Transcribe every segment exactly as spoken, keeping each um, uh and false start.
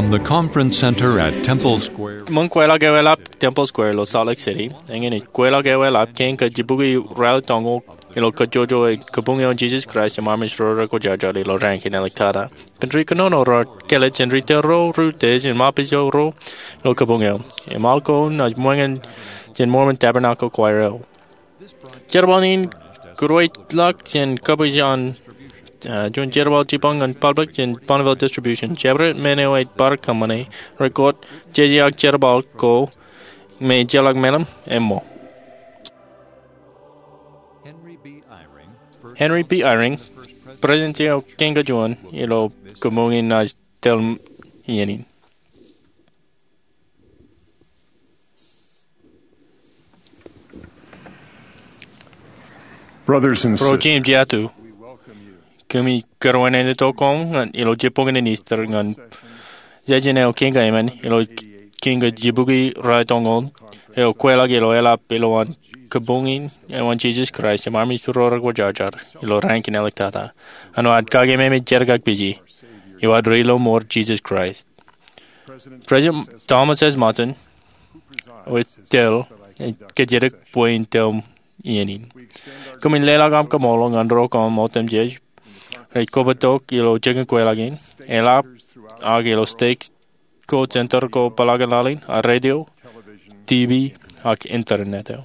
From the conference center at Temple Square. Ṃōn kweilọk eoelap Temple Square ilo Salt Lake City, eñin ej kweilọk eoelap kein kajjibukwi raeltọñoul ilo kajjojo eo kabuñe in Jesus Christ in Armej ro rekwōjarjar ilo raan kein āliktata. Kōn ri kōnono raar kāālōt jān ri tōl ro, ri utiej im ṃōpij ro ilo kabuñ eo. Im al ko naaj ṃōñā jān Mormon Tabernacle Choir eo. Jerbal in kūrweilọk jān kapijak an, uh, juon jerbal jipañ ñan public jān Bonneville Distribution. Jabdewōt men eo ej bar kōṃṃane, rekōt jejeak jerbal ko me ejjeḷọk meḷeḷe eo. Henry B. Eyring, President eo kein kajuon ilo kabuñ in naaj tōl iien in. Brothers and sisters, im jatū, kōmij kōrā wōt āinwōt koṃ ñan ilo jibboñōn in Easter ñan jājen eo kein kaemān ilo kein kajjibukwi raeltọñoul eo kweilọk ilo eoelap ilowaan kabuñ in eo an Jesus Christ im Armej ro rekwōjarjar ilo raan kein āliktata. Āinwōt kake me ej jerkakpeje, eo ad ri lọmọọr Jesus Christ. President Thomas S. Monson eo ej tōl im kōjatdikdik bwe in tōl iien in. Kōmij leḷọk aṃ kaṃṃoolol ñan ro kōṃṃan otemjej rej kobōtok ilo jikin kweilọk in, eḷap, ak ilo stek ko, center ko, peḷaakin laḷ in, ak radio, TV, ak internet eo.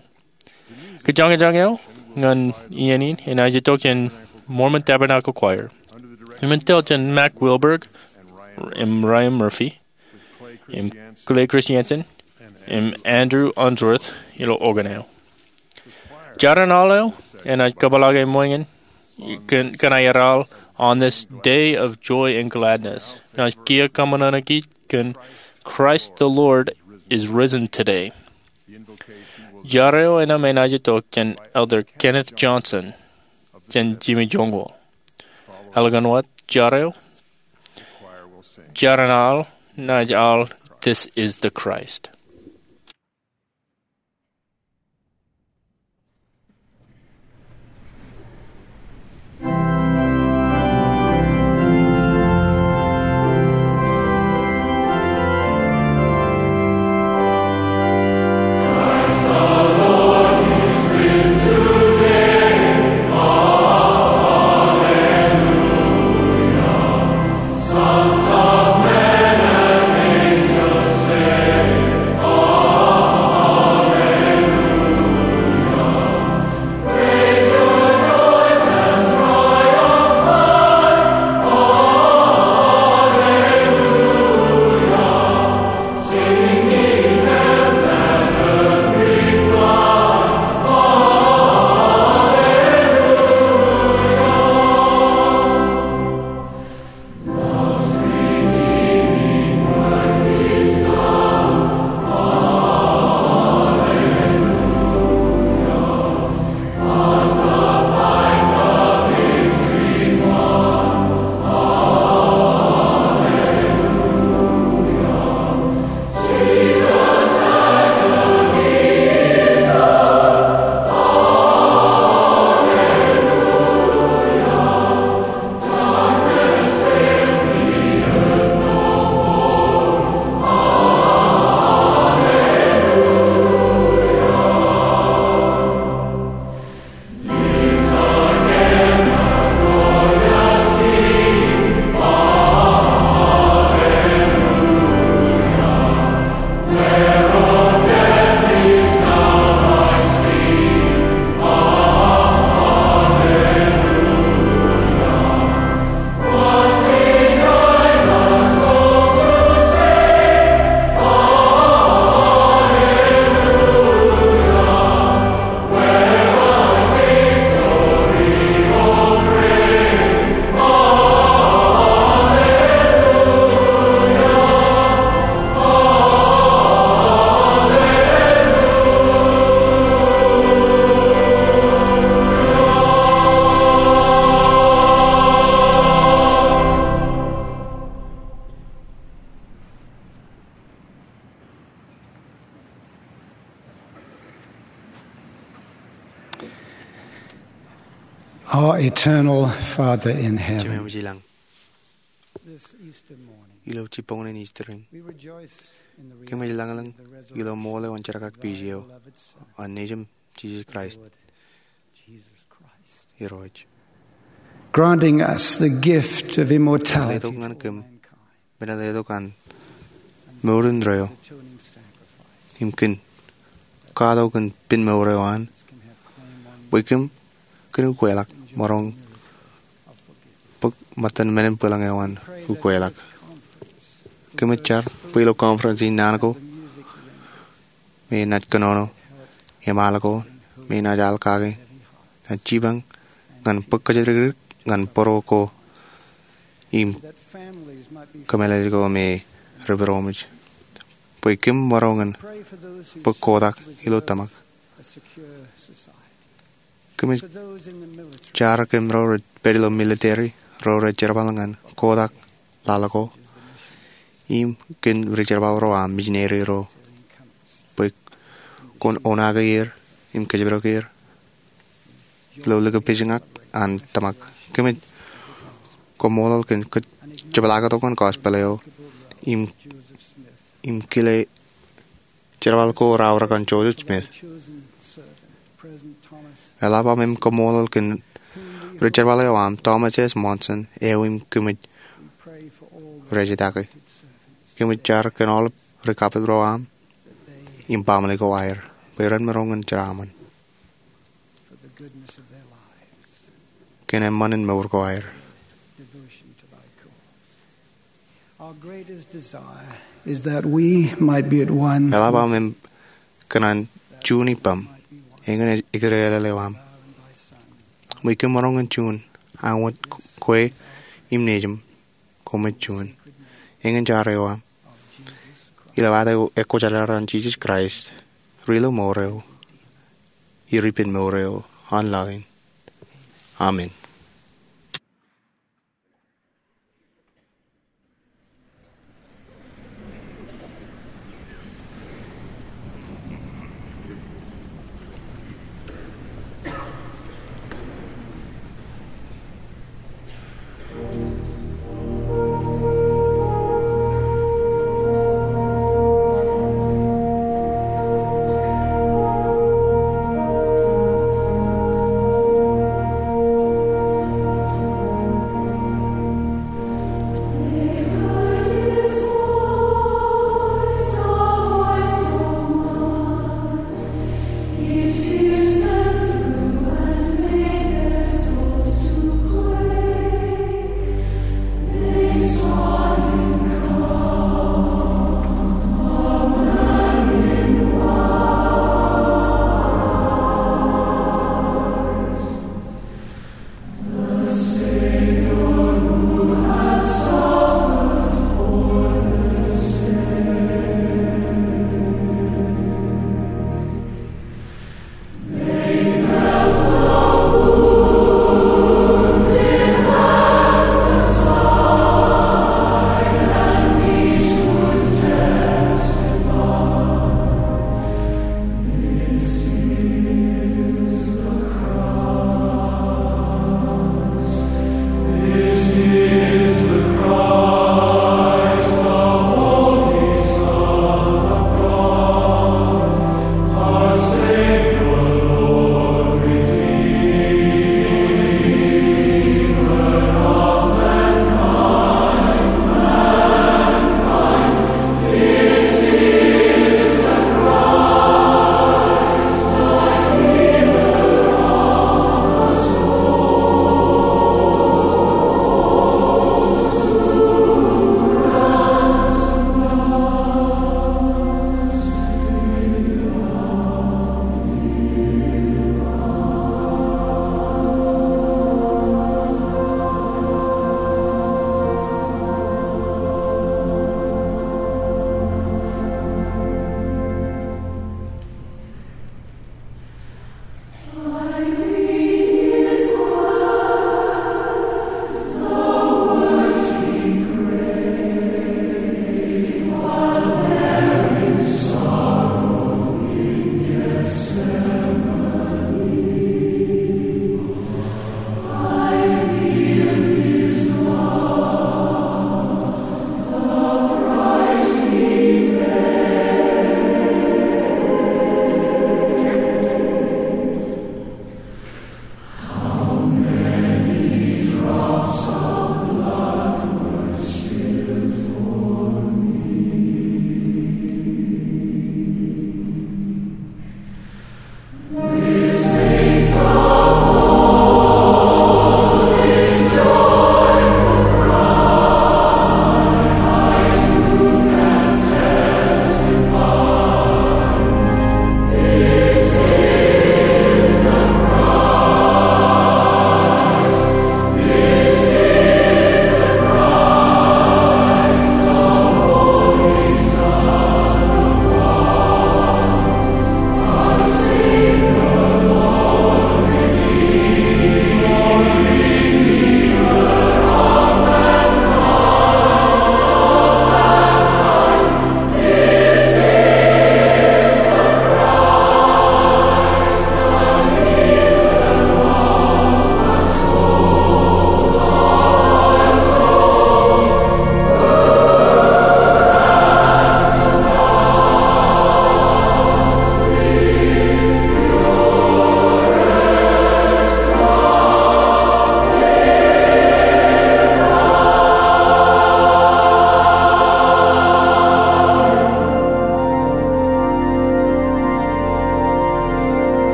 Kōjañjañ eo ñan iien in enaaj itok jān Mormon Tabernacle Choir. Im ej tōl jān Mack Wilberg, im Ryan Murphy, im Clay Christiansen, im Andrew Unsworth ilo organ eo. Jar in al eo enaaj kōpeḷḷọk ṃōñā kōn, kōn aer al On This Day of Joy and Gladness. Naaj kiiō kōṃanṃan kōn Christ the Lord is risen today. Jar eo enaaj itok jān Elder Kenneth Johnson jān Jimmy Jongol. Eḷap ñan wōt jar eo, jar in al naaj al This is the Christ. Our eternal Father in heaven. Jemem ilañ. ilo jibboñōn in Easter in. Kōmij lañlōñ ilo ṃool eo an jerkakpeje eo an Nejiṃ Jisōs Kraist Irooj, granting us the gift of immortality. Letok ñan kōm men letok an mour indeeo im kōn katok in pen mour eo an, bwe kōm kōn ukweḷọk maroñ bōk ṃōttan men in bwilōñ eo an ukweḷọk. Kōmij jar bwe ilo conference in naan ko me naaj kōnono, eṃaal ko me naaj al kake, naaj jipañ ñan bōk kōjatdikdik ñan bōro ko im kōmeḷeḷe ko me rej pād ṃōj, bwe kōm maroñ in bōk kotak ilo tōmak. Kōmij jar kōm ro rej pād ilo military, ro rej jerbal ñan kotak laḷ ko, im kōn rijerbal ro aṃ, misineri ro, bwe kwōn oṇaake er im kōjparok er ilo likipejñak an tōmak. Kōmij kaṃṃoolol kōn kōjepḷaaktok ñan gospel eo im, im kile jerbal ko raorōk an Joseph Smith. Eḷap aṃ im kaṃṃoolol kōn rijerbal eo aṃ, Thomas S. Monson, eo im kōmij rejetake. Kōmij jar kōn aolep ri-kapit ro aṃ im baaṃle ko aer, bwe ren maroñ in jeraaṃṃan kōn eṃṃan in mour ko aer. Our greatest desire is that we might be at one. Eḷap aṃ im kōṇaan juon ippaṃ, eñin ekōjkan eo aṃ, bwe kōm maroñ in juon, añwōj kwe im nejiṃ, koṃij juon. Eñin jar eo aṃ, ilo ad ekwōjarjar an Jisōs Kraist, ri-ilo mour eo, ri-ippān mour eo an laḷ in. Amen.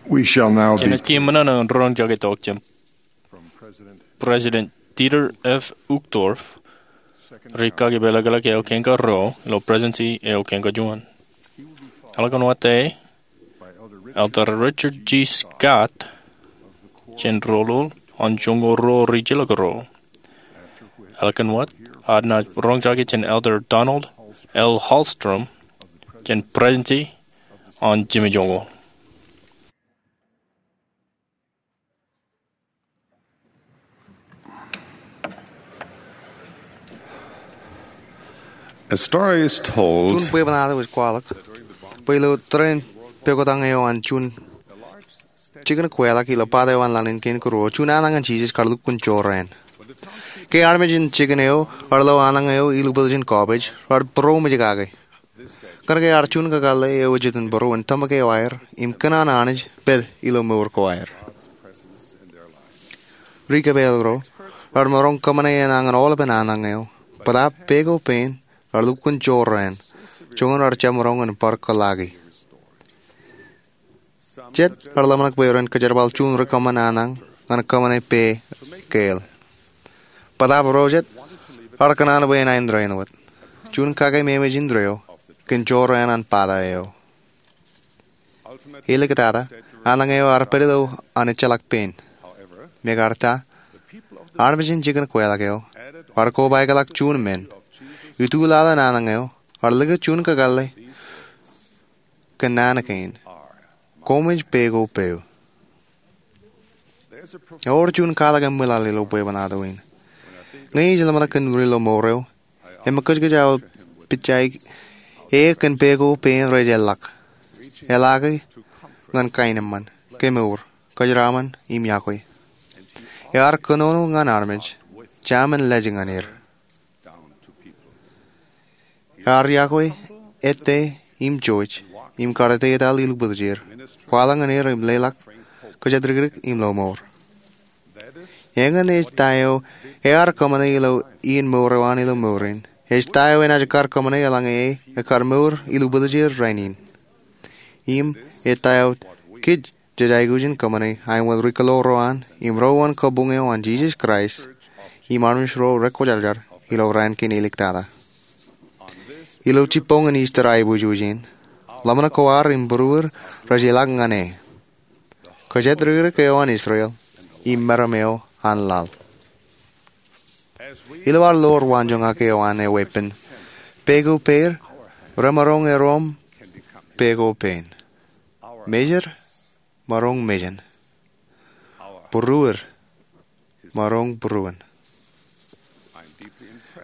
Jenaaj kiiō ṃōṇōṇō in roñjake tok jān President Dieter F. Uchtdorf, ri kaki peḷḷọk eo kein karuo ilo Presidency eo kein kajuon. Eḷaññe wōt e Elder Richard G. Scott jān Rōḷoḷ an Joñoul ruo ri jilkinro. Eḷaññe wōt ad naaj roñjake jān Elder Donald L. Hallstrom jān Presidency an Jimmy Joñoul. A story is told. Juon bwebwenato ej kwaḷọk bwe ilo tōre in pokwotañ eo an juon jikin kweilọk ilo pata eo an laḷ in kein karuo, juon annañ an Jisōs kar lukkuun jorrāān. Ke armej in jikin eo ear lo annañ eo ilubwiljin kọpej, raar būroṃōj kake. Kōnke ear juon kakōḷḷe eo ej itok būruon tōmak eo aer im kōṇaan Anij pād ilo mour ko aer. Ri kōpeḷḷọk ro raar maroñ kōṃṃane enañin aolepen annañ eo, bōtaab pe ko pein raar lukkuun jorrāān, joñan raar jab maroñ in bar kōḷḷaaki. Jet raar ḷōmṇak bwe ren kōjerbal juon ri kōṃṃan annañ ñan kōṃṃane pe keel. Bōtaab ro jet raar kōṇaan bwe enaaj indeeo wōt. Juon kake ememej indeeo kōn jorrāān an pata eo. Āliktata, annañ eo ear pād ilo an ejjeḷọk pein. Mekarta, armej in jikin kweilọk eo ear kobaikḷọk juon men. Ituḷaḷ in annañ eo ear likūt juon kakōḷḷe kōn naan kein: Koṃij pe ko peo. Ewōr juon katak eṃwilaḷ ilo bwebwenato in. Ñe ij ḷōmṇak kōn ri ilo mour eo, eṃōkajkōj aō pitjaik e kōn pe ko pein rej eḷḷọk, eḷaaki ñan kaenōṃṃan, kemour, kōjeraṃṃan im iọkwe. Ear kōnono ñan armej, jemān lej ñan er. Ear iọkwe ettā im jouj im kar etetal ilubwiljir, kwaḷọk ñan er im leḷọk kōjatdikdik im lo mour. Eñin ej ta eo ear kōṃṃane ilo iien mour eo an ilo mour in. Ej ta eo enaaj kar kōṃṃane eḷaññe e ekar mour ilubwiljir rainin. Im ej ta eo kōj jej aikuj in kōṃṃane aemwōj ri kōḷoor ro an im ro uwain kabuñ eo an Jisōs Kraist im armej ro rekwōjarjar ilo raan kein āliktata. Ilo jibboñin Easter aiboojoj in, ḷōmṇak ko ad im būruod rej ilọk ñan e, kōjatdikdik eo an Israel im meram eo an laḷ. Ilo ad lo waanjoñak eo an eweeppān, pe ko peid remaroñ erom pe ko pein. Mejid maroñ mejān. Būruod maroñ būruon.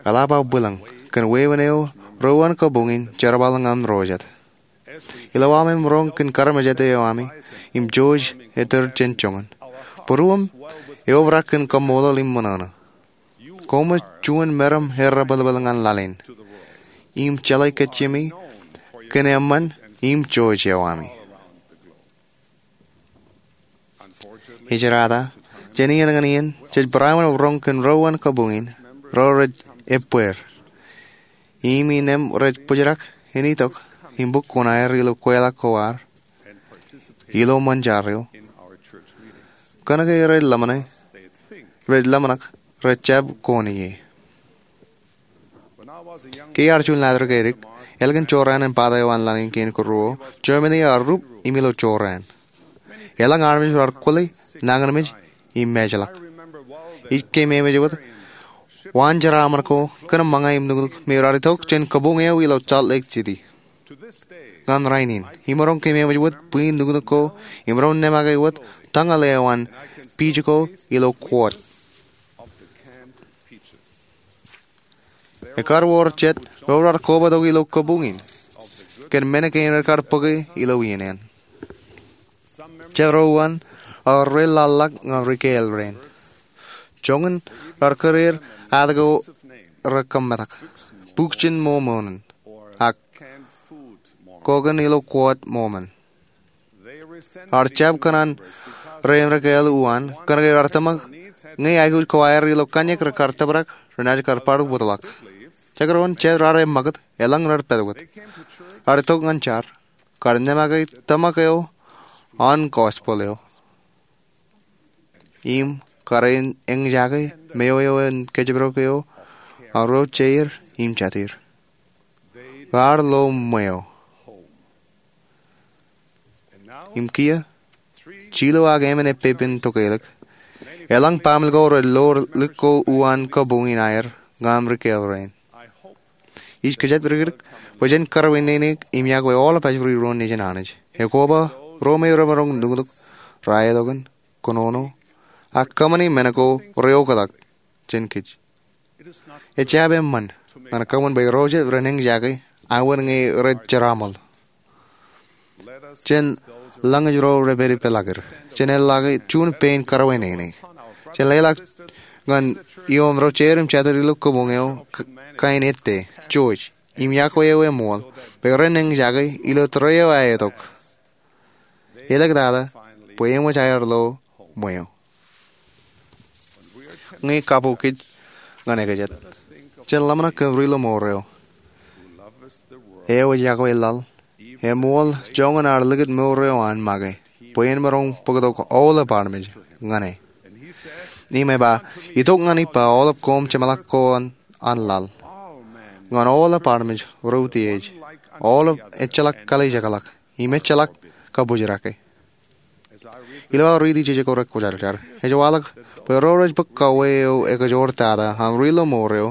Eḷap aō bwilōñ kōn wāween eo ro uwain kabuñ in jerbal ñan ro jet. Ilo aṃ maroñ kōn karamjete eo ami im jouj ettōr jān joñan, būruōṃ eobrak kōn kaṃṃoolol im ṃōṇōṇō. Koṃij juon meram errepelpel ñan laḷ in im jeḷā kajjimi kōn eṃṃan im jouj eo ami. Ejirata, jān iien ñan iien jej barāinwōt roñ kōn ro uwain kabuñ in, ro rej ebbeer im innām rej bōjrak in itok im bōk kuṇaer ilo kweilọk ko ad ilo ṃōn jar eo, kōnke rej ḷōmṇe, rej ḷōmṇak rej jab koon ie. Ke iar juon laḷ ri kaidik, ālikin jorrāān in pata eo an laḷ in kein karuo, Germany ear rup im ilo jorrāān. Elōñ armej raar kwōle nañinmej im ṃajeḷọk. Ij keememej wōt waan jeraaṃṃan ko kōn ṃōñā im nuknuk me raar itok jān kabuñ eo ilo Salt Lake City ñan rainin, im imaroñ keememej wōt bwij nuknuk ko im ro ṇemake wōt tañal eo an piij ko ilo kuwot. Ekar wōr jet ro raar kobatok ilo kabuñ in kōn men kein rekar bōke ilo iien in. Jet ro uwain ear reḷḷaḷḷọk ñan ri keel rein. Joñan raar kōreer aet ko rekōmetak, Bukjin Mōmon in ak Koken ilo Kuwot Mōmon. Ear jab kōṇaan rein ri keel uwaan kōnke raar tōmak ñe aikuj ko aer ilo kōnñak rekar tōprak renaaj kar bar wōtlọk. Jekdọọn jet raar eṃṃakūt, elōñ rej pād wōt. Raar itok ñan jar, kar ṇemake tōmak eo an gospel eo im kar eñjake meo eo en kōjparok eo an ro jeir im jatier. Raar lo ṃweo. Im kiiō, jilu ak emān eppepen tokelōk eḷaññe baaṃle ko rej lo lik ko uwaan kabuñ in aer ñan ri kōḷ rein. Ij kōjatdikdik bwe jen kōrā wōt nene im yokwe aolep ajri ro nejin Anij. Ekoba ro me remaroñ nuknuk, raelọkin, kōnono, ak kōṃṃani men ko reoktak jān kōj. Ejjab eṃṃan ñan kōṃṃan bwe ro jet ren eñjake aenwōt ñe rej jeraaṃōl. Jen lañōj ro rej pād ippān ḷọk er. Jen eḷḷọke juon pein kōrā wōt nene. Jen leḷọk ñan ioon ro jeir im jatier ilo kabuñ eo kain Ettā, Jeorj, im yokwe eō eṃool bwe ren eñjake ilo tōre eo aetok. Elōktata bwe eṃōj aer lo ṃweo. Ñe kabuñ kōj ñan ekajet, jen ḷōmṇak kōn ri-lọmọọr eo eo ej yokwe laḷ, eṃool joñan ear likūt mour eo an make bwe en maroñ bōktok aolep armej ñan e. Im eba, itok ñan ippa aolep koṃ jeṃḷọk ko an laḷ, ñan aolep armej reutiej, aolep ejjeḷọk kalijekḷọk im ejjeḷọk kabōjrake. Ilo aō riiti jejako rekwōjarjar, ej waḷọk bwe ro rej bōk kauwe eo ekajoor tata an ri-lọmọọr eo,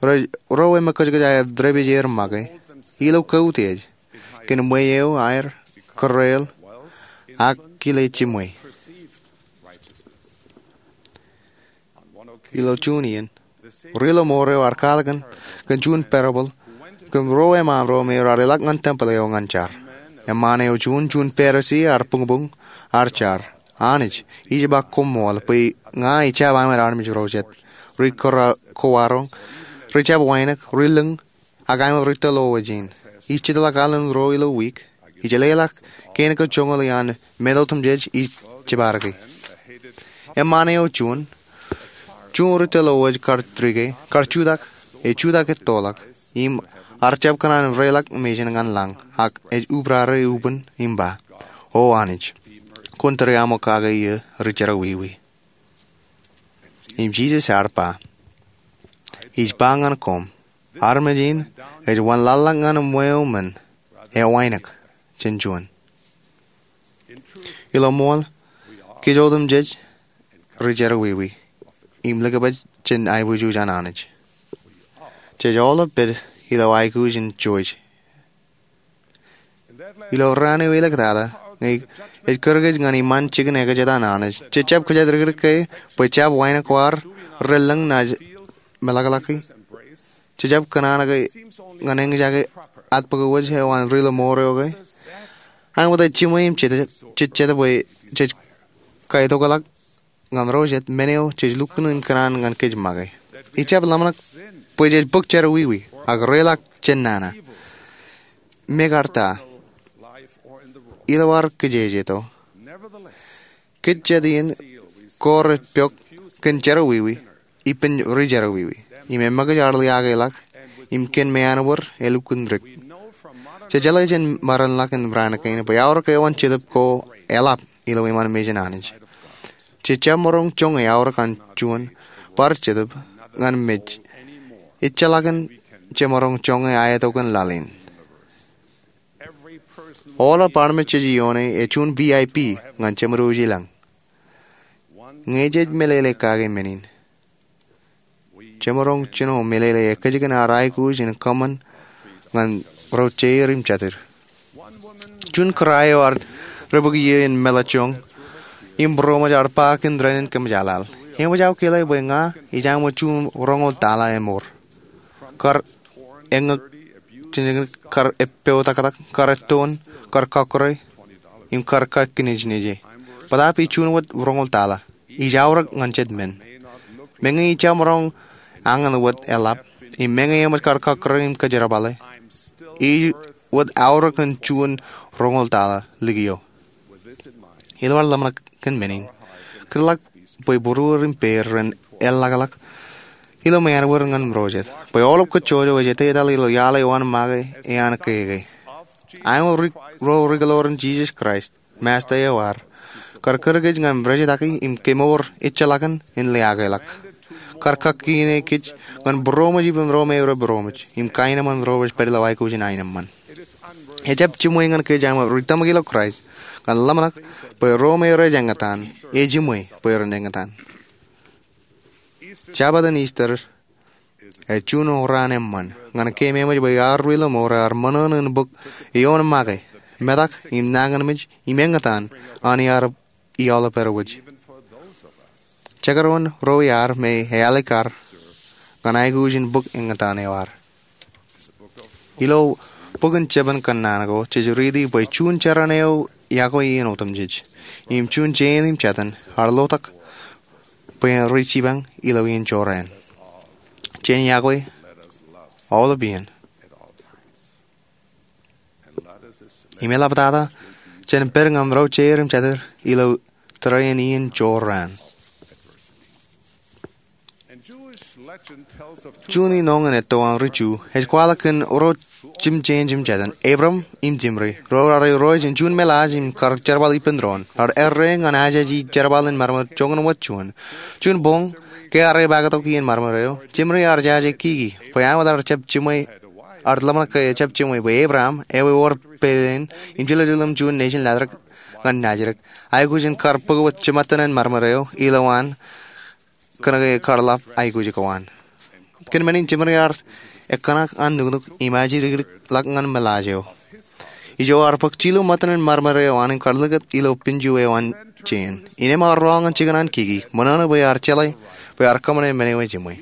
ro rej mekkōjkōj aer dāpij er make ilo kautiej kōn ṃweo aer, kōrreoḷ, ak kile jiṃwe. Ilo juon iien, ri-lọmọọr eo ear kwaḷọk kōn juon parable kōn ruo eṃṃaan ro me raar ilọk ñan tempel eo ñan jar. Eṃṃaan eo juon, juon Pharisi ear buñbuñ, ear jar, Anij, ij ba koṃṃool bwe ña ijjab aemān armej ro jet. Ri kōwaroñ, ri jab wānōk, ri lōñ, ak aemān ri tōl owōj in. Ij jitḷọk alen ruo ilo wiik. Ij leḷọk kein ko joñoul iaan men otemjej ij jipaake. Eṃṃaan eo juon, juon ri tōl owōj kar trike, kar jutak, ej jutak ettoḷọk, im ear jab kōṇaan reiḷọk mejān ñan lañ, ak ej ubrare ubōn im ba, O Anij, kwōn tōre aṃōk kake iiō ri jerọwiwi. Im Jisōs ear ba, Ij ba ñan koṃ, armej in ej wanlaḷḷọk ñan ṃweo men ewānōk jān juon. Ilo ṃool, kōj otemjej ri jerọwiwi im likabaj jān aiboojoj an Anij. Jej aolep pād ilo aikuj in Jeorj. Ilo raan eo elōktata, ñe ej kūr kōj ñan iṃaan jikin ekajet an Anij, jej jab kōjatdikdik ke bwe jab wānōk ko aer, relōñ naaj meḷọkḷọki? Jej jab kōṇaan ke ñan eñjake atbōk wōj eo an ri-lọmọọr eo ke? Aṃ wōt jiṃwe im jejjet bwe jej kaitokḷọk ñan ro jet men eo jej lukkuun im kōṇaan ñan kōj make. Ij jab ḷōmṇak bwe jej bōk jerọwiwi ak reiḷọk jān nana. Mekarta, ilo ad kōjejeto, kōj jet iien ko rej pok kōn jerọwiwi ippān ri jerọwiwi, im eṃōkaj ad liaakḷọk im kōn meanwōr elukkuun dik. Jej jeḷā jān maroñ ḷọk in raan kein bwe aorōk eo an Jetōb ko eḷap ilo iṃaan mejān Anij. Jej jab maroñ joñe aorōk an juon bar Jetōb ñan mej ejjeḷọkin jemaroñ joñe aetokan laḷ in. Aolep armej jej ioone ej juon V I P ñan jeṃōd wōj i lañ. Ñe jej meḷeḷe kake men in, jemaroñ jino meḷeḷe ekkejkan ad aikuj in kōṃṃan ñan ro jeir im jatier. Juon kōrā eo ear debōk iiō in meḷọkjeṇ im būroṃōj ear ba kōn dān in kōmjaaḷaḷ, Eṃōj aō kile bwe ña ij aṃ wōt juon roñoul taḷa eṃor, kar eñak, kar eppeotaktak, kar ettoon, kar kọkkure, im kar kakkinejneje. Bōtaab ij juon wōt roñoul taḷa. Ij aorōk ñan jet men. Meñe ij jab maroñ añin wōt eḷap, im meñe eṃōj kar kọkkure im kōjerbale, ij wōt aorōk ñan juon roñoul taḷa likio. Ilo ad ḷōmṇak kōn men in, kōtḷọk bwe būruod im pād ren eḷḷọkḷọk ilo meanwōr ñan ro jet, bwe aolep kōj jọjọ ej etetal ilo iaḷ eo an make ean keke. Aemōj ro ri-kōḷ ro an Jisōs Kraist Masta eo ear kar kūr kōj ñan rijitaki im kemour ejjeḷọkin in liaakḷọk. Kar kakkine kōj ñan būroṃōj ippān ro me rej būroṃōj im kaenōṃṃan ro rej pād ilo aikuj in aenōṃṃan. Ejjab jiṃwe ñan kōj aṃ ri tōmak ilo Kraist ñan ḷōmṇak bwe ro me rej eñtaan, ejiṃwe bwe ren eñtaan. Jabōt in Ister ej juon raan eṃṃan ñan keememej bwe ear ri ḷōṃoor ear ṃōṇōṇō in bōk ioon make, metak im nañinmej im eñtaan an iar iaḷ pād wōj. Jekdọọn ro iar me ealikkar ñan aikuj in bōk eñtaan eo ad. Ilo bok in Jepin kōnnaan ko jej riiti bwe juon jeran eo iakwe iien otemjej im juon jein im jatōn ear lotak bwe en ri jipañ ilo iien jorrāān. Jen iakwe aolep iien. Im eḷaptata jen pād ñan ro jeir im jatūr ilo tōre in iien jorrāān. Juon ioon in etto an ri Ju ej kwaḷọk kōn ro jimjeen jimjatōn, Ebram im Jimri, ro raar irooj in juon meḷaaj im kar jerbal ippān doon. Raar erreo ñan ajeje jerbal in maroñ joñan wōt juon. Juon boñ ke arro epaak tok iien maroñ eo, Jimri ear jaje kiki bwe āinwōt ear jab jiṃwe, ear ḷōmṇak ke ejjab jiṃwe bwe Ebram ewōr pein im jiljilimjuon nejin latrōk ñan najidik. Aikuj in kar bōk wōt jiṃṃatōn in maroñ eo ilowaan kōnke ekar ḷap aikuj ko an. Kōn men in Jimri ear ekkōṇak an nuknuk im ajjidikdik ḷọk ñan meḷaaj eo. Ijo ear bōk jilu ṃōttan in maroñ eo an im kar likūt ilo pinju eo an jein. Innām ear roñ ñan jikin an kiki, ṃōṇōṇō bwe ear jeḷā bwe ear kōṃṃane men eo ejiṃwe.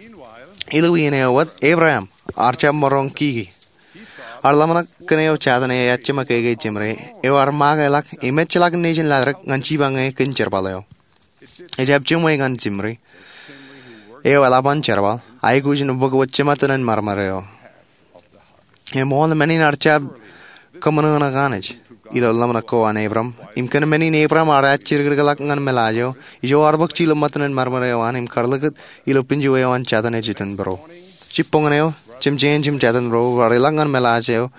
Ilo iien eo wōt, Ebram ear jab maroñ kiki. Ear ḷōmṇak kōn eo jatōn eo ejjab make ke Jimri eo ear make ḷọk im ejjeḷọk nejin latrōk ñan jipañe kōn jerbal eo. Ejjab jiṃwe ñan Jimri eo eḷap an jerbal aikuj in bōk wōt jiṃṃatōn in maroñ eo. Eṃool men in ear jab kōṃōṇōṇō Anij ilo ḷōmṇak ko an Ebram im kōn men in Ebram ear ajjidikdik ḷọk ñan meḷaaj eo, ijo ear bōk jilu ṃōttan in maroñ eo an im kar likūt ilo pinju eo an jatōn ej iton būro. Jibboñōn eo, jimjeen jimjatōn ro raar ilọk ñan meḷaaj eo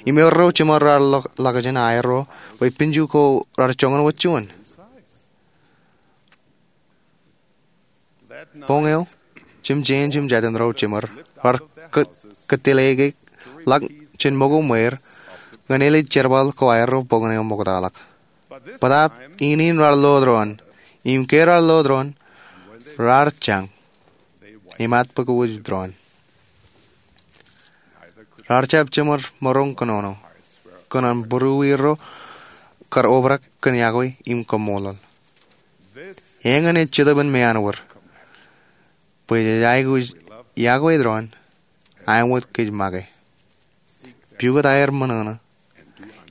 im erro jiṃor raar ḷọk, ḷọkjeṇ aerro bwe pinju ko raar joñan wōt juon. Boñ eo, jimjeen jimjatōn ro jiṃor raar kō-, kōtteleke ḷọk jān ṃōko ṃweer ñan elej jerbal ko aerro boñōn eo ṃoktaḷọk. Bōtaab in in raar lo doon, im ke raar lo doon, raar jañ im atbōk wōj doon. Raar jab jiṃor maroñ kōnono kōn an būruerro kar obrak kōn iakwe im kaṃṃoolol. Eñin ej Jetōb in meanwōd bwe jej aikuj iakwe doon āinwōt kōj make. Pukot aer ṃōṇōṇō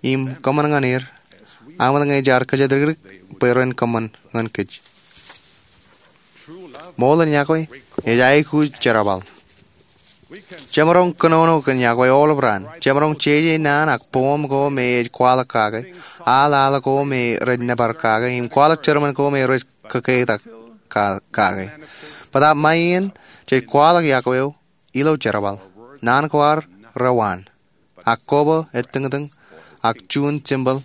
im kōṃṃan ñan er āinwōt ñe jaar kōjatdikdik bwe ren kōṃṃan ñan kōj. Ṃool in iakwe ej aikuj jerbal. Jemaroñ kōnono kōn iakwe aolep raan. Jemaroñ jeje naan ak poem ko me ej kwaḷọk kake, al al ko me rej nōbar kake, im kwaḷọk sermon ko me rej kōketak ka-, kake. Bōtaab ṃae iien jej kwaḷọk iakwe eo ilo jerbal. Naan ko ad rewaan, ak koba etōñtōñ, ak juon tempel.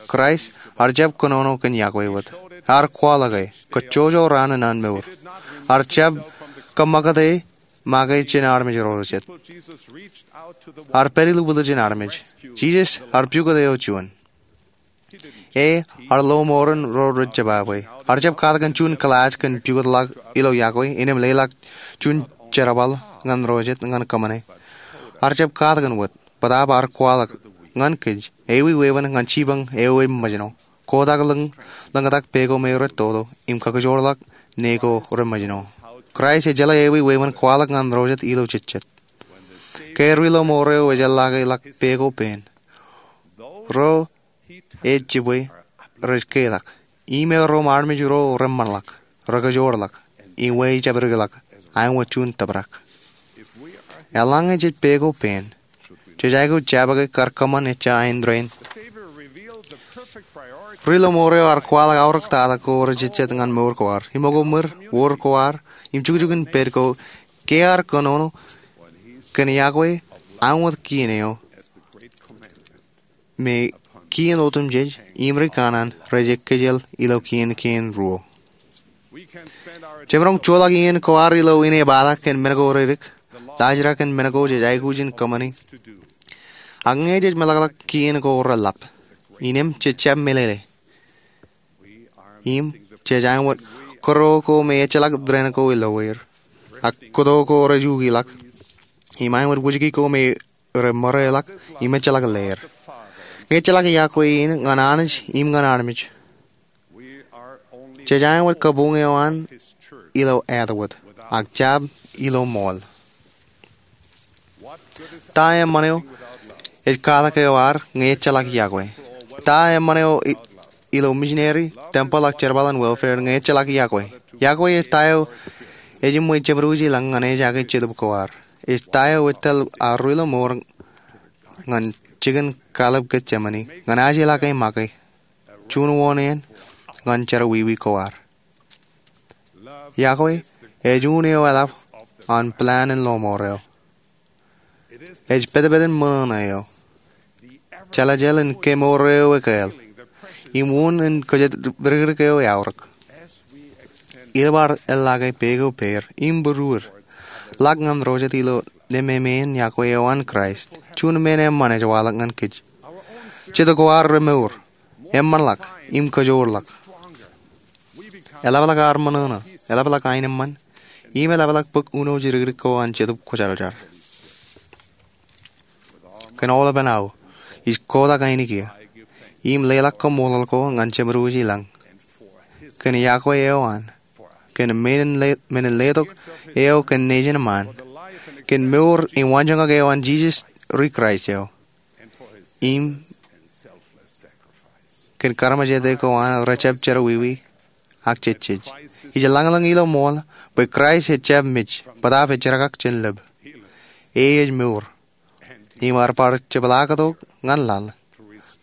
Kraist ear jab kōnono kōn iakwe wōt. Ear kwaḷọke, kōjjojo raan in an mour. Ear jab kōṃṃakūt e make jān armej ro jet. Ear pād ilubwiljin armej. Jisōs ear pukot eo juon. E, ear lo mour in ro rej jebwābwe. Ear jab katakin juon kilaaj kōn pukot ḷọk ilo iakwe, innām leḷọk juon jerbal ñan ro jet ñan kōṃṃane. Ear jab katakin wōt, bōtaab ear kwaḷọk ñan kōj, ewi wewen ñan jipañ eo eṃōjṇọ. Kotak lōñ, lōñtak peko me rej toto, im kakijoorḷọk ne ko reṃōjṇọ. Kraist ej jeḷā ewi wewen kwaḷọk ñan ro jet ilo jejjet. Ke ri ḷōṃoor eo ejjeḷọke ḷọk peko pen, ro ej jibwe rej ketak. Im erro armej ro reṃṃanḷọk, rekajoorḷọk, im ejabdikḷọk, āinwōt juon tōprak. Eḷaññe jej peko pen, jej aikuj jabōke kar kōṃṃan ejja āindein. Ri ḷōṃoor eo ear kwaḷọk aorōk tata ko rejejjet ñan mour ko ad, im ṃōko ṃwir, wōr ko ad, im jukjuk in pād ko, ke ear kōnono kōn iakwe āinwōt kien eo me kien otemjej im ri kanaan rej ekkejel ilo kien kein ruo. Jemaroñ joḷọk iien ko ad ilo inepata kōn men ko reddik, laajrak in men ko jej aikuj in kōṃṃani. Ak ñe jej meḷọkḷọk kien ko reḷḷap, innem jej jab meḷeḷe. Im jej aṃ wōt kōto ko me ejjeḷọk dān ko ilo er, ak kōto ko rej ukiḷọk, im aṃ wōt wūjki ko me rej ṃōreḷọk im ejjeḷọk leer. Ñe ejjeḷọk iọkwe in ñan Anij im ñan armej, jej aṃ wōt kabuñ eo an ilo āt wōt, ak jab ilo ṃool. Ta eṃṃan eo ej katak eo ad ñe ejjeḷọk iọkwe? Ta eṃṃan eo ilo misineri, tempel ak jerbal in welfare ñe ejjeḷọk iọkwe? Iọkwe ej ta eo ejiṃwe jeṃōd wūj ilañ ñan ejake jetōb ko ad. Ej ta eo etal ad ri ḷōṃour ñan jikin kallib Getsemane ñan ajilake make juon wōṇāān ñan jerọwiwi ko ad. Iọkwe ej un eo eḷap an plan in ḷōṃour eo. Ej petpet in ṃōṇōṇō eo, jeḷājeḷ in kemour eo ekāāl, im un in kōjatdikdik eo eaorōk. Ilo ad eḷḷake peko pāer im būruod ḷọk ñan ro jet ilo nemāmein iọkwe eo an Kraist, juon men eṃṃan ej waḷọk ñan kōj. Jetōb ko ad remour, eṃṃanḷọk, im kōjoorḷọk. Eḷapḷọk ad ṃōṇōṇō, eḷapḷọk aenōṃṃan, im eḷapḷọk bōk uno jidikdik ko an Jetōb Kwōjarjar. Kōn aolepān aō, ij kotak ainikien im leḷọk kaṃṃoolol ko ñan Jeṃōd wōj ilañ kōn iọkwe eo an, kōn men in letok eo kōn nejin eṃṃaan, kōn mour im waanjoñak eo an Jisōs ri Kraist eo, im kōn karamājete ko an rejjab jerọwiwi ak jejjej. Ij lañlōñ ilo ṃool bwe Kraist ejjab mej bōtaab ejjerakak jān lōb. E ej mour im ear bar jepḷaaktok ñan laḷ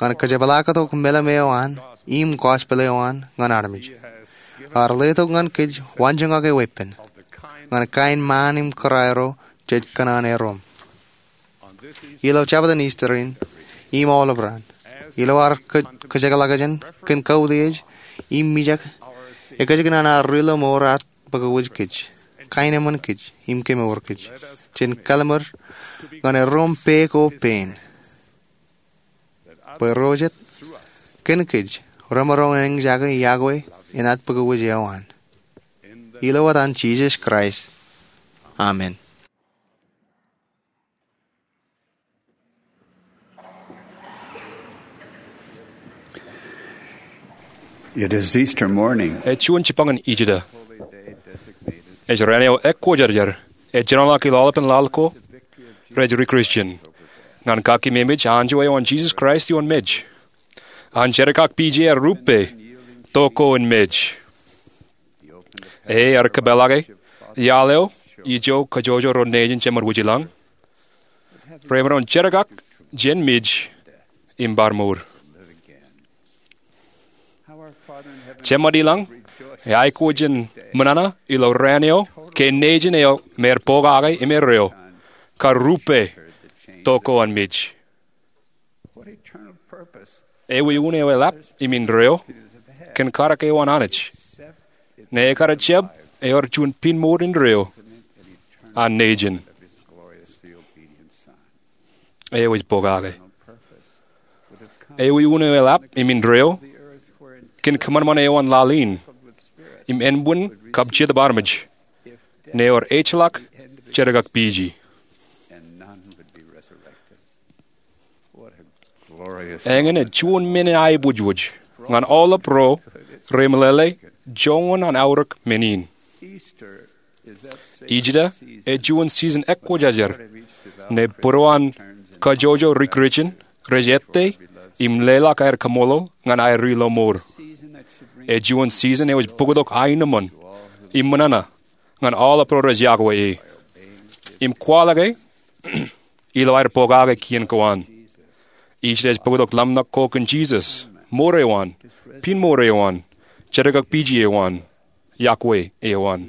ñan kajepḷaaktok meḷeḷe eo an im gospel eo an ñan armej. Ear letok ñan kōj waanjoñak eo epen ñan kain ṃaan im kōrā ro jej kōṇaan erom. Ilo jabōt in Ister in im aolep raan, ilo ad kōjekḷọk jān kōn kautiej im mijak, ekajjikōṇaan ad ri ḷōṃour ear bōk wōj kōj, kain eṃṃan kōj, im kemour kōj. Jen kallimur ñan erom pā ko pein bwe ro jet kōn kōj remaroñ in eñjake iọkwe in ad bōk wōj eo an. Ilo etan Jisōs Kraist, amen. It is Easter morning. Ej juon jibboñin Ijda. Ej raan eo ekwōjarjar ej jinoḷọk ilo aolepān laḷ ko rej ri Kristian ñan kakkememej anjọ eo an Jisōs Kraist ioon mej. An jerkakpeje aer rupe tok ko in mej. E ear kōpeḷḷọke iaḷ eo ijo kōjojō ro nejin Jeṃṃan wōj ilañ remaroñ jerkak jān mej im bar mour. Jeṃṃan ilañ eaikuj in ṃōṇōṇō ilo raan eo ke nejin eo me ear pokake im erreo kar rupe tok ko an mej. Ewi un eo eḷap im indeeo kōn karak eo an Anij ne ekar jab ewōr juon piin mour indeeo an nejin eo ej pokake? Ewi un eo eḷap im indeeo kōn kōṃanṃan eo an laḷ in im ānbwin kab jetōb armej ne ewōr ejjeḷọk jerkakpeje? Eñin ej juon men in aebojboj ñan aolep ro remeḷeḷe joñan an aorōk men in. Ijda ej juon season ekwōjarjar ne būruon kōjojō ri Kristian rej ettā im leḷọk aer kaṃṃoolol ñan aer ri ḷōṃour. Ej juon season eo ej bōktok aenōṃṃan im ṃōṇōṇō ñan aolep ro rej iọkwe e im kwaḷọke ilo aer pokake kien ko an. Ijda ej bōktok ḷōmṇak ko kōn Jisōs, mour eo an, piin mour eo an, jerkakpeje eo an, iọkwe eo an.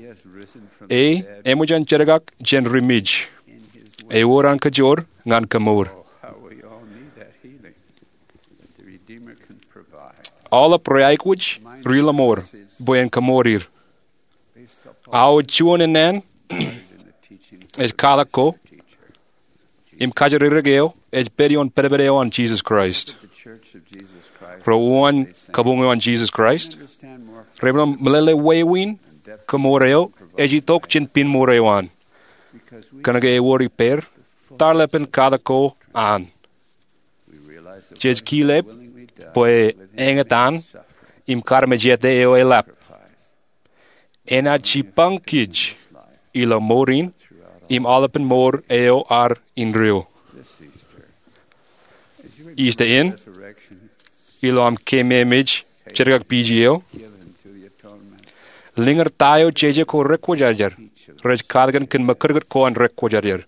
E eṃōj an jerkak jān ri mej. Ewōr an kajoor ñan kōmour. Aolep rej aikuj ri-lọmọọr bwe en kōṃṃoor er. Aō juon ennaan ej katak ko im kajjirere eo ej pād ioon pedped eo an Jisōs Kraist. Ro uwaan kabuñ eo an Jisōs Kraist reban meḷeḷe wāween kōṃṃoor eo ej itok jān pinnmour eo an, kōnke ewōr ippāer tarlepen katak ko an. Jej kile bwe eñtaan im kaarmejāte eo eḷap enaaj jipañ kōj ilo mour in im aolepen mour eo ad indeeo. Easter in, ilo aṃ keememej jetkakpeje eo, liñūr ta eo jeje ko rekwōjarjar rej katakin kōn mokūtkūt ko an rekwōjarjar.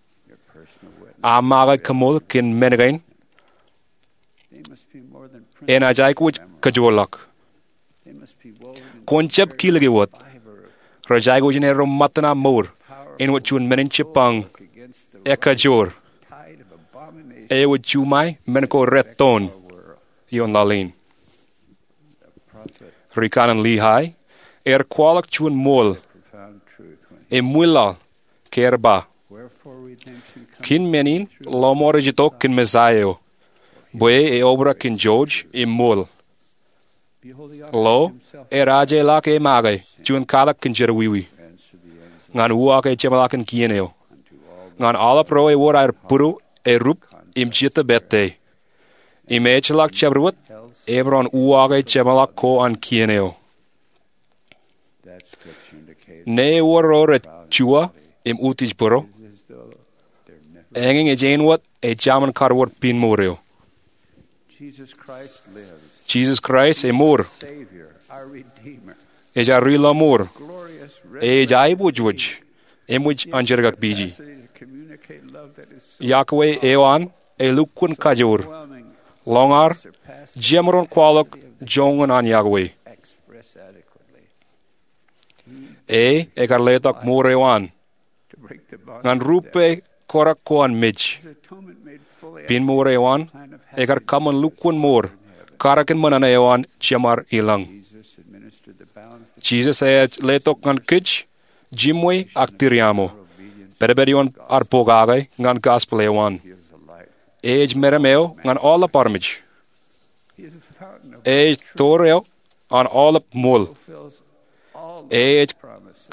Aṃ make kōṃṃool kōn men kein enaaj aikuj kajoorḷọk. Kwōn jab kilōk e wōt. Rej aikuj in erro ṃōttan aṃ mour āinwōt juon men in jipañ ekajoor eo ej juṃae men ko rettoon ioon laḷ in. Ri-kanaan Lehi ear kwaḷọk juon ṃool im ṃwilaḷ ke ear ba, kōn men in lọmọọr ej itok kōn Messaia eo, bwe e obrak kōn jouj im ṃool. Lo, ear ajeḷọk e make juon katak kōn jerọwiwi, ñan uwaak e jeṃḷọkin kien eo, ñan aolep ro ewōr aer būdo, erup, im jetōb ettā. Im ejjeḷọk jabdewōt emaroñ uwaak e jeṃḷọk ko an kien eo. Ñe ewōr ro rej juwa im utiej būro, eñin ej āinwōt ejāmin kar wōr pinnmour eo. Jisōs Kraist emour, ej ad ri-lọmọọr, ej aiboojoj eṃōj an jetkakpeje. Yokwe eo an elukkuun kajoor, lọñaar, jemaroñ kwaḷọk joñan an yokwe. E ekar letok mour eo an ñan rupe korak ko an mej. Pinnmour eo an ekar kōṃṃan lukkuun mour karakin ṃōṇōṇō eo an Jemar ilañ. Jisōs eaar letok ñan kōj jiṃwe ak tiriaṃo, pedped ioon ad pokake ñan gospel eo an. E ej meram eo ñan aolep armej. E ej door eo an aolep ṃool. E ej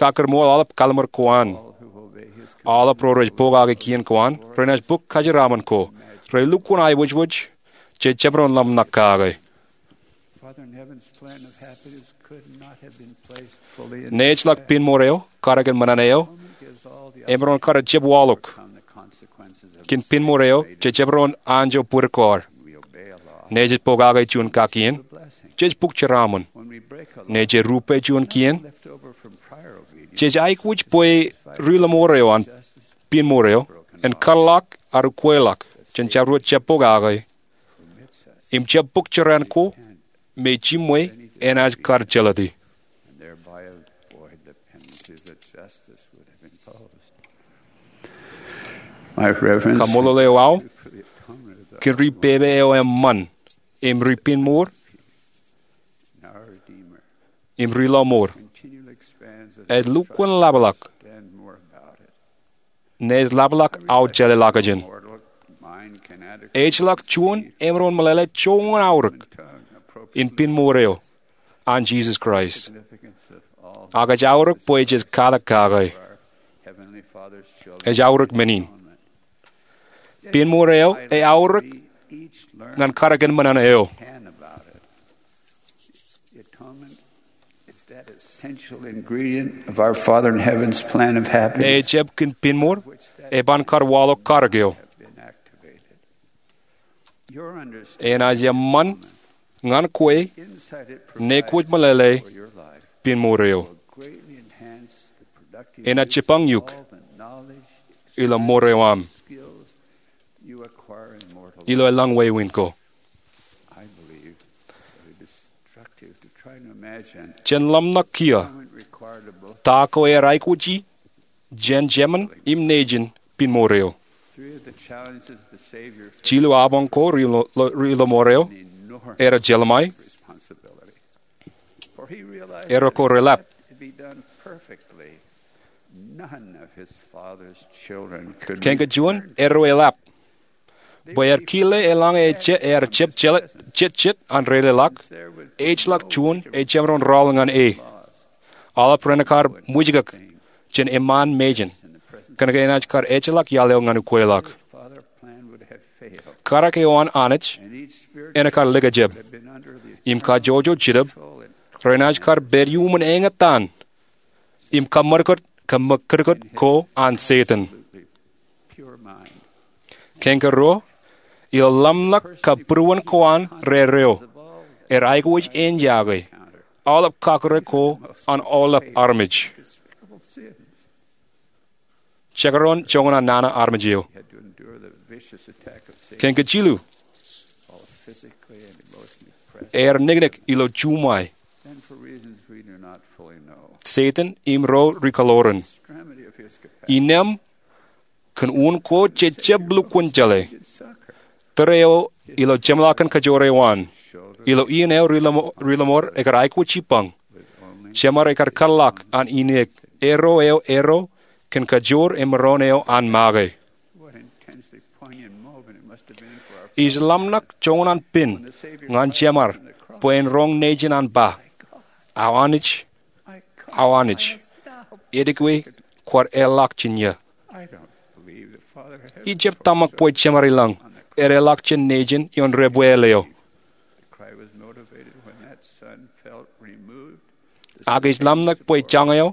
kakūrṃool aolep kalliṃur ko an. Aolep ro rej pokake kien ko an renaaj bōk kōjeraaṃṃan ko. Relukkuun aiboojoj jej jemaroñ ḷōmṇak kake. Nejḷọk pinnmour eo karakin ṃōṇōṇō eo emaroñ kar jab waḷọk kōn pinnmour eo jej jemaroñ anjọ bōd ko ad. Ñe jej pokake juon kakkien, jej bōk jeraaṃṃan. Ñe jej rupe juon kien, jej aikuj bwe ri-lọmọọr eo an pinnmour eo en kōtḷọk ad ukweḷọk jān jabdewōt jab pokake im jab bōk jeraan ko me jiṃwe enaaj kar jelōte. Kaṃṃoolol eo aō kōn ri pepe eo eṃṃan im ri pinnmour im ri-lọmọọr ej lukkuun lapḷọk. Ñe ej lapḷọk, aō jeḷā ḷọkjeṇ. Ejjeḷọk juon emaroñ meḷeḷe joñan aorōk in pinnmour eo an Jisōs Kraist. Ak ej aorōk bwe jej katak kake. Ej aorōk men in. Pinnmour eo eaorōk ñan karakin ṃōṇōṇō eo. Ñe ejab kōn pinnmour, eban kar waḷọk karōk eo. Enaaj eṃṃan ñan kwe ñe kwōj meḷeḷe pinnmour eo. Enaaj jipañ eok ilo mour eo aṃ, ilo lañ wāween ko. Jen ḷōmṇak kiiō ta ko eaar aikuji jān jemān im nejin pinnmour eo. Jilu apañ ko ri-lọmọọr eo Erro jeḷāṃe, erro ko reḷap. Kein kein juon erro eḷap bwe er kile eḷaññe ejab, ejab jet jet an reileḷọk, ejjeḷọk juon ej jemaroñ rọọl ñan e. Aolep renaaj kar ṃwijkōk jān eṃṃaan mejān kōnke enaaj kar ejjeḷọk iaḷ eo ñan ukweḷọk. Karak eo an Anij enaaj kar likjab im kajjojo Jetōb renaaj kar pād iuṃwin eñtaan im kōṃṃan kōtḷọk ko an Setan. Kein kein ruo, ilo ḷōmṇak kab būruon ko an rerreo, er aikuj āinjake aolep kakōrā ko an aolep armej. Jekdọọn joñan nana armej eo. Kein kein jilu, er niknik ilo juṃae. Setan im ro rikaḷoran. Innām kōn unin ko jej jab lukkuun jeḷā. Tōre eo ilo jeṃḷọkin kajoor eo an, ilo iien eo ri-lọmọọr ekar aikuj jipañ, jemar ekar kōtḷọk an ineek, erro eo erro kōn kajoor emaroñ eo an make. Ij ḷōmṇak joñan pen ñan jemar bwe en roñ nejin an ba, "Awa Anij, awa Anij, etke kwaar eḷḷọk jān iiō?" Ij jab tōmak bwe jemar ilañ ear eḷḷọk jān nejin ioon debwāāl eo. Ak ij ḷōmṇak bwe jañ eo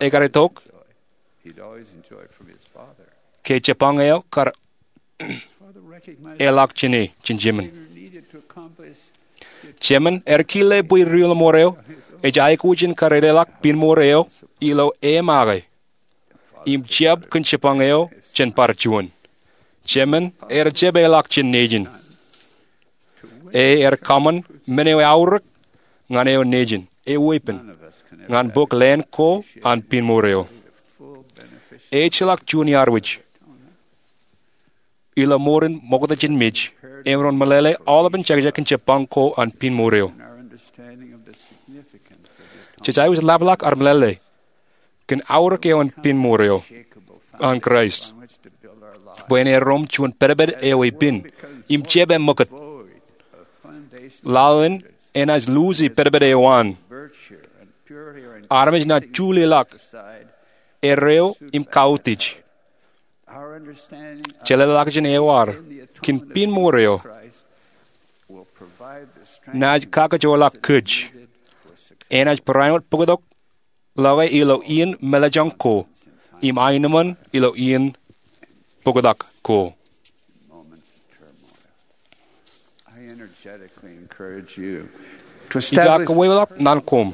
ekar itok ke jipañ eo kar eḷḷọk jān e jān jemān. Jemān ear kile bwe ri-lọmọọr eo ej aikuj in kar eḷḷọk pinmour eo ilo e make im jab kōn jipañ eo jān bar juon. Jemān ear jab eḷḷọk jān nejin. E ear kōṃṃan men eo eaorōk ñan eo nejin, e weeppān, ñan bōk leen ko an pinmour eo. Ejjeḷọk juon iar wōj ilo mour in ṃokta jān mej emaroñ meḷeḷe aolepān jekjek kōn jipañ ko an pinmour eo. Jej aikuj ḷapḷọk ar meḷeḷe kōn aorōk eo an pinmour eo an Kraist bwe en erom juon pedped eo epād im jab eṃōkūt. Laḷ in enaaj luuji pedped eo an. Armej naaj juleḷọk erreo im kautiej. Jeḷāḷọkjeṇ eo ad kōn pinmour eo naaj kakajoorḷọk kōj. Enaaj barāinwōt bōktok ḷọke ilo iien mālejjoñ ko im aenōṃṃan ilo iien bōktok ko. Ij kōwōḷọk naan koṃ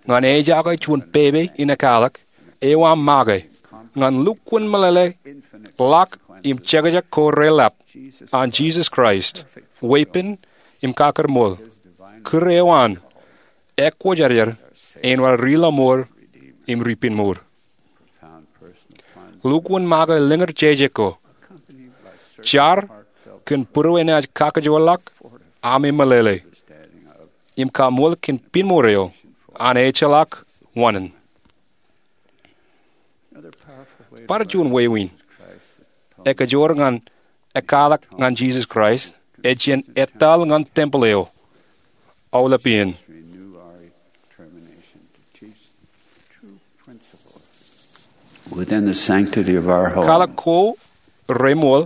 ñan ejake juon pepe in ekālik eo aṃ make ñan lukkuun meḷeḷe ḷọk im jekjek ko reḷap an Jisōs Kraist, weeppān im kakōtmooḷ, kūr eo an, ekwōjarjar āinwōt ri-lọmọọr im ri-pinmour. Lukkuun make liñur jeje ko jar kōn būruenaaj kakajoorḷọk ami meḷeḷe im kaṃool kōn pinmour eo an ejjeḷọk wōṇāān. Bar juon wāween ekajoor ñan ekālik ñan Jisōs Kraist ej jān etal ñan tempel eo aolep iien. Within the sanctity of our home, Kaḷak ko reṃool,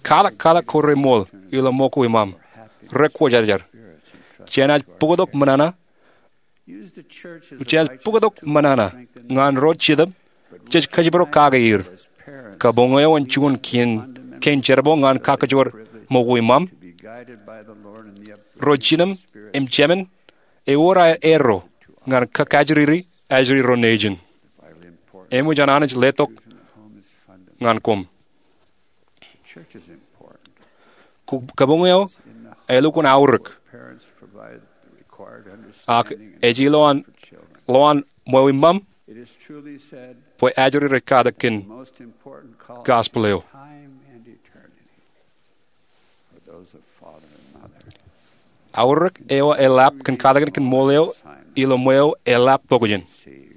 kaḷak kaḷak ko reṃool ilo ṃōko iṃaṃ rekwōjarjar. Jenaaj bōktok ṃōṇōṇō, jenaaj bōktok ṃōṇōṇō ñan ro jetōb jej kōjparok kake er. Kabuñ eo en juon kein, kein jerbal ñan kakajoor ṃōko iṃaṃ. Ro jinōm im jemān ewōr aer erro ñan kakaajriri ajri ro nejin. Eṃōj an Anij letok ñan koṃ. Kabuñ eo elukkuun aorōk, ak ej ilo an, ilo an ṃweo iṃaṃ bwe ajri rej katak kōn gospel eo. Aorōk eo eḷap kōn katakin kōn ṃool eo ilo ṃweo eḷap pokjān.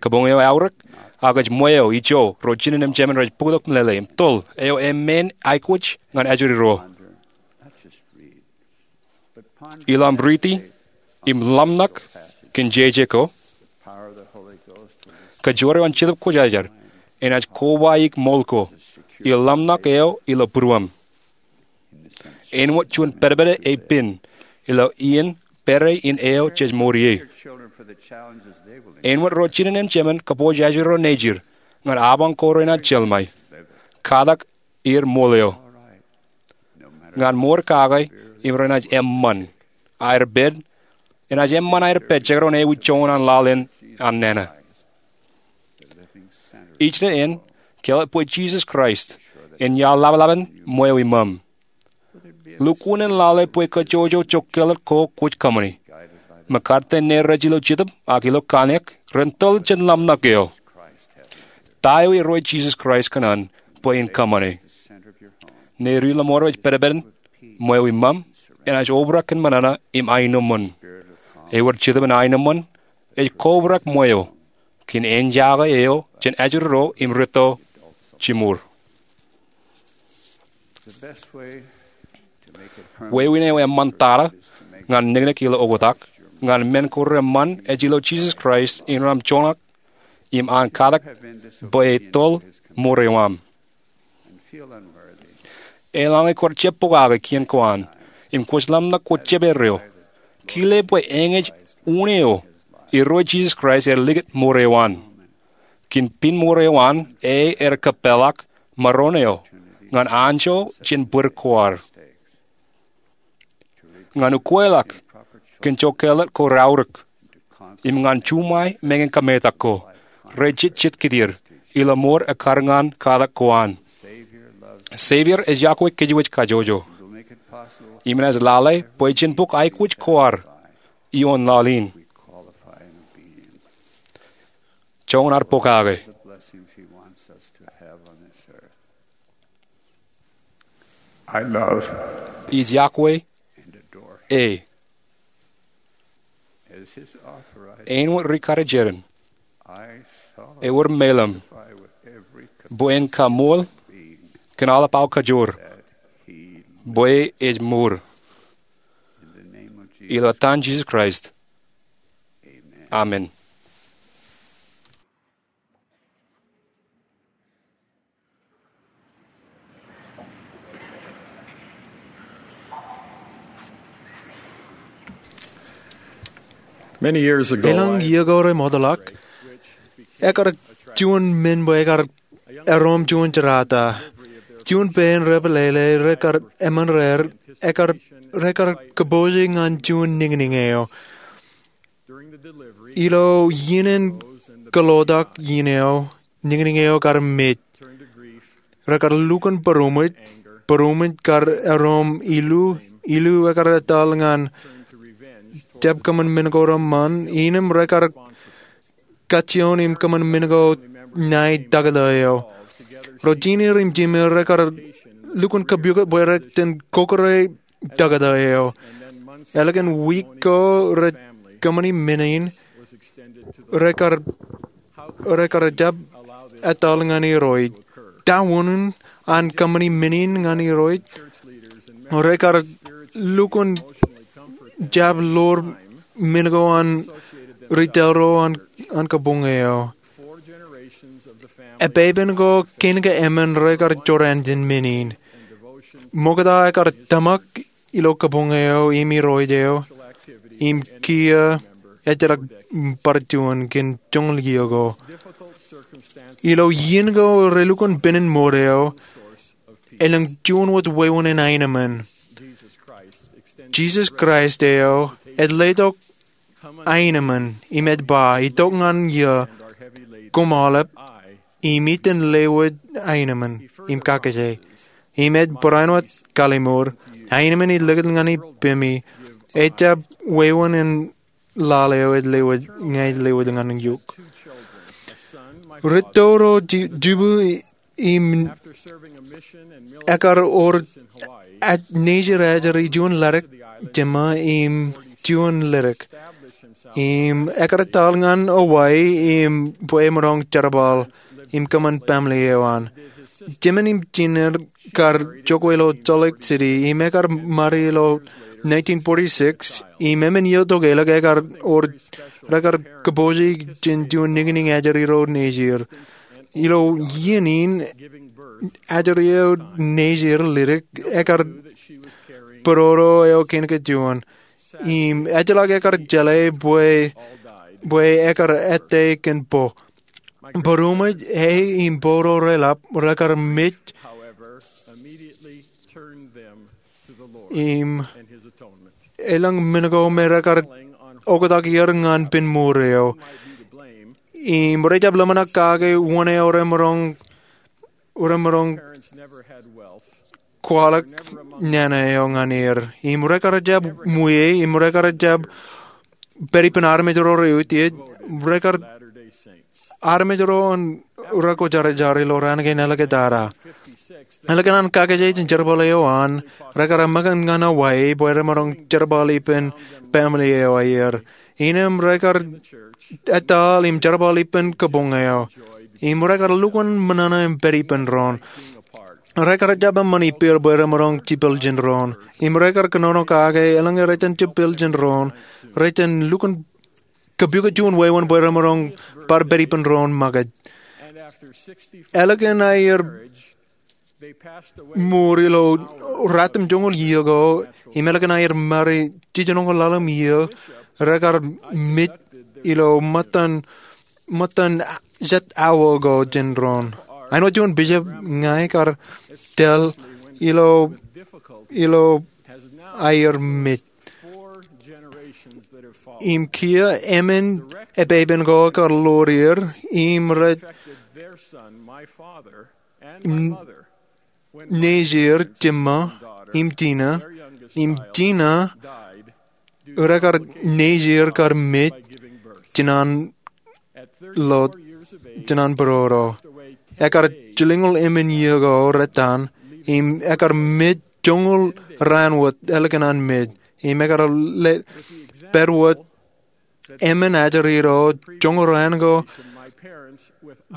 Kabuñ eo eaorōk, ak ej ṃweo ijo ro jinen im jemān rej bōktok meḷeḷe im toḷ eo eṃṃan aikuj ñan ajri ro. Ilo aṃ riiti im ḷōmṇak kōn jeje ko, kōjro eo an Jetōb Kwōjarjar enaaj kobaik ṃool ko im ḷōmṇak eo ilo būruōm. Āinwōt juon pedped ej pen ilo iien pād in eo jej mour ie, āinwōt ro jinen im jemān kōpooj ajri ro nejid ñan abañ ko renaaj jeḷmāe, katak er ṃool eo ñan mour kake im renaaj eṃṃan aer pād, enaaj eṃṃan aer pād jekdọọn ewi joñan laḷ in an nana. Ij ṇe en kāālōt bwe Jisōs Kraist en iaḷ laplap in ṃweo iṃōṃ. Lukkuun en lale bwe kōjjojo jokkeḷọk ko kwōj kōṃṃani. Mekarta ne rej ilo jetōb ak ilo kōṇaan ren toḷ jān ḷōmṇak eo. Ta eo Irooj Jisōs Kraist kōṇaan bwe en kōṃṃane? Ṇe ri ḷōṃaro ej pedped in ṃweo iṃōṃ enaaj obrak kōn ṃōṇōṇō im aenōṃṃan. Ewōr jetōb in aenōṃṃan ej kobrak ṃweo kōn āinjake eo jān ajri ro im rūtto jiṃor. Wāween eo eṃṃantata ñan niknik ilo oktak ñan men ko reṃṃan ej ilo Jisōs Kraist innem joñak im an katak bwe etoḷ mour eo aṃ. Eḷaññe kwōj jab pokake kien ko an im kwōj ḷōmṇak kwōj jab erreo, kile bwe eñej unin eo Irooj Jisōs Kraist ear likūt mour eo an. Kōn pen mour eo an, e ear kōpeḷḷọk maroñ eo ñan anjọ jān bōd ko ad, ñan ukeḷọk kōn jokkeḷọk ko reaorōk, im ñan juṃae meñe kōmetak ko rejejjet kōttar ilo mour ekkar ñan katak ko an. Savior ej iọkwe kōjwōj kajjojo im enaaj lale bwe jen bōk aikuj ko ad ioon laḷ in. Joñan ad pokake. Ij iọkwe e. Āinwōt ri karijeran, ewōr meḷeḷe bwe en kaṃool kōn aolep aō kajoor bwe ej mour. Ilo etan Jisōs Kraist, amen. Many years ago, elōñ iiō ko remootḷọk, ekar juon men bwe ekar erom juon jerata. Juon pein repeḷeḷe rekar eṃṃan raer, ekar, rekar kōpooje ñan juon niñniñ eo. Ilo iien in kōḷotak iien eo, niñniñ eo kar mej. Rekar lukkuun būroṃōj, būroṃōj kar erom ilu, ilu ekar etal ñan jab kōṃṃan men ko reṃṃan, innem rekar kajjioñ im kōṃṃan men ko ñan taktō eo. Ro jined im jimeer rekar lukkuun kōpukot bwe rej jen kōkōrā taktō eo. Ālikin wiik ko rej kōṃṃani men in, rekar, rekar jab etal ñan Irooj. Ta wūnin an kōṃṃani men in ñan Irooj? Rekar lukkuun jab ḷoor men ko an ri tōl ro an, an kabuñ eo. Epepen ko kein ke emān rekar jorrāān jān men in. Ṃokta ekar tōmak ilo kabuñ eo im Irooj eo, im kiiō ejjeḷọk bar juon kōn joñan iiō ko. Ilo iien ko relukkuun penin mour eo, elōñ juon wōt wāween in aenōṃṃan. Jisōs Kraist eo ej letok aenōṃṃan im ej ba, itok ñan eō, koṃ aolep im iten lewōj aenōṃṃan im kakōjā. Im ej barāinwōt kallimur, aenōṃṃan ij likūt ñan ipemi, ejjab wāween in laḷ eo ej lewōj, ña ij lewōj ñan eok. Rūtto ro ji-, jibū im ekar wōr nejid ajri juon ḷadik jema im juon ledik. Im ekar etal ñan Hawaii im bwe emaroñ jerbal im kōṃṃan baaṃle eo an. Jemān im jined kar jokwe ilo Salt Lake City im ekar ṃare ilo nineteen forty-six, im emān iiō tok ālikin ekar wōr, rekar kōpooje jān juon niñniñ ajri ro nejier. Ilo iien in ajri eo nejier ledik ekar būrodo eo kein kajuon. Im ejjeḷọk ekar jeḷā bwe, bwe ekar ettā kōn po. Būroṃōj e im būro reḷap rekar mej. Im elōñ men ko me rekar oktak er ñan pen mour eo. Im rej jab ḷōmṇak kake wōn eo remaroñ, remaroñ kwaḷọk nana eo ñan er. Im rekar jab ṃwiie, im rekar jab pād ippān armej ro reutiej, rekar armej ro an rekwōjarjar ilo raan kein āliktata. Ālikin an kakkije jān jerbal eo an, rekar ṃōkaj ñan Hawaii bwe remaroñ jerbal ippān baaṃle eo aer. Innām rekar etal im jerbal ippān kabuñ eo. Im rekar lukkuun ṃōṇōṇō im pād ippān doon. Rekar jab eṃṃan ippāer bwe remaroñ jipel jān doon. Im rekar kōnono kake eḷaññe rej jipel jān doon, rej lukkuun kōpooj juon wāween bwe remaroñ bar pād ippān doon ṃōkaj. Ālikin aer mour ilo ratimjuonñoul iiō ko, im ālikin aer ṃare jiljinoñoul ḷalem iiō, rekar mej ilo ṃōttan, ṃōttan jet awa ko jān doon. Āinwōt juon bishop ña ikar tōl ilo, ilo aer mej. Im kiiō emān epepen ko ekar ḷoor er, im rej nejier Jemma im Tina, im Tina rekar nejier kar mej jān an lot, jān an būrodo. Ekar jilñoul emān iiō ko rettan, im ekar mej joñoul raan wōt ālikin an mej. Im ekar le, pād wōt emān ajri ro joñoul raan ko,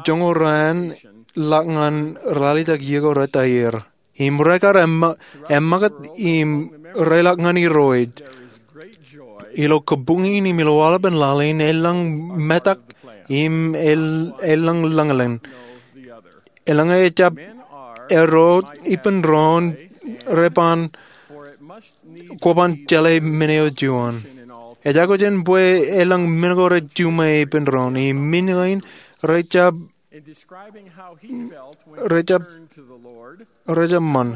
joñoul raan ḷọk ñan ralitōk iiō ko rettan er. Im rekar eṃ-, eṃṃakūt im reḷọk ñan Irooj. Ilo kabuñ in im ilo aolepen laḷ in elōñ metak im el-, elōñ lōñlōñ. Eḷaññe ejjab erro ippān doon, re ban, kwōban jeḷā men eo juon. Ejako jān bwe elōñ men ko rej juṃae ippān doon, im men kein rej jab, rej jab, rej jab ṃan.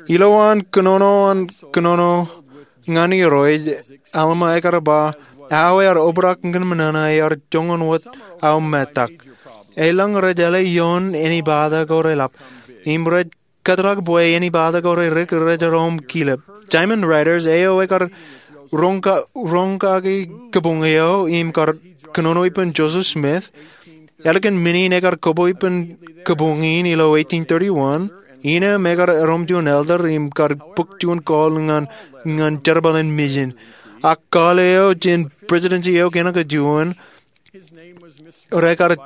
Ilowaan kōnono an kōnono ñan Irooj, Alma ekar ba, aō ear obrak ñan ṃōṇōṇō ear joñan wōt aō metak. Elōñ rej jeḷā ioon ānbata ko reḷap. Im rej kōtḷọk bwe ānbata ko redik rej room kilep. Diamond Riders, eo ekar roñ ka-, roñ kaki kabuñ eo im kar kōnono ippān Joseph Smith. Ālikin men in ekar koba ippān kabuñ in ilo eighteen thirty-one. Innām ekar erom juon elder im kar bōk juon call ñan, ñan jerbal in mission. Ak call eo jān presidency eo kein kajuon, rekar,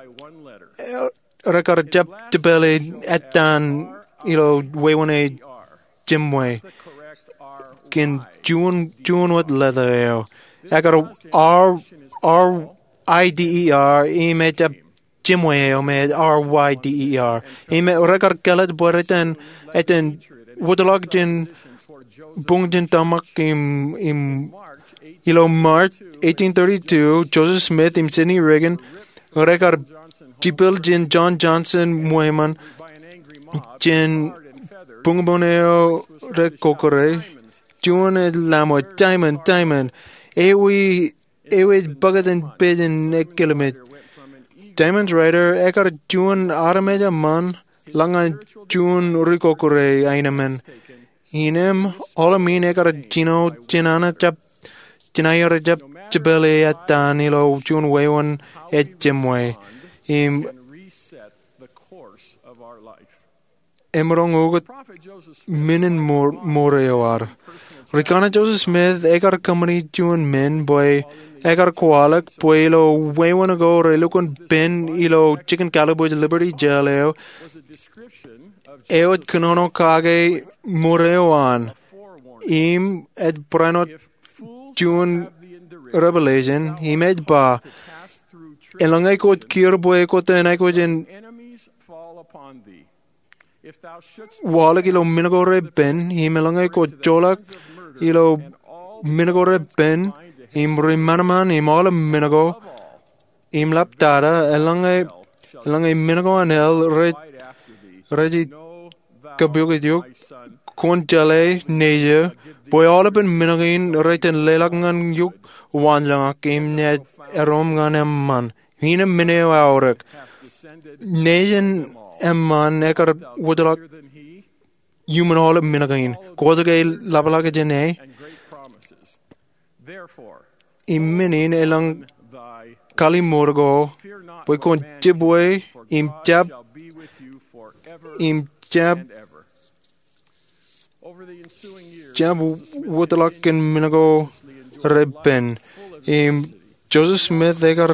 rekar jab jepele ettan ilo wāween eo jemwe kōn juon, juon wōt leta eo. Ekar R, R I D E R, im ejjab jemwe eo me R Y D E R. Im rekar kāālōt bwe rej iten, iten wōtlọk jān buñ jān tōmak im, im ilo March eighteen thirty-two, Joseph Smith im Sidney Rigdon, rekar jipel jān John Johnson ṃweiṃōn jān buñbuñ eo rekokure. Juon ej lamwōj, Diamond, Diamond, ewi, ewi ej bōktok in pejin ekkilmej. Diamond Rider ekar juon armej eṃṃan ḷọk ñan juon ri-kokure aenōṃṃan. Innām aolep men ekar jino jān an jab, jān aer jab jepele ettan ilo juon wāween eo jemwe. Im emaroñ oktak men in mour eo ad. Ri-kaṇe Joseph Smith ekar kōṃṃani juon men bwe ekar kwaḷọk bwe ilo wāween ko relukkuun pen ilo jikin kalbuuj Liberty Jail eo, eo ej kōnono kake mour eo an. Im ej barāinwōt juon revelation, im ej ba, eḷaññe kwōj kiiō bwe kwōj aikuj in waḷọk ilo men ko repen, im eḷaññe kwōj joḷọk ilo men ko repen, im ri-manaman, im aolep men ko, im lab tata, eḷaññe, eḷaññe men ko an hell rej, rej kapiokjok, kwōn jeḷā, nejiō, bwe aolepen men kein rej iten leḷọk ñan eok waanjoñak, im naaj erom ñan eṃṃan. Innām men eo eaorōk. Nejin eṃṃan ekar wōtlọk iuṃwin aolep men kein. Kwōj ke ḷapḷọk jān e? Im men in elōñ kalimour ko, bwe kwōn jibwe, im jab, im jab, jab wōtlọk kōn men ko repen. Im Joseph Smith ekar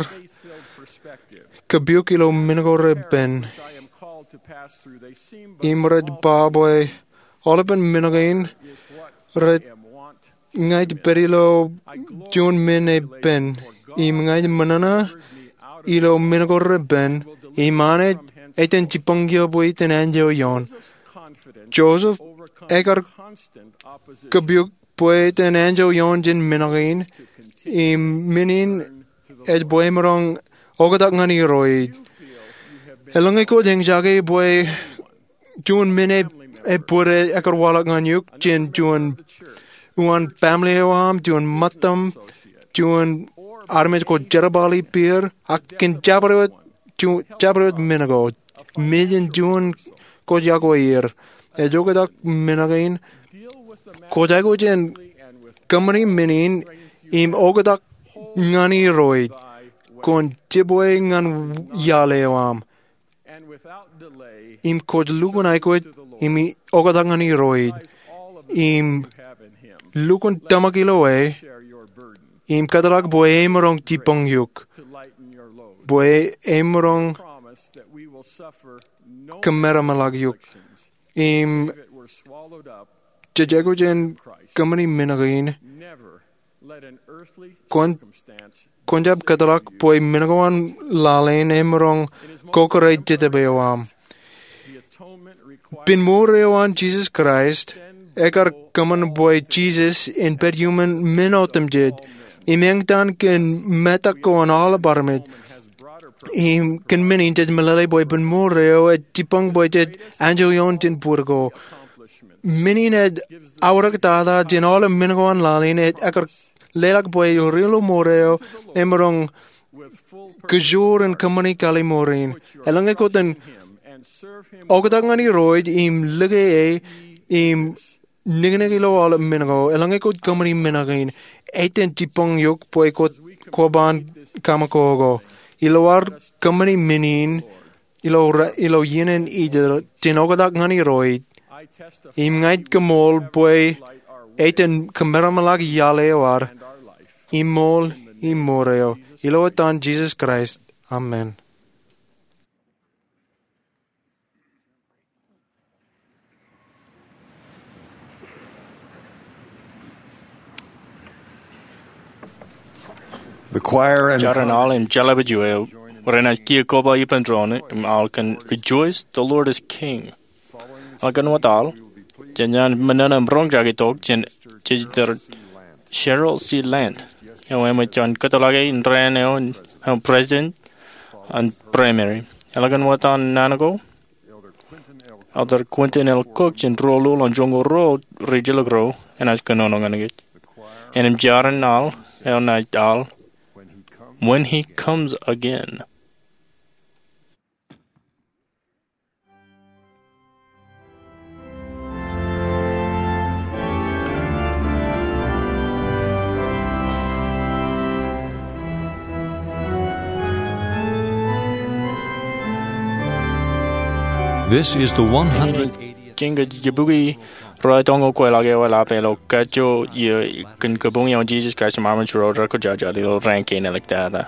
kapiok ilo men ko repen. Im rej ba bwe aolepen men kein rej ña ij pād ilo juon men epen, im ña ij ṃōṇōṇō ilo men ko repen, im Anij ej iten jibboñ eō bwe iten anjọ ioon. Joseph ekar kapiok bwe iten anjọ ioon jān men kein, im men in ej bwe emaroñ oktak ñan Irooj. Eḷaññe kwōj eñjake bwe juon men ej, ej bōd ekar waḷọk ñan eok jān juon uwaan family eo aṃ, juon ṃōttaṃ, juon armej kwōj jerbal ippāer, ak kōn jabdewōt, ju-, jabdewōt men ko, mejān juon kwōj yokwe er. Ej oktak men kein, kwōj aikuj in kōṃṃani men in, im oktak ñan Irooj, kwōn jibwe ñan iaḷ eo aṃ. Im kwōj lukkuun aikuj, im oktak ñan Irooj, im lukkuun tōmak ilo e, im kōtḷọk bwe emaroñ jibboñ eok, bwe emaroñ kōmeramḷọk eok, im jej aikuj in kōṃṃani men kein, kwōn, kwōn jab kōtḷọk bwe men ko an laḷ in emaroñ kōkōrā ej jetōb eo aṃ. Pen mour eo an Jesus Christ, ekar kōṃṃan bwe Jesus en pād iuṃwin men otemjej, im eñtaan kōn metak ko an aolep armej, im kōn men in jej meḷeḷe bwe pen mour eo ej jibboñ bwe jej anjọ ioon jān bōd ko. Men in ej aorōk tata jān aolep men ko an laḷ in, ej ekar leḷọk bwe ri-ilo mour eo emaroñ kōjro in kōṃṃani kalimour in. Eḷaññe kwōj oktak ñan Irooj im lōke e im niknik ilo aolep men ko, eḷaññe kwōj kōṃṃani men kein, ej iten jibboñ eok bwe kwōj, kwōban kaṃakoko. Ilo ad kōṃṃani men in, ilo ra-, ilo iien in Ijipt, jān oktak ñan Irooj, im ña ij koṃṃool bwe ej iten kōmeramḷọk iaḷ eo ad, im ṃool, im mour eo. Ilo etan Jesus Christ. Amen. The choir and jar in aḷ im jeḷāpet eo enaaj kiiō koba ippān doon im aḷ kōn Rejoice, the Lord is King. Eḷak wōt aḷ, jen ṃōṇōṇō im roñjake tok jān Elder Cheryl C. Lant, eo eṃōj kōtḷọk indeeo eo im president an Primary. Eḷak wōt an naan ko, Elder Quentin L. Cook jān Ruo Lul an Joñoul Ruo Ri-Jilkinro enaaj kōnono ñan kōj. Im jar in aḷ eo enaaj aḷ When He Comes Again. This is the one hundred eightieth. Kiiō ke jibukwi ruo eoon ḷọk kwe ḷọk eo eḷap ilo kajjojo iiō kōn kabuñ eo an Jisōs Kraist im armej ro rekwojarjar ilo raan kein āliktata.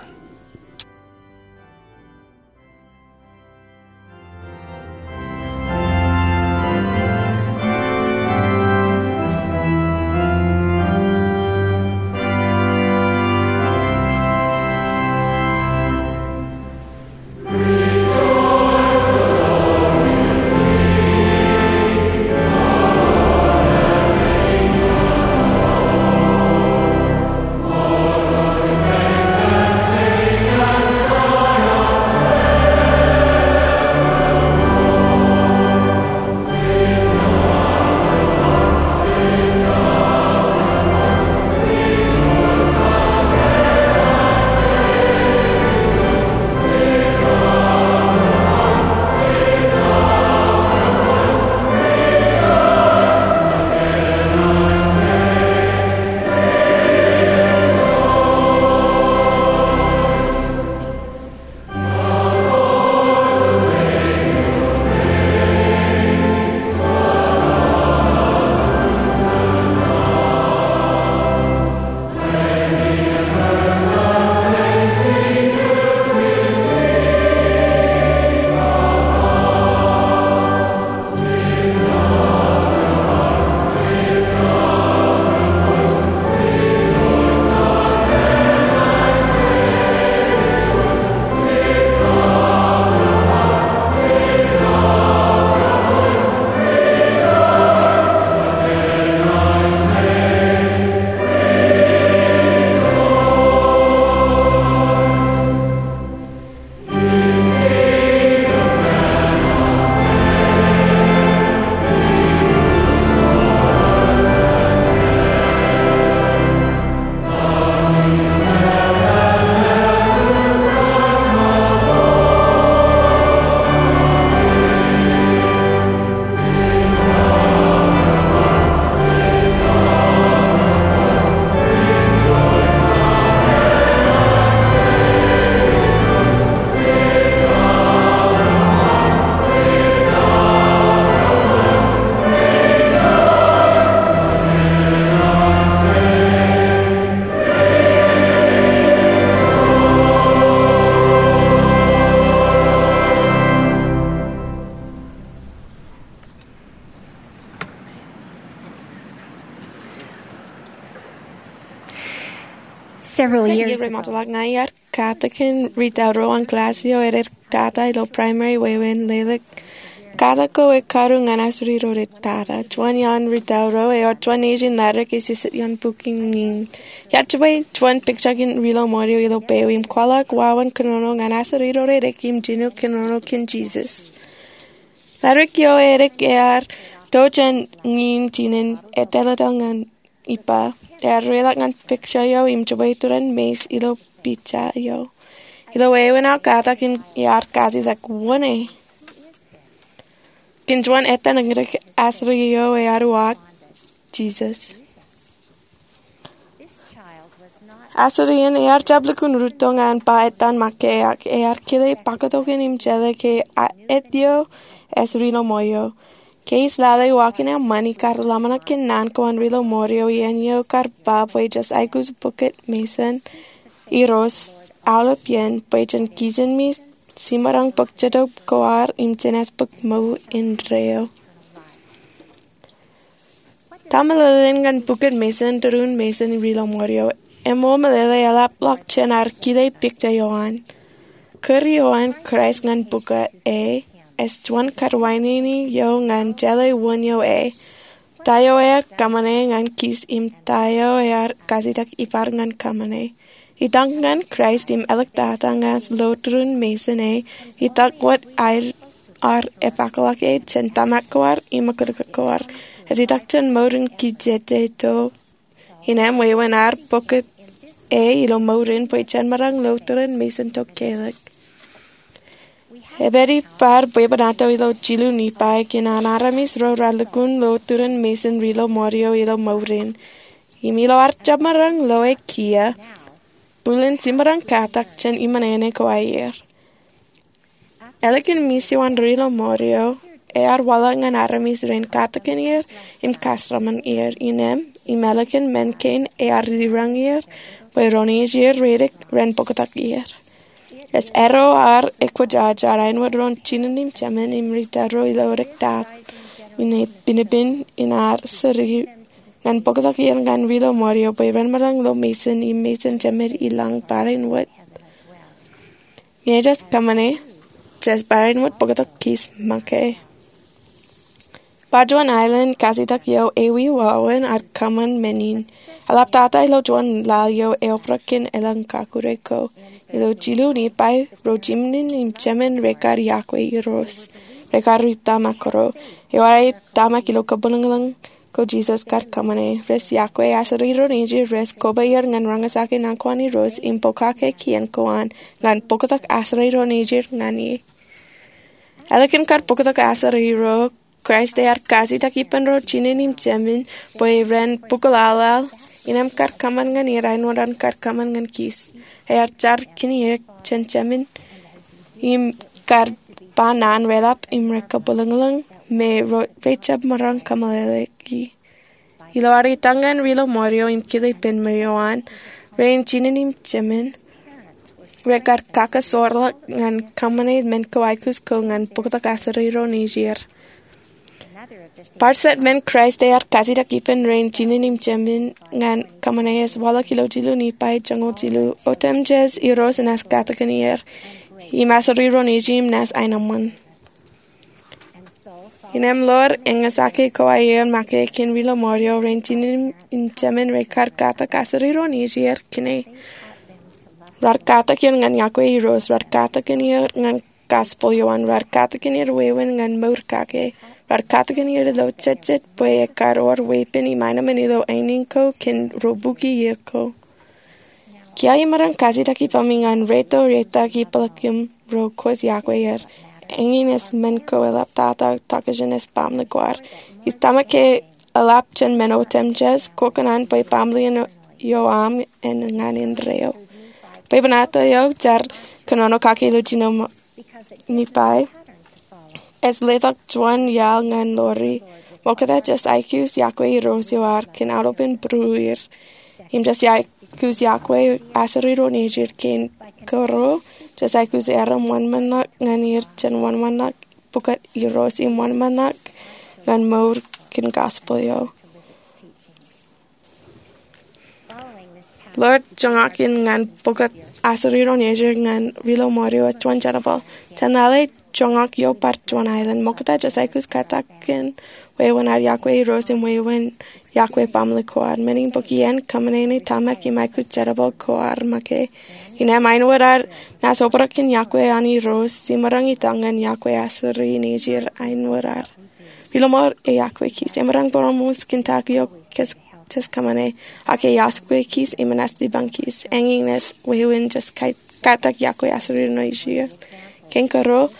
Several years ago, rej ṃōttan ḷọk ña iar katakin ri-tauro an klass eo edektata ilo primary wāween Lelōk. Katak ko ekkaru ñan asuri ro rej tata. Juon iaan ri-tauro eo, juon nejin ladik ej jijet ioon bukwi ñiin. Iar jibwe juon picture kein Ri Lomorio ilo peo im kwaḷọk wāween kōnono ñan asuri ro rej ekin jino kōnono kōn Jisōs. Ladik eo edik ear to jān ñiin jinen, ettālōtōl ñan ippa. Ear reḷọk ñan picture eo im jibwe iturin meis ilo picture eo. Ilo wāween aō katakin iar kajitak, wōn e? Kōn juon ettā ṇōñdik, asuri eo ear uwaak, Jisōs. Asuri in ear jab lukkuun rūtto ñan ba ettā ṃōk ke ear kile paktokan im jeḷā ke ej eo, ej Ri Lomorio. Ke ij lale uwaak in eṃṃan, ikar ḷōmṇak kōn naan ko an Ri Lomorio iien eo kar ba bwe jes aikuj bukot Mason Irooj aolep iien bwe jen kijenmej jiṃṃaroñ bōk jetōb ko ad im jenaaj bōk mour indeeo. Ta meḷeḷein ñan bukot Mason, tūrun Mason, Ri Lomorio? Eṃṃool meḷeḷe eḷapḷọk jān ad kile picture eo an. Kūr eo an Kraist ñan bukot e ej juon karuwainene eo ñan jeḷā wōn eo e, ta eo ear kōṃṃane ñan kij im ta eo ear kajitak ippād ñan kōṃṃane. Itok ñan Kraist im āliktata ñan lo tūrun Mason e, itok wōt aer epakḷọk e jān tōmak ko ad im oktak ko ad. Ej itok jān mour in kijeje to innem wāween ad bōk e ilo mour in bwe jen maroñ lo tūrun Mason to kelōk. Ej pād bwebwenato ilo jilu Nifai kōn an armej ro raar lukkuun lo tūrun Mason Ri Lomorio ilo mour in. Im ilo ad jab maroñ lo e kiiō, bōlen jiṃṃaroñ katak jān iṃōṇōṇō ko aer. Ālikin ṃōj eo an Ri Lomorio, ear waḷọk ñan armej rein katakin er im kaarmejān er. Innem, im ālikin men kein ear jiroñ er bwe ro nejū reidik ren bōktok er. Ej erro ar ekwōjarjar āinwōt ro jinōn im jemān im ri-tōl ro ilo dik tata, innem pinpin in ad sūri ñan bōktok er ñan ri-lọmọọr eo bwe ren maroñ ilo mejān im mejān jemed i lañ barāinwōt. Ñe jej kōṃṃane, jej barāinwōt bōktok kij make. Bar juon aelōñ kajjitōk eo ewi wāween ad kōṃṃan men in. Eḷaptata ilo juon laḷ eo eobrak kōn elōñ kakure ko. Ilo jilu Nifai, ro jinōn im jemān rekar iọkwe Irooj. Rekar ri tōmak kōro. Ewōr aer tōmak ilo kabwilōñlōñ ko Jisōs kar kōṃṃane. Rej iọkwe asuri ro nejū, rej koba er ñan roñjake naan ko an Irooj im pokake kien ko an ñan bōktok asuri ro nejū ñan e. Ālikin kar bōktok asuri ro, Kraist ear kajjitōk ippān ro jinōn im jemān bwe ren bōk laḷ, innem kar kōṃṃan ñan er āinwōt an kar kōṃṃan ñan kij. Ear jar kōn er jān jemān im kar ba naan reḷap im rekabwilōñlōñ me ro rejjab maroñ kōmeḷeḷeiki. Ilo ad itok ñan ri-lọmọọr eo im kile ippān men eo an, rein jinōn im jemān rekar kakasoorḷọk ñan kōṃṃane men ko aikuj ko ñan bōktok asuri ro nejū. Bar jet men Kraist ear kajjitōk ippān rein jinōn im jemān ñan kōṃṃane ej waḷọk ilo jilu Nifai joñoul jilu. Otemjej Irooj enaaj katakin er im asuri ro nejū im naaj aenōṃṃan. Innem ḷoor eñjake ko aer make kōn ri-lọmọọr eo rein jinōn im jemān rekar katak asuri ro nejū kōn e. Rar katakin er ñan iọkwe Irooj, rar katakin er ñan gospel eo an, rar katakin er wāween ñan mour kake, rar katakin er ilo jejjet bwe ekar wōr weeppān im aenōṃṃan ilo aenōṃṃan ko kōn ro bukwi iiō ko. Kiiō imaroñ kajjitōk ippaṃ ñan reito reitak im peḷḷọk im ro kwōj iọkwe er. Eñin ej men ko eḷaptata tokjān ej baaṃle ko ad. Ij tōmak ke eḷap jān men otemjej, kwōkōṇaan bwe baaṃle in eo aṃ en ñan indeeo. Bwebwenato eo jar kōnono kake ilo jilu Nifai ej letok juon iaḷ ñan Lori. Ṃokta jej aikuj iọkwe Irooj eo ad kōn aolepān būrueir. Im jej aikuj iọkwe asuri ro nejū kein kōro, jej aikuj erom wōnṃaanḷọk ñan er jān wōnṃaanḷọk pukot Irooj im wōnṃaanḷọk ñan mour kōn gospel eo. Ḷoor joñak in ñan bōktok asuri ro nejū ñan ri-lọmọọr eo ej juon jerbal. Jān lale joñak eo bar juon aelōñ. Ṃokta jej aikuj katakin wāween ad iọkwe Irooj im wāween iọkwe baaṃle ko ad. Men in bōk iien kōṃṃane ṇe tōmak im aikuj jerbal ko ad make. Innem āinwōt ad naaj obrak kōn iọkwe an Irooj, jemaroñ itok ñan iọkwe asuri nejū āinwōt ad. Ri-lọmọọr eo iọkwe kij. Emaroñ bōroṃōs kōn ta ko eo jej kōṃṃane, ak ej iọkwe kij im enaaj jipañ kij. Eñin ej wāween jej katak iọkwe asuri nejū. Kein kōro,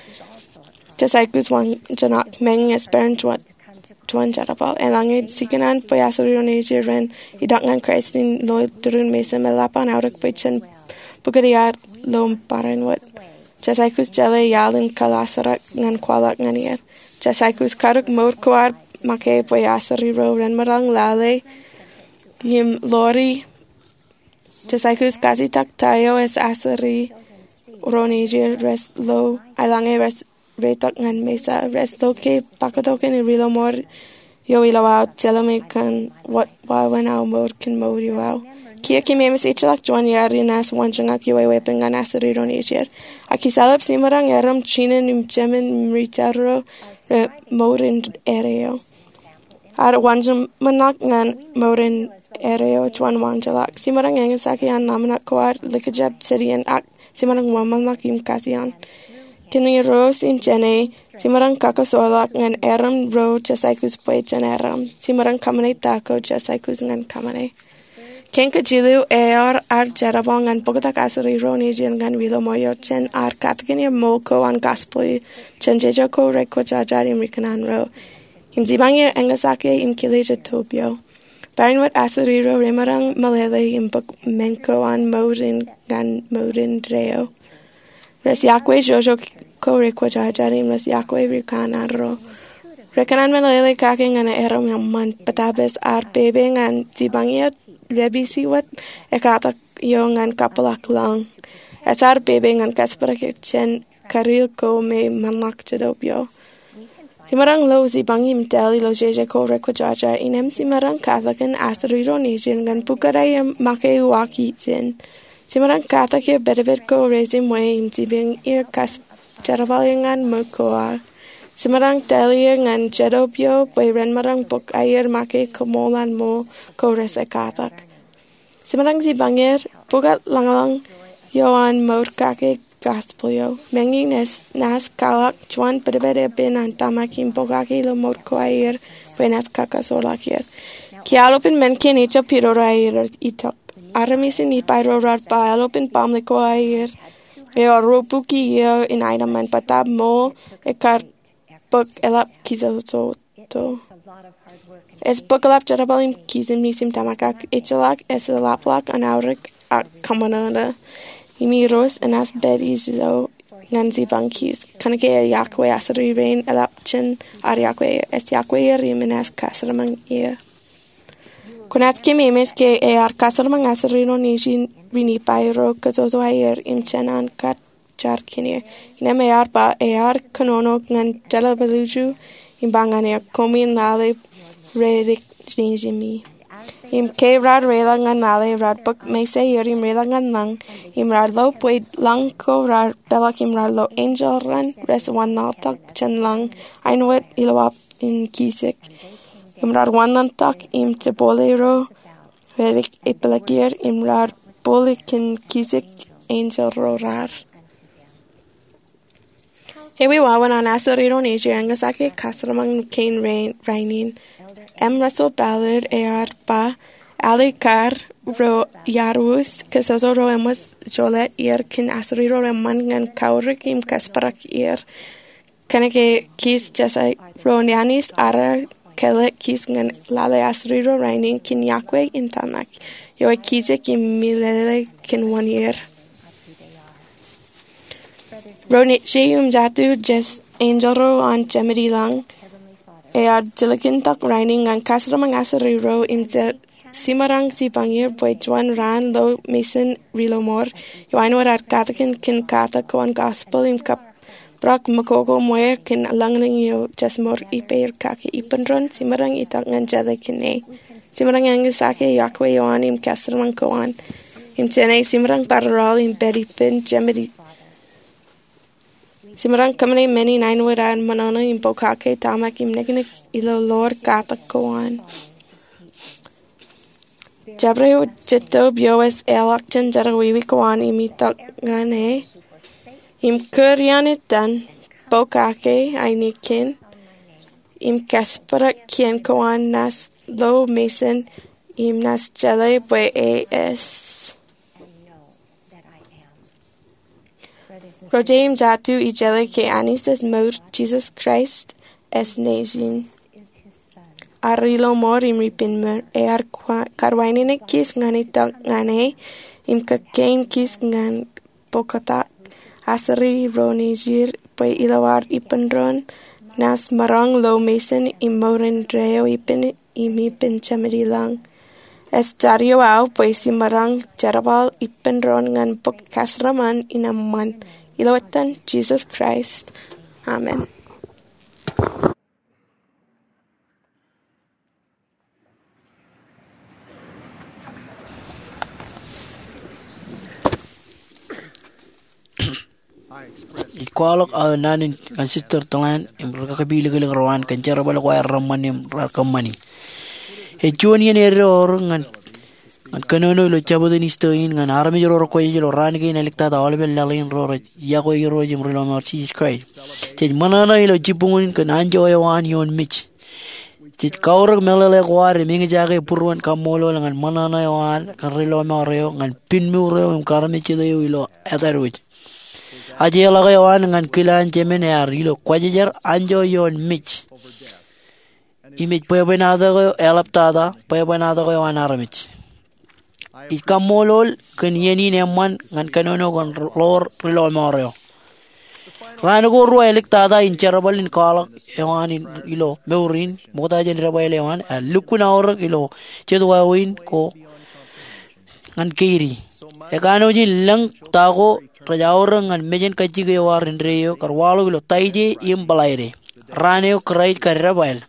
jej aikuj wōnjeṇak. Meñe ej peran juon jerbal, eḷaññe jikōṇaan bwe asuri nejū ren itok ñan Kraist in lo turin mejān, eḷap an aorōk bwe jen bōktok er ilo barāinwōt. Jej aikuj jeḷā iaḷ in kaḷasarak ñan kwaḷọk ñan er. Jej aikuj karōk mour ko ad make bwe asuri ro ren maroñ lale im Lori. Jej aikuj kajjitōk ta eo ej asuri ro nejū rej lo eḷaññe rej reitok ñan mejān. Rej lo ke pakatokan ri-lọmọọr eo ilo aō jelṃae kōn wōt wāween aō mour kōn mour eo aō. Kiiō kōmemeej ejjeḷọk juon iaḷ ri naaj wōnjeṇak ioe weeppān ñan asuri ro nejū. Ak ij eḷap jemaroñ erom jinōn im jemān im ri-tōl ro rej mour in erreo. Ad wōnjeṃṃanḷọk ñan mour in erreo juon waanjoḷọk. Jemaroñ eñjake an ḷōmṇak ko ad likjab jān iien ak jemaroñ wōnṃaanḷọk im kajjien. Kōn Irooj im jāne, jemaroñ kakasoorḷọk ñan erom ro jej aikuj bwe jen erom. Jemaroñ kōṃṃane ta ko jej aikuj ñan kōṃṃane. Kein kajilu, eor ad jerbal ñan bōktok asuri ro nejū ñan ri-lọmọọr eo jān ad katakin er ṃool ko an gospel jān jeje ko rekwōjarjar im rikōṇaan ro. Im jipañ er eñjake im kile jet topio. Barāinwōt asuri ro remaroñ meḷeḷe im bōk men ko an mour in ñan mour indeeo. Rej iọkwe jeje ko rekwōjarjar im rej iọkwe rikōṇaan ro. Rekōṇaan meḷeḷe kake ñan aer im eṃṃan. Barnabas ear pepe ñan jipañ er, rej pād wōt ekatak eo ñan kapeḷḷọk lañ. Ej ear pepe ñan kaspeḷḷọk jān kariil ko me ṃanḷọk jetōb eo. Jemaroñ lo jipañ im tōl ilo jeje ko rekwōjarjar. Innām jemaroñ katakin asuri ro nejin ñan pukot aer make uwaak ijin. Jemaroñ katak er pedped ko rejiṃwe im jipañ er kab jerbal er ñan mour ko ad. Jemaroñ tōl er ñan jetōb eo bwe ren maroñ bōk aer make kaṃṃoolol mour ko rej katak. Jemaroñ jipañ er pukot lañlōñ eo an mour kake gospel eo. Meñe naaj kwaḷọk juon pedped epen an tōmak im pokake ilo mour ko aer bwe enaaj kakasoḷọk er. Kiiō eḷap in men kein ejab pidodo aer itok. Armej in Nipai ro raar ba eḷap in baaṃle ko aer eo ro bukwi eo in aenōṃṃan bōtab ṃool ekar bōk eḷap kijojoto. Ej bōk eḷap jerbal im kijenmej im tōmak ak ejjeḷọk ej eḷapḷọk an aorōk ak kōṃanṃōṇō. Im Irooj enaaj pād ijo ñan jipañ kij. Kōnke ej iọkwe asuri rein eḷap jān ad iọkwe er. Ej iọkwe er im enaaj kasremañ er. Kwōnaaj keememej ke ear kasremañ asuri ro nejin ri Nipai ro kōjojo aer im jān an kar jar kōn er. Innām ear ba ear kōnono ñan jeḷāḷọkjeṇ im ba ñan er, koṃwin lale redik nejimi. Im ke raar reḷọk ñan lale raar bōk mesaer im reḷọk ñan lañ. Im raar lo bwe lañ ko raar peḷḷọk im raar lo enjeḷ raṇ rej wanlaḷtak jān lañ āinwōt ilo wāween kijek. Im raar wanlaḷtak im jepole ro redik epālōk er im raar pālōk kōn kijek enjeḷ ro raar. Ewi wāween an asuri ro nejin eñjake kasremañ kein rainin? M. Russell Ballard ear ba, ālikin kar ro iaruus kōjojo ro eṃōj jolōt er kōn asuri ro eṃṃan ñan kaorōk im kasparak er. Kōnke kij jejjet ro in Anij ear kōḷḷā kij ñan lale asuri ro rainin kōn iọkwe im tōmak. Eo ej kijek im meḷeḷe kōn wōn er. Ro nejū im jatū, jej enjeḷ ro an Jemedi lañ. Ear jilkintok rainin ñan kasremañ asuri ro im je jemaroñ jipañ er bwe juon raan lo mejān ri lọmọọr eo āinwōt ad katakin kōn katak ko an gospel im kab brak mokoko ṃweer kōn lañlōñ eo jej mour ippāer kake ippān doon jemaroñ itok ñan jeḷā kōn e. Jemaroñ eñjake iọkwe eo an im kasremañ ko an. Im jān e jemaroñ bar aroḷ im pād ippān Jemedi. Jemaroñ kōṃṃane men in āinwōt ad ṃōṇōṇō im pokake, tōmak im niknik ilo ḷoor katak ko an. Jabdewōt jetōb eo ej eḷọk jān jerọwiwi ko an im itok ñan e im kūr iaan etan, pokake ainikien im kasparak kien ko an naaj lo mejān im naaj jeḷā bwe e ej. Ro jet im jatū, ij jeḷā ke Anij ej mour, Jisōs Kraist ej Nejin. Ear ri lọmọọr im ri penmour. Ear kwa-, kar wāween kij ñan itok ñan e im kōkkein kij ñan bōktak asuri ro nejid bwe ilo ad ippān doon naaj maroñ lo mejān im mour indeeo ippān im ippān Jemedi lañ. Ej jar eo aō bwe jemaroñ jerbal ippān doon ñan bōk kasremañ in eṃṃan. Ilo etan Jisōs Kraist, amen. Ij kwaḷọk aō naan in kōn Sister Tōḷan im ri kakapilōklōk ro an kōn jerbal ko aer reṃṃan im raar kōṃṃani. Ej juon iien eddo orōk ñan, ñan kōnono ilo Jabōt in Isto in ñan armej ro rekwōjarjar ilo raan kein āliktata aolepen laḷ in ro rej iọkwe Irooj im ri lọmọọr Jisōs Kraist. Jej ṃōṇōṇō ilo jibboñōn in kōn anjọ eo an ioon mej. Jej kaorōk meḷeḷe ko ad im eñjake būruon kaṃṃoolol ñan ṃōṇōṇō eo an kōn ri lọmọọr eo ñan pinnmour eo im karmejjet eo ilo etadwōj. Ajeḷọk eo an ñan kile an Jemān ear ilo kwōjarjar anjọ ioon mej. Im ej bwebwenato eo eḷaptata bwebwenato eo an armej. Ij kaṃṃoolol kōn iien in eṃṃan ñan kōnono kōn ḷoor ri lọmọọr eo. Raan ko ruo āliktata in jerbal in kwaḷọk eo an ilo mour in ṃokta jān debwāāl eo an ear lukkuun aorōk ilo jet wāween ko ñan keidi. Ekanooj in lōñ ta ko rej aorōk ñan mejān kajjik eo ar indeeo kar waḷọk ilo Taije im Bōḷaide, raan eo Kraist kar debwāāl.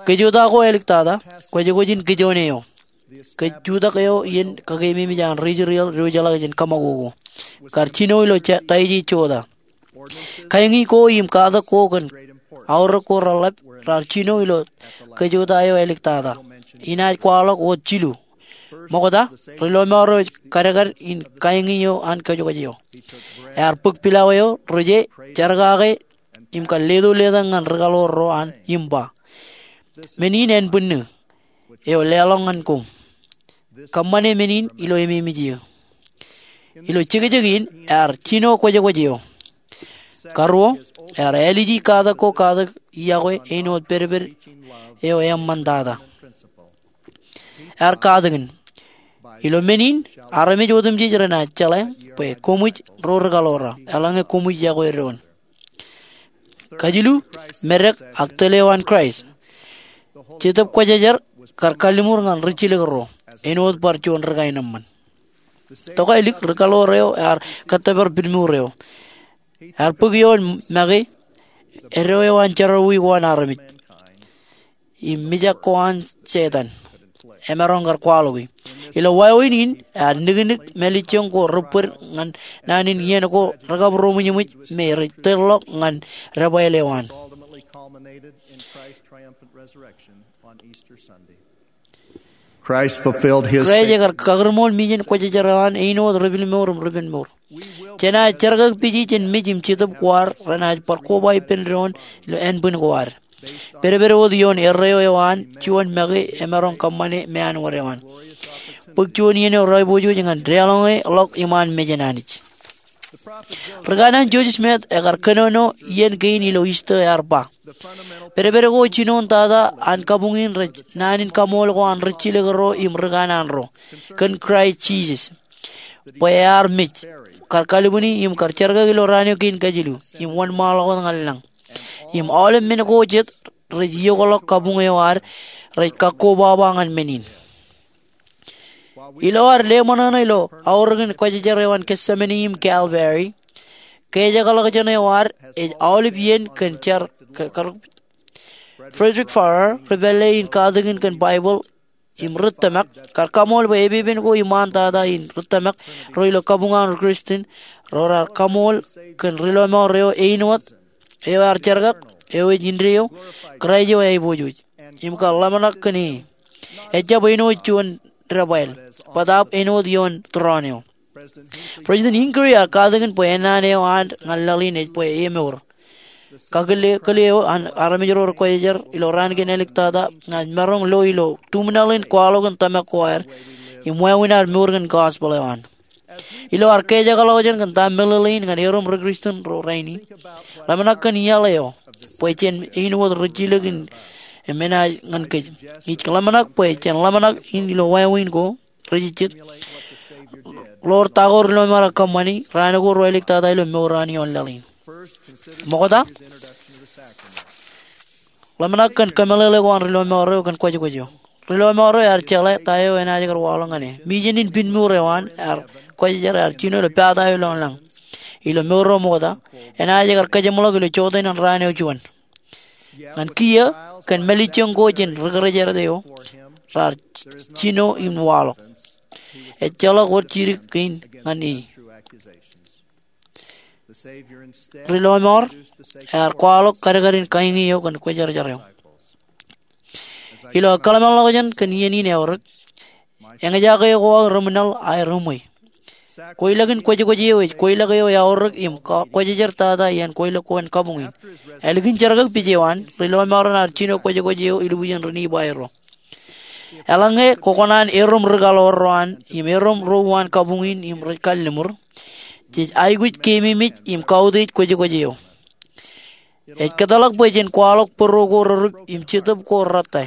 Kōjota ko āliktata, kwōjkwōj in kijoon eo. Kōjjutak eo iien kakeememej an ri-Israel diwōjḷọk jān kōṃakoko, kar jino ilo Taije jota. Kāñi ko im katak ko kōn aorōk ko reḷap raar jino ilo kōjota eo āliktata. Inaaj kwaḷọk wōt jilu. Ṃokta, ri-lọmọọr eo ej kadkad in kāñi eo an kwōjkwōj eo. Ear bōk pilawā eo, rije, jerkake, im kar leto letak ñan ri-kaḷoor ro an im ba, "Men in ānbwinnū eo leḷọk ñan koṃ. Kōṃṃane men in ilo ememej eō." Ilo jekjek in ear jino kwōjkwōj eo. Karuo, ear āliji katak ko katak iọkwe āinwōt pedped eo eṃṃantata. Ear katakin, "Ilo men in armej otemjej renaaj jeḷā bwe koṃij ro ri-kaḷoor, eḷaññe koṃij iọkwe doon." Kajilu, medek ak tōl eo an Kraist. Jetōb Kwōjarjar kar kalliṃur ñan rijjilōk ro āinwōt bar juon ri-kaenōṃṃan. Tokālik, ri-kaḷoor eo ear kōttōpar pinmour eo. Ear bōk ioon make eddo eo an jerọwiwi ko an armej im mijak ko an Setan emaroñ kar kwaḷọki. Ilo wāween in, ear niknik mālejjoñ ko ri-bōd ñan naan in iien ko rekabūroṃōjṃōj me rej tōl ḷọk ñan debwāāl eo an. Kraist ekar kakūrṃool mejān kwōjarjar eo an āinwōt ri-pinmour im ri-pinmour. Jenaaj jerkakpeje jān mej im jetōb ko ad renaaj bar koba ippān doon ilo ānbwin ko ad. Pedped wōt ioon erreo eo an juon make emaroñ kōṃṃane meanwōd eo an. Bōk juon iien eo raipojoj ñan deḷọñe ḷọk iṃaan mejān Anij. Ri-kanaan Joseph Smith ekar kōnono iien kein ilo Easter ear ba, "Pedped ko jinoin tata an kabuñ in rej naan in kaṃool ko an rijjilōk ro im ri-kanaan ro kōn Kraist Jisōs, bwe ear mej, kar kalbwini im kar jerkaki ilo raan eo kein kajilu im wōnṃaanḷọk wōt ñan lañ. Im aolep men ko jet rej iokḷọk kabuñ eo ad rej kakkobaba ñan men in." Ilo ad leṃōṇōṇō ilo aorōkin kwōjarjar eo an Gethsemane im Calvary, kejakḷọkjeṇ eo ad ej aolep iien kōn jar. Frederick Farrar, ri-pālle in katakin kōn Baibōḷ im ri-tōmak, kar kaṃool bwe epepen ko iṃaan tata in ri-tōmak ro ilo kabuñ an ri-Kristian ro raar kaṃool kōn ri-lọmọọr eo āinwōt, eo ear jerkak, eo ej indeeo, Kraist eo aiboojoj, im kar ḷōmṇak kōn e. Ejjab āinwōt juon debwāāl, bōtaab āinwōt ioon tūroon eo. President Hinckley ear katakin bwe ennaan eo an ñan laḷ in ej bwe emour. Kakōle eo an armej ro rekwōjarjar ilo raan kein āliktata ñan maroñ lo ilo tumnal in kwaḷọk in tōmak ko ad im wāween ad mour kōn gospel eo an. Ilo ad kejakḷọkjeṇ kōn ta meḷeḷein ñan erom ri-Kristian ro rainin, ḷōmṇak kōn iaḷ eo bwe jen āinwōt rijjilōk in im enaaj ñan kōj. Ij ḷōmṇak bwe jen ḷōmṇak in ilo wāween ko rijejjet, ḷoor ta ko ri-lọmọọr eo kōṃṃani raan ko ruo āliktata ilo mour eo an ioon laḷ in. Ṃokta, ḷōmṇak kōn kōmeḷeḷe ko an ri-lọmọọr eo kōn kwōjkwōj eo. Ri-lọmọọr eo ear jeḷā ta eo enaaj kar waḷọk ñan e. Mejān in pinmour eo an ear kwōjarjar ear jino ilo pata eo ilo lañ. Ilo mour eo ṃokta, enaaj kar kōjeṃḷọk ilo joteen an raan eo juon. Ñan kiiō, kōn mālejjoñ ko jān ri-kōrejād eo, raar jino im waḷọk. Ejjeḷọk wōt jidik kein ñan e. Ri-lọmọọr ear kwaḷọk kadkadin kāñi eo kōn kwōjarjar eo. Ilo kōḷmānḷọkjeṇ kōn iien in eorōk, eñjake ko aō reṃwilaḷ aer eṃwe. Kweilọkin kwōjkwōj eo ej kweilọk eo eaorōk im kwōjarjar tata iaan kweilọk ko an kabuñ in. Ālikin jerkakpej eo an, ri-lọmọọr eo an ear jino kwōjkwōj eo ilubwijen ri-Nifai ro. Eḷaññe kwōkōṇaan erom ri-kaḷoor ro an im erom ro uwaan kabuñ in im rej kalliṃur, jej aikuj keememej im kautiej kwōjkwōj eo. Ej kōtḷọk bwe jen kwaḷọk bōro ko rerup im jetōb ko rōttan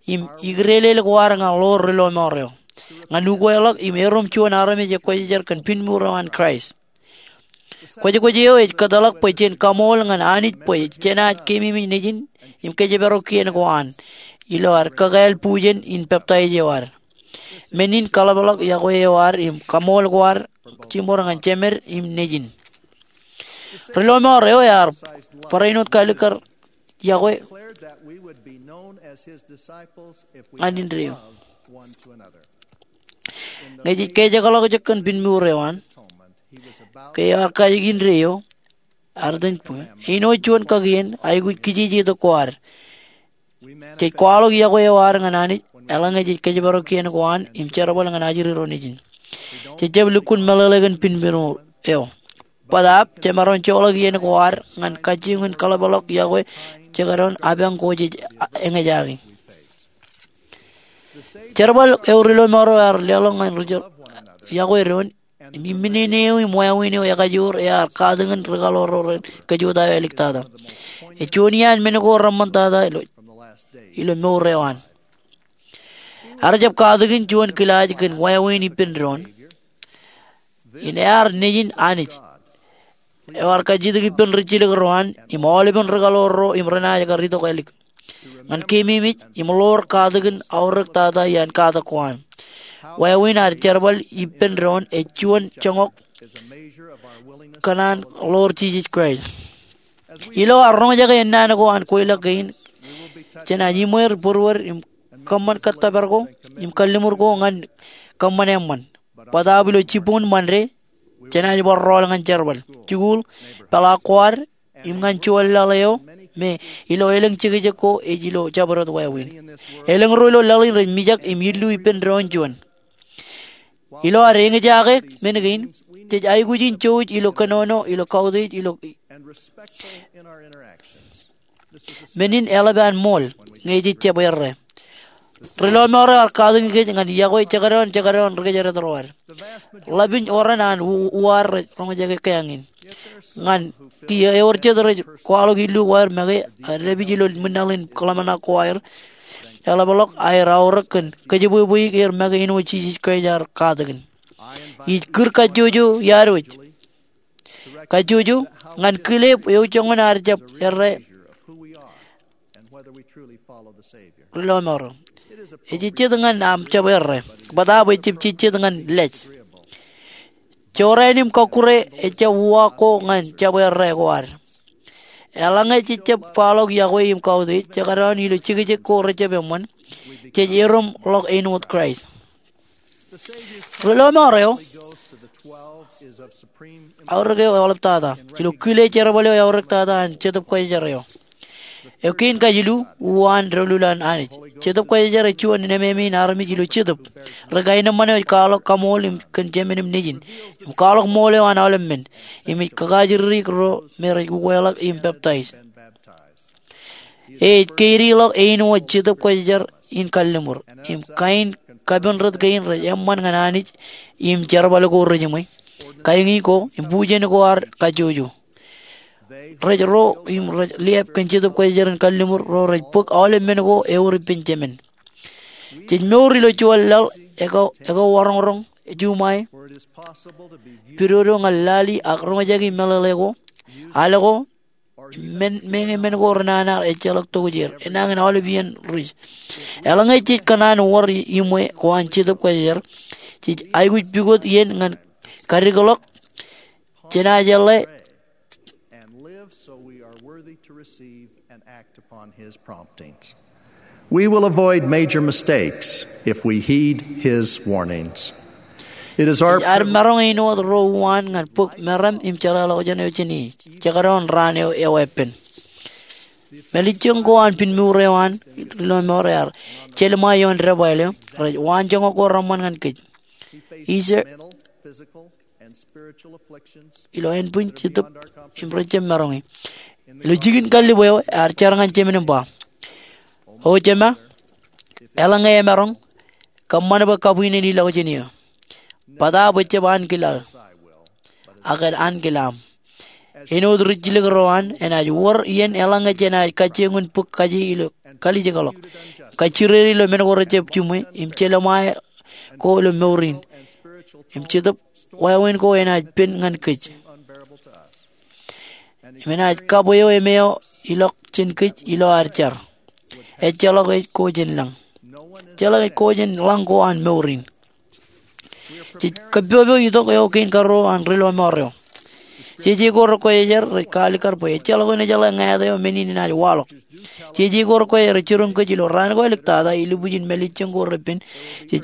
im ikrelel ko ad ñan ḷoor ri-lọmọọr eo ñan ukeḷọk im erom juon armej ekwōjarjar kōn pinmour eo an Kraist. Kwōjkwōj eo ej kōtḷọk bwe jen kaṃool ñan Anij bwe jenaaj keememej nejin im kōjparok kien ko an ilo ad kakāāl bujen in peptaij eo ad. Men in kaḷapḷọk yokwe eo ad im kaṃool ko ad jiṃor ñan jemed im nejin. Ri-lọmọọr eo ear barāinwōt kalikkar yokwe ñan indeeo. Ñe jej kajekḷọk jekōn pinmuur eo an, ke ear kajjitōk indeeo, ear itōn bwe āinwōt juon kakien aikuj kijejetok ko ad, jej kwaḷọk yokwe eo ad ñan Anij eḷaññe jej kōjparok kien ko an im jerbal ñan ajri ro nejin. Jej jab lukkuun meḷeḷe kōn pinmuur eo. Bōtaab jemaroñ joḷọk iien ko ad ñan kajjioñ in kaḷapḷọk yokwe jekdọọn apañ ko jej eñjake. Jerbal eo ri-lọmọọr eo ear leḷọk ñan ri-jerbal yokwe doon im imminene eo im wāween eo ekajoor ear katakin ri-kaḷoor ro ren kōjota eo āliktata. Ej juon iaan men ko reṃṃantata ilo mour eo an. Ear jab katakin juon kilaaj kōn wāween ippān doon in ear Nejin Anij eo ear kajjitōk ippān rijjilōk ro an im aolepen ri-kaḷoor ro im renaaj kar itok ālik ñan keememej im ḷoor katakin aorōk tata iaan katak ko an. Wāween ad jerbal ippān doon ej juon joñak kōn an ḷoor Jisōs Kraist. Ilo ad roñjake ennaan ko an kweilọk kein, jenaaj iṃweer būruod im kōṃṃan kōttōpar ko im kalliṃur ko ñan kōṃṃan eṃṃan. Bōtaab ilo jibboñ Ṃande, jenaaj bar rọọl ñan jerbal, jikuuḷ, peḷaak ko ad, im ñan juon laḷ eo me ilo elōñ jekjek ko ej ilo jabdewōt wāween. Elōñ ro ilo laḷ in rej mijak im illu ippān doon juon. Ilo ad eñjake men kein, jej aikuj in jouj ilo kōnono, ilo kautiej, ilo men in eḷap an ṃool ñe jej jab errā. Ri-lọmọọr eo ear katakin kōj ñan yokwe jekdọọn jekdọọn ri-kōjdat ro ad. Ḷapin oran an u-, uwaad rej roñjake kea in. Ñan kiiō ewōr jet rej kwaḷọk illu ko aer make, ak dāpij ilo ṃwilaḷ in kōḷmānḷọk ko aer, eḷapḷọk aer aorōk kōn kōjebwebweik er make āinwōt Jisōs Kraist ear katakin. Ij kūr kajjojo iaadwōj. Kajjojo ñan kile eo joñan ad jab errā ri-lọmọọr eo. Ej jet ñan aṃ jab errā, bōtaab ejjab jejjet ñan lej. Jorrāān im kọkkure ejjab uwaak ko ñan jab errā ko ad. Eḷaññe jej jab kwaḷọk yokwe im kautiej, jekdọọn ilo jekjek ko rejjab eṃṃan, jej erom ḷọk āinwōt Kraist. Ri-lọmọọr eo, aorōk eo eḷaptata ilo kile jerbal eo eorōktata an Jetōb Kwōjarjar eo. Eo kein kajilu, uwaan doulul an Anij. Jetōb Kwōjarjar ej juon nemāmein armej ilo Jetōb. Ri-kaenōṃṃan eo ej kwaḷọk kaṃool im kōn jemān im nejin, im kwaḷọk ṃool eo an aolep men, im ej kakajidik ro me rej ukweḷọk im peptaij. Ej keidi ḷọk āinwōt Jetōb Kwōjarjar in kalliṃur, im kain kapendet kein rej eṃṃan ñan Anij im jerbal ko rejiṃwe, kain ko im bujen ko ad kajjojo. Rej ro im rej liab kōn Jetōb Kwōjarjar in kalliṃur ro rej bōk aolep men ko ewōr ippān jemān. Jej mour ilo juon laḷ eko, eko waroñroñ, juṃae, pidodo ñan lali ak roñjake meḷeḷe ko, al ko, men, meñe men ko renana ejjeḷọk tokjāer, enañin aolep iien ri-. Eḷaññe jej kōṇaan wōr iṃwe ko an Jetōb Kwōjarjar, jej aikuj pukot iien ñan kadikḷọk, jenaaj eḷḷā and live so we are worthy to receive and act upon his promptings. We will avoid major mistakes if we heed his warnings. It is our Ej ad maroñ āinwōt ro uwaan ñan bōk meram im jeḷāḷọkjeṇ eo jān e, jekdọọn raan eo eweeppān. Mālejjoñ ko an pinmuur eo an ri-lọmọọr ear jelṃae ioon debwāāl eo, rej waanjoñak ko reṃṃan ñan kōj. Ijeṇ ilo ānbwin, jetōb, im rej jab maroñ e. Ilo jikin kallib eo ear jar ñan jemān im ba, O jema, eḷaññe emaroñ, kōṃṃan bwe kabwinen ilọk jān eō. Bōtaab ejjab ankilaō, ak en ankilaaṃ. Āinwōt rijjilōk ro an, enaaj wōr iien eḷaññe jenaaj kajjioñ in bōk kaje ilo kalijekḷọk, kajjirere ilo men ko rejjab jiṃwe, im jelṃae ko ilo mour in, im Jetōb wāween ko enaaj pen ñan kōj. Im enaaj kab eo emeo ilọk jān kōj ilo ad jar. Ejjeḷọk ej ko jān lañ. Ejjeḷọk ej ko jān lañ ko an mour in. Jej kōppopok itok eo kein karuo an ri lọmọọr eo. Jeje ko rekwōjarjar rej kaalikkar bwe ejjeḷọk eṇ ejeḷā ñāāt eo men in enaaj waḷọk. Jeje ko rekwōjarjar ej jiroñ kōj ilo raan ko āliktata, ilubwijin mālejjoñ ko repen, jej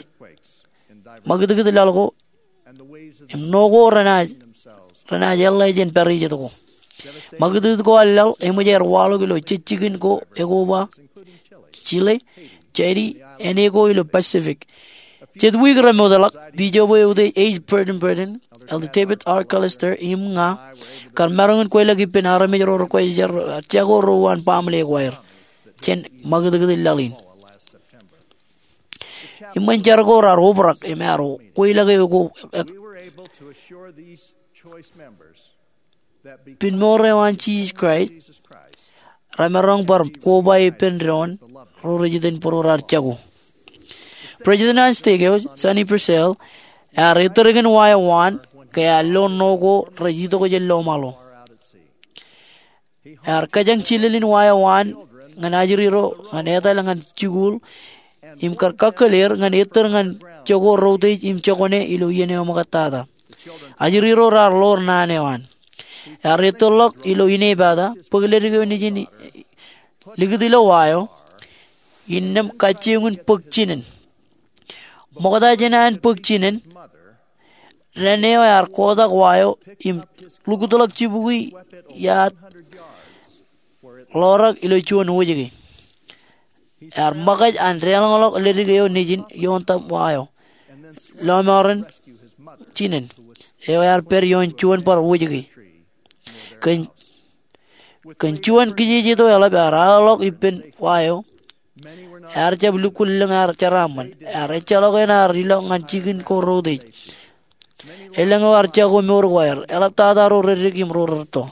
ṃakūtkūt laḷ ko, im ṇo ko renaaj, renaaj eḷḷā jān pād ijeṇ ko. Ṃakūtkūt ko an laḷ eṃōj aer waḷọk ilo jejjikin ko ekoba, Chile, Tahiti, āne ko ilo Pacific. Jet wiik remootḷọk, bijob eo eutiej H. Burton Burton, Elder David R. Callister, im ña kar maroñ in kweilọk ippān armej ro rekwōjarjar jako ro uwaan baaṃle ko aer jān ṃakūtkūt laḷ in. Im eṃṃan jar ko raar obrak im ear kweilọk eo ko ek- Pen mour eo an Jisōs Kraist, remaroñ bar koba ippān doon ro rej iten būruod raar jako. President an stek eo, Sonny Purcell, ear ettōr kōn wa eo waan ke ear lo ṇo ko rej itok jān lọmọọr eo. Ear kōjañ jilel in wa eo waan ñan ajri ro ñan etal ñan jikuuḷ im kar kakkōl er ñan ettōr ñan jako routej im jokwane ilo iien eo ṃōkattata. Ajri ro raar ḷoor naan eo an. Ear ettōrḷọk ilo inepata, bōk ledik eo nejin likūt ilo wa eo, innām kajjioñ in bōk jinen. Ṃokta jān an bōk jinen, dān eo ear kotak wa eo im lukutḷọk jibukwi iaad ḷorak ilo juon wōjke. Ear ṃōkaj an deḷọñḷọk ledik eo nejin ioon tōm wa eo, lọmọọren jinen eo ear pād ioon juon bar wōjke. Kōn, kōn juon kijejeto eḷap ear aōḷọk ippān wa eo. Ear jab lukkuun lōñ ear jeraaṃṃan. Ear ejjeḷọk eṇ ear ilọk ñan jikin ko routej. Elōñ eo ear jako mour ko aer, eḷaptata ro reddik im ro rūtto.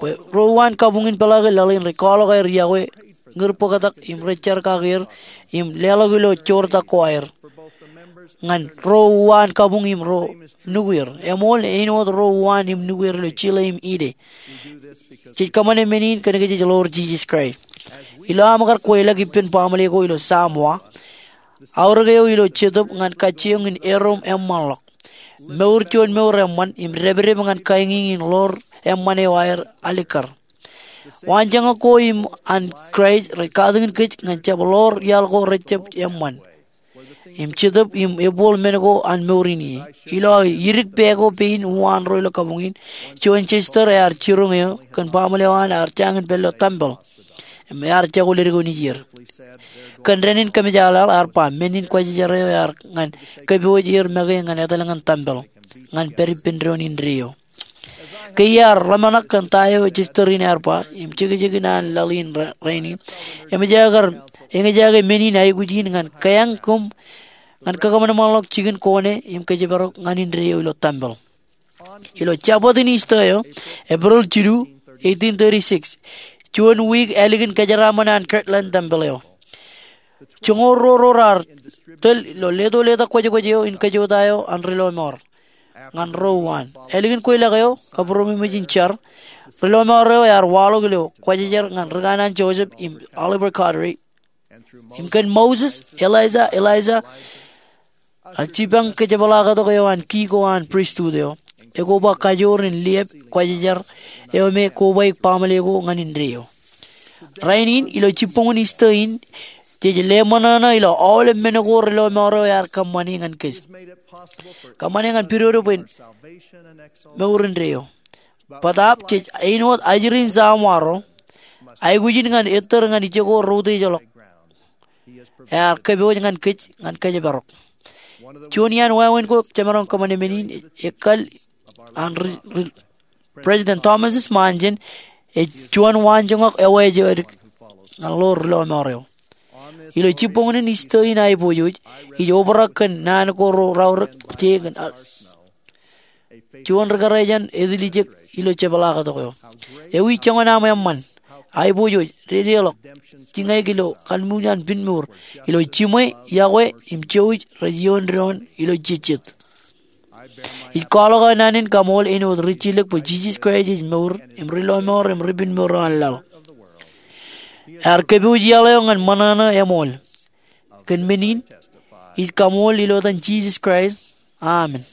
Bwe ro uwaan kabuñ in peḷaakin laḷ in rej kwaḷọk aer iọkwe, ñūr bōktak im rej jar kake er im leḷọk ilo joortak ko aer ñan ro uwaan kabuñ im ro nukuer. Eṃool, āinwōt ro uwaan im nukuer ilo Chile im Haiti. Jej kōṃṃane men in kōnke jej ḷoor Jisōs Kraist. Ilo aṃ kar kweilọk ippān baaṃle ko ilo Samoa, aorōk eo ilo Jetōb ñan kajjioñ in erom eṃṃanḷọk, mour juon mour eṃṃan im depdep ñan kañiñ in ḷoor eṃṃan eo aer alikkar. Waanjoñak ko im an Kraist rej katakin kōj ñan jab ḷoor iaḷ ko rejjab eṃṃan im Jetōb im ebboḷ men ko an mour in ie. Ilo aō idik pā ko pein uwaan ro ilo kabuñ in, juon sister ear jiroñ eō kōn baaṃle eo an ear jañin pād ilo tempel im ear jako ledik eo nejier. Kōn dān in kōmjaaḷaḷ ear ba men in kwōjarjar eo ear ñan kōpooj er make ñan etal ñan tempel ñan pād ippān doon indeeo. Ke iar ḷōmṇak kōn ta eo sister in ear ba im jekjekin an laḷ in ra-, rainin, eṃōj aō kar eñjake men in aikuj in ñan keañ koṃ ñan kakōṃanṃanḷọk jikin kone im kōjparok ñan indeeo ilo tempel. Ilo Jabōt in Easter eo, April jilu, eighteen thirty-six, juon wiik ālikin kōjeraaṃṃan an Kirtland tempel eo, joñoul ruo ro raar tōl ilo leto leta kwōjkwōj eo in kōjota eo an ri lọmọọr ñan ro uwaan. Ālikin kweilọk eo, kabūroṃōj im jar, ri lọmọọr eo ear waḷọk ilo kwōjarjar ñan ri kanaan Joseph im Oliver Cowdery. Im kōn Moses, Elijah, Elisha, ak jipañ kōjepḷaaktok eo an ki ko an pristut eo, ekoba kajoor in liep kwōjarjar eo me kobaik baaṃle ko ñan indeeo. Rainin ilo jibboñin Easter in, jej leṃōṇōṇō ilo aolep men ko ri lọmọọr eo ear kōṃṃane ñan kōj. Kōṃṃane ñan pidodo bwe en mour indeeo. Bōtaab jej āinwōt ajri in Samoa ro, aikuj in ñan ettōr ñan ijoko routejḷọk ear kōpooj ñan kōj ñan kōjparok. Juon iaan wāween ko jemaroñ kōṃṃane men in, ekkal an ri, ri, President Thomas S. Monson, ej juon waanjoñak eo ej edik ñan ḷoor ri lọmọọr eo. Ilo jibboñin Easter in aiboojoj, ij obrak kōn naan ko ro raorōk je kōn, a, juon ri kōrā jān etiljek ilo jepḷaaktok eo. Ewi joñan aṃ eṃṃan aiboojoj, dedeḷọk, jiñaik ilo kalmuuj an pinmour, ilo jiṃwe, iọkwe im jouj rej ioon doon ilo jejjet. Ij kwaḷọk aō naan in kaṃool āinwōt rijjilōk bwe Jisōs Kraist ej mour im ri-lọmọọr im ri-penmour eo an laḷ. Ear kōpooj iaḷ eo ñan ṃōṇōṇō eṃool. Kōn men in, ij kaṃool ilo etan Jisōs Kraist. Amen.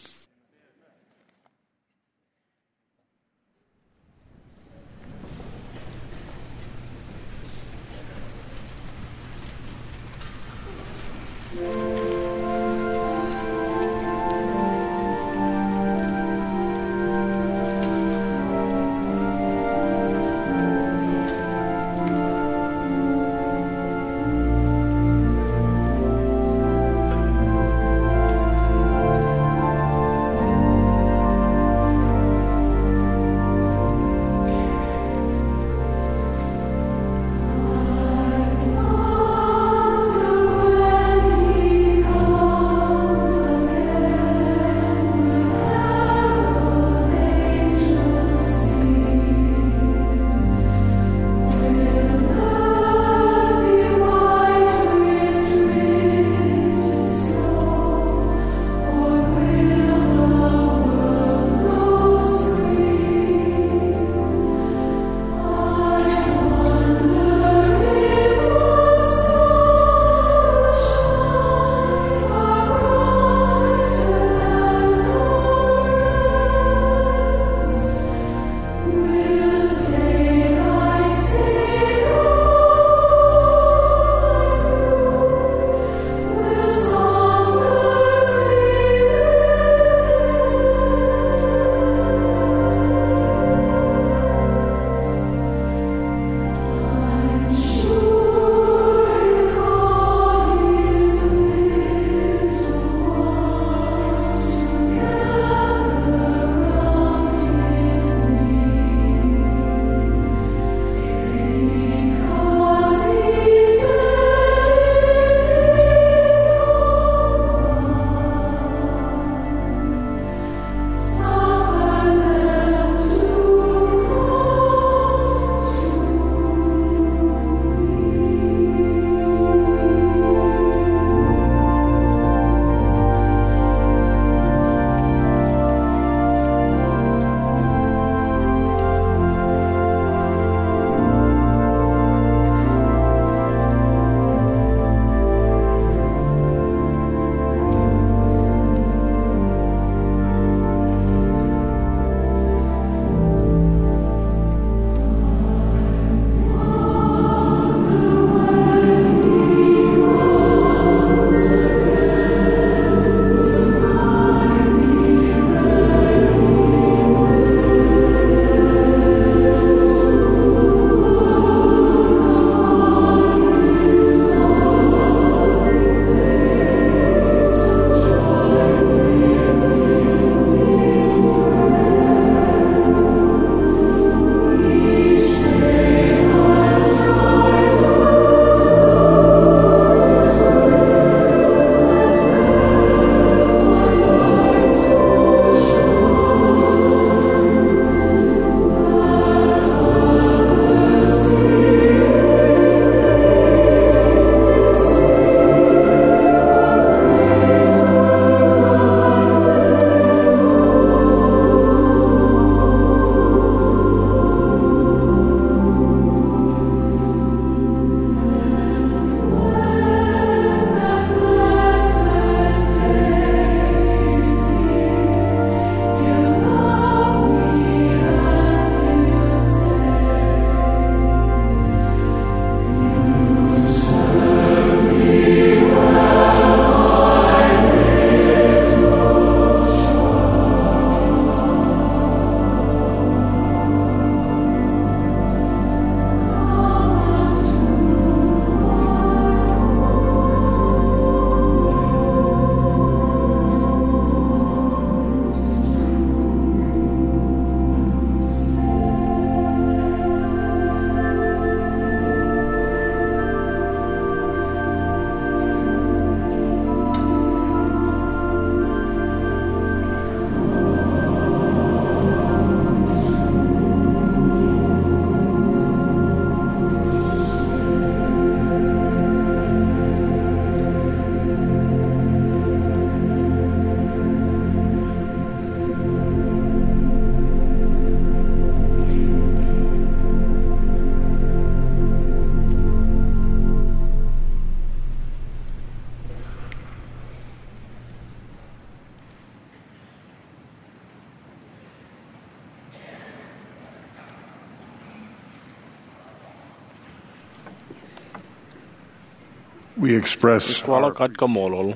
We express Ij kwaḷọk ad kaṃṃoolol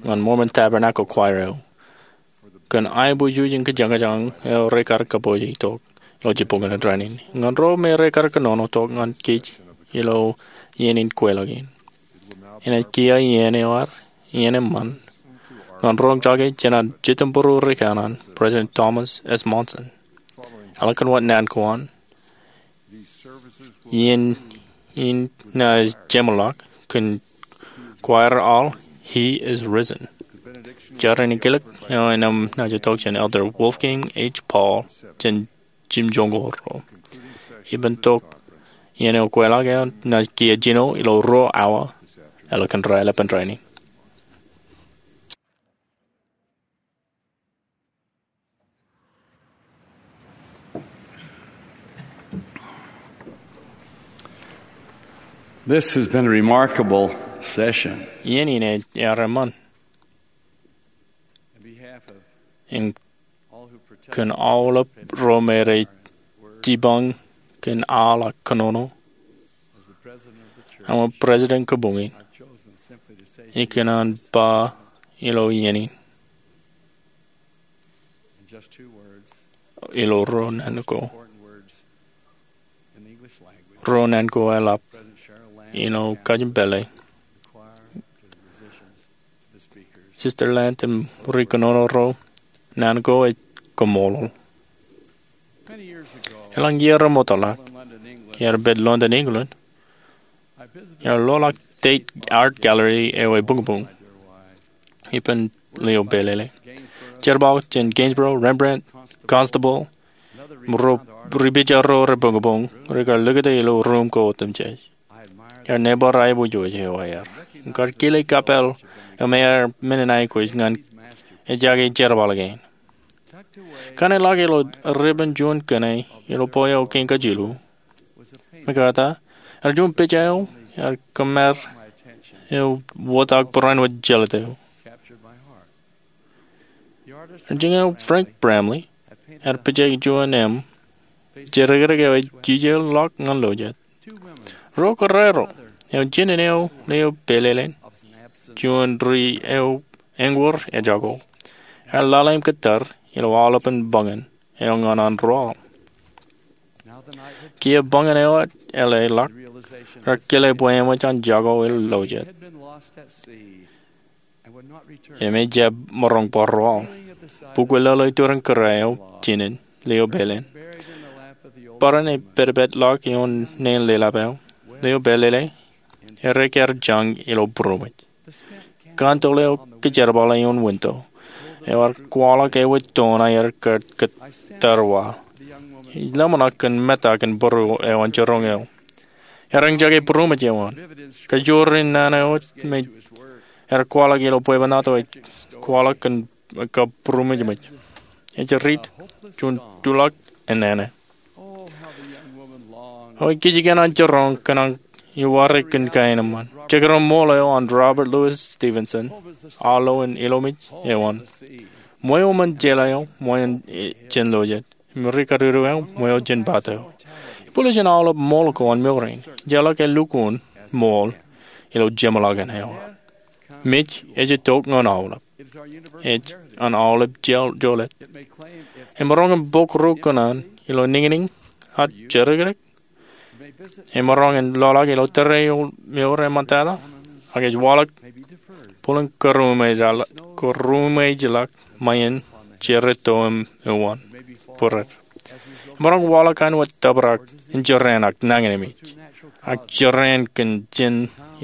ñan Mormon Tabernacle Choir eo kōn aiboojoj im kajañjañ eo rekar kapooj tok ilo jibboñōn rainin. Ñan ro me rekar kōnono tok ñan kōj ilo iien in kweilọk in, inaaj kiiō iien eo ad, iien eṃṃan, ñan roñjake jān an jitemperu ri kanaan, President Thomas S. Monson, eḷak kōn wōt naan ko an, iien in naaj jeṃḷọk kōn kwaer aḷ He Is Risen. Jar in kilōk eo enaaj itok jān Elder Wolfgang H. Paul jān jimjuonñoul ruo. Ippān tok iien eo kweilọk eo naaj kiiō jino ilo ruo awa eḷak kōn raelepen rainin. This has been a remarkable session. Iien in ej ear eṃṃan. Im kōn aolep ro me rej jipañ kōn aḷ ak kōnono, aṃ President kabuñ in, ikōṇaan ba ilo iien in ilo ruo naan ko. Ruo naan ko eḷap ilo kajin pālle. Sister Lant im ri kōnono ro, naan ko ej kaṃṃoolol. Elōñ iiō remootḷọk, iar pād London, England, iar loḷọk Tate Art Gallery eo ebuñbuñ ippān lio pālele. Jerbal jān Gainsborough, Rembrandt, Constable, im ro ri pija ro rebuñbuñ rekar likūti ilo ruum ko otemjej. Iar nebar aiboojoj eo aer. Im kar kile kapeel eo me ear men in aikuj ñan ejjake jerbal kein. Kaṇe ḷọk ilo ribbon juon kōṇe ilo bwe eo kein kajilu. Mekata, ear juon pija eo ear kōṃṃan eo wōt ak barāinwōt jelōt eo. Ear jiñao Frank Bramley, ear pija juon im jerkedik eo ej jijeḷọk ñan lojet. Ro kōrā ro, eo jinen eo lio pālele, juon ri eo eñwōr ejako, ear lale im kōttar ilo aolepen buñōn eo ñan an ro aḷ. Kiiō buñōn eo eḷḷọk, rear kile bwe eṃōj an jako ilo lojet im ejjab maroñ bar ro aḷ. Bukwe lōḷō iturin kōrā eo jinen, lio pālele, barāinwōt ej pedpedḷọk ioon neen lelap eo, lio pālele, ear ekar jañ ilo būroṃōj. Kantōḷ eo kōjerbale ioon winto eo ear kwaḷọk ewōr toon aer kōttar wa. Ij lōmṇak kōn meta kōn būruō eo an jiroñ eo. Ear eñjake būroṃōj eo an. Kajoor in naan eo me ear kwaḷọk ilo bwebwenato ej kwaḷọk kōn kab būroṃōjṃōj. Ej riit juon tulọk ennana. O, ej kijeek an jiroñ kōṇaan iware kōn kain eṃṃan. Jekdọọn ṃool eo an Robert Louis Stevenson, aolep in ilomej eo an. Ṃweo ṃōn jeḷā eo, ṃweo jān lojet. Im ri kadiwōj eo, ṃweo jān pād eo. Ibwiljin aolep ṃool ko an mour in, ejjeḷọk elukkuun ṃool ilo jeṃḷọkin eo. Mej ej itok ñan aolep. Ej an aolep joḷọk. Emaroñ in bōk ro kōṇaan ilo niñniñ ak jerkedik. Emaroñ in loḷọk ilo tōre eo mour eṃṃantata, ak ej waḷọk bōlen kōrūṃōjḷọk ṃae in jeraato im uwaan būreet. Emaroñ waḷọk āinwōt tōprak in jeraaṃṃan nañinmej ak jeraaṃṃan kōn jen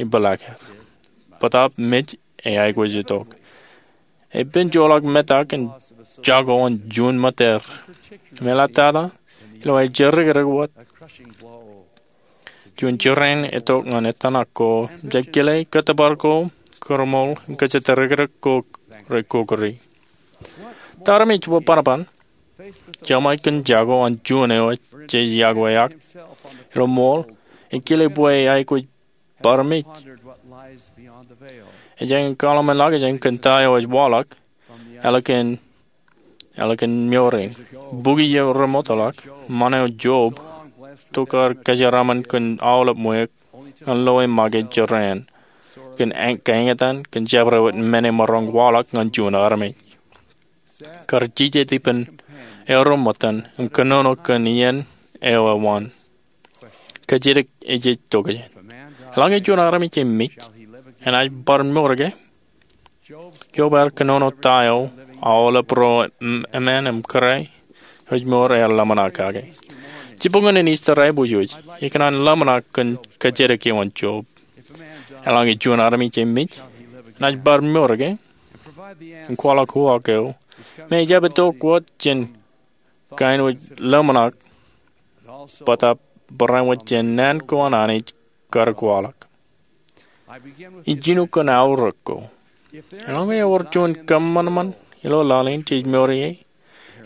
ipeḷaakin. Bōtaab mej ej aikuj itok. Epen joḷọk meta kōn jako an juon ṃōtteer. Im eḷaptata ilo aer jerkedik wōt, juon jeraaṃṃan etok ñan etan ak ko, jab kile kōttōpar ko, kōrṃool, kōjatdikdik ko, rej kōkōri. Tarmej bwe banoban, jeṃḷọk kōn jako an juon eo jej yokwe ak ilo ṃool, ej kile bwe aikuj bar mej. Ej jañin kaḷmenḷọkjeṇ kōn ta eo ej waḷọk ālikin, ālikin mour in. Bukwi eo remootḷọk, ṃaan eo Job, tokar kōjeraaṃṃan kōn aolep ṃweiuk ñan loe make jorrāān kōn kaeñatan kōn jabdewōt men emaroñ waḷọk ñan juon armej. Kar jijet ippān eruṃṃan im kōnono kōn iien eo ewōn. Kōjatdikdik ej tokjān. Eḷaññe juon armej ej mej, enaaj bar mour ke? Job ear kōnono ta eo aolep ro eṃṃan im kōrā eo ej mour ear ḷōmṇak kake. Jibboñōn in Ister ej bōjoj, ikōṇaan ḷōmṇak kōn kōjatdikdik eo an Job. Eḷaññe juon armej ej mej, enaaj bar mour ke? Im kwaḷọk uwaak eo, me ejjab itok wōt jān kain wōj ḷōmṇak, bōtaab barāinwōt jān naan ko an Anij kar kwaḷọk. Ij jino kōn aorōk ko. Eḷaññe ewōr juon kōṃanṃan ilo laḷ in jej mour ie,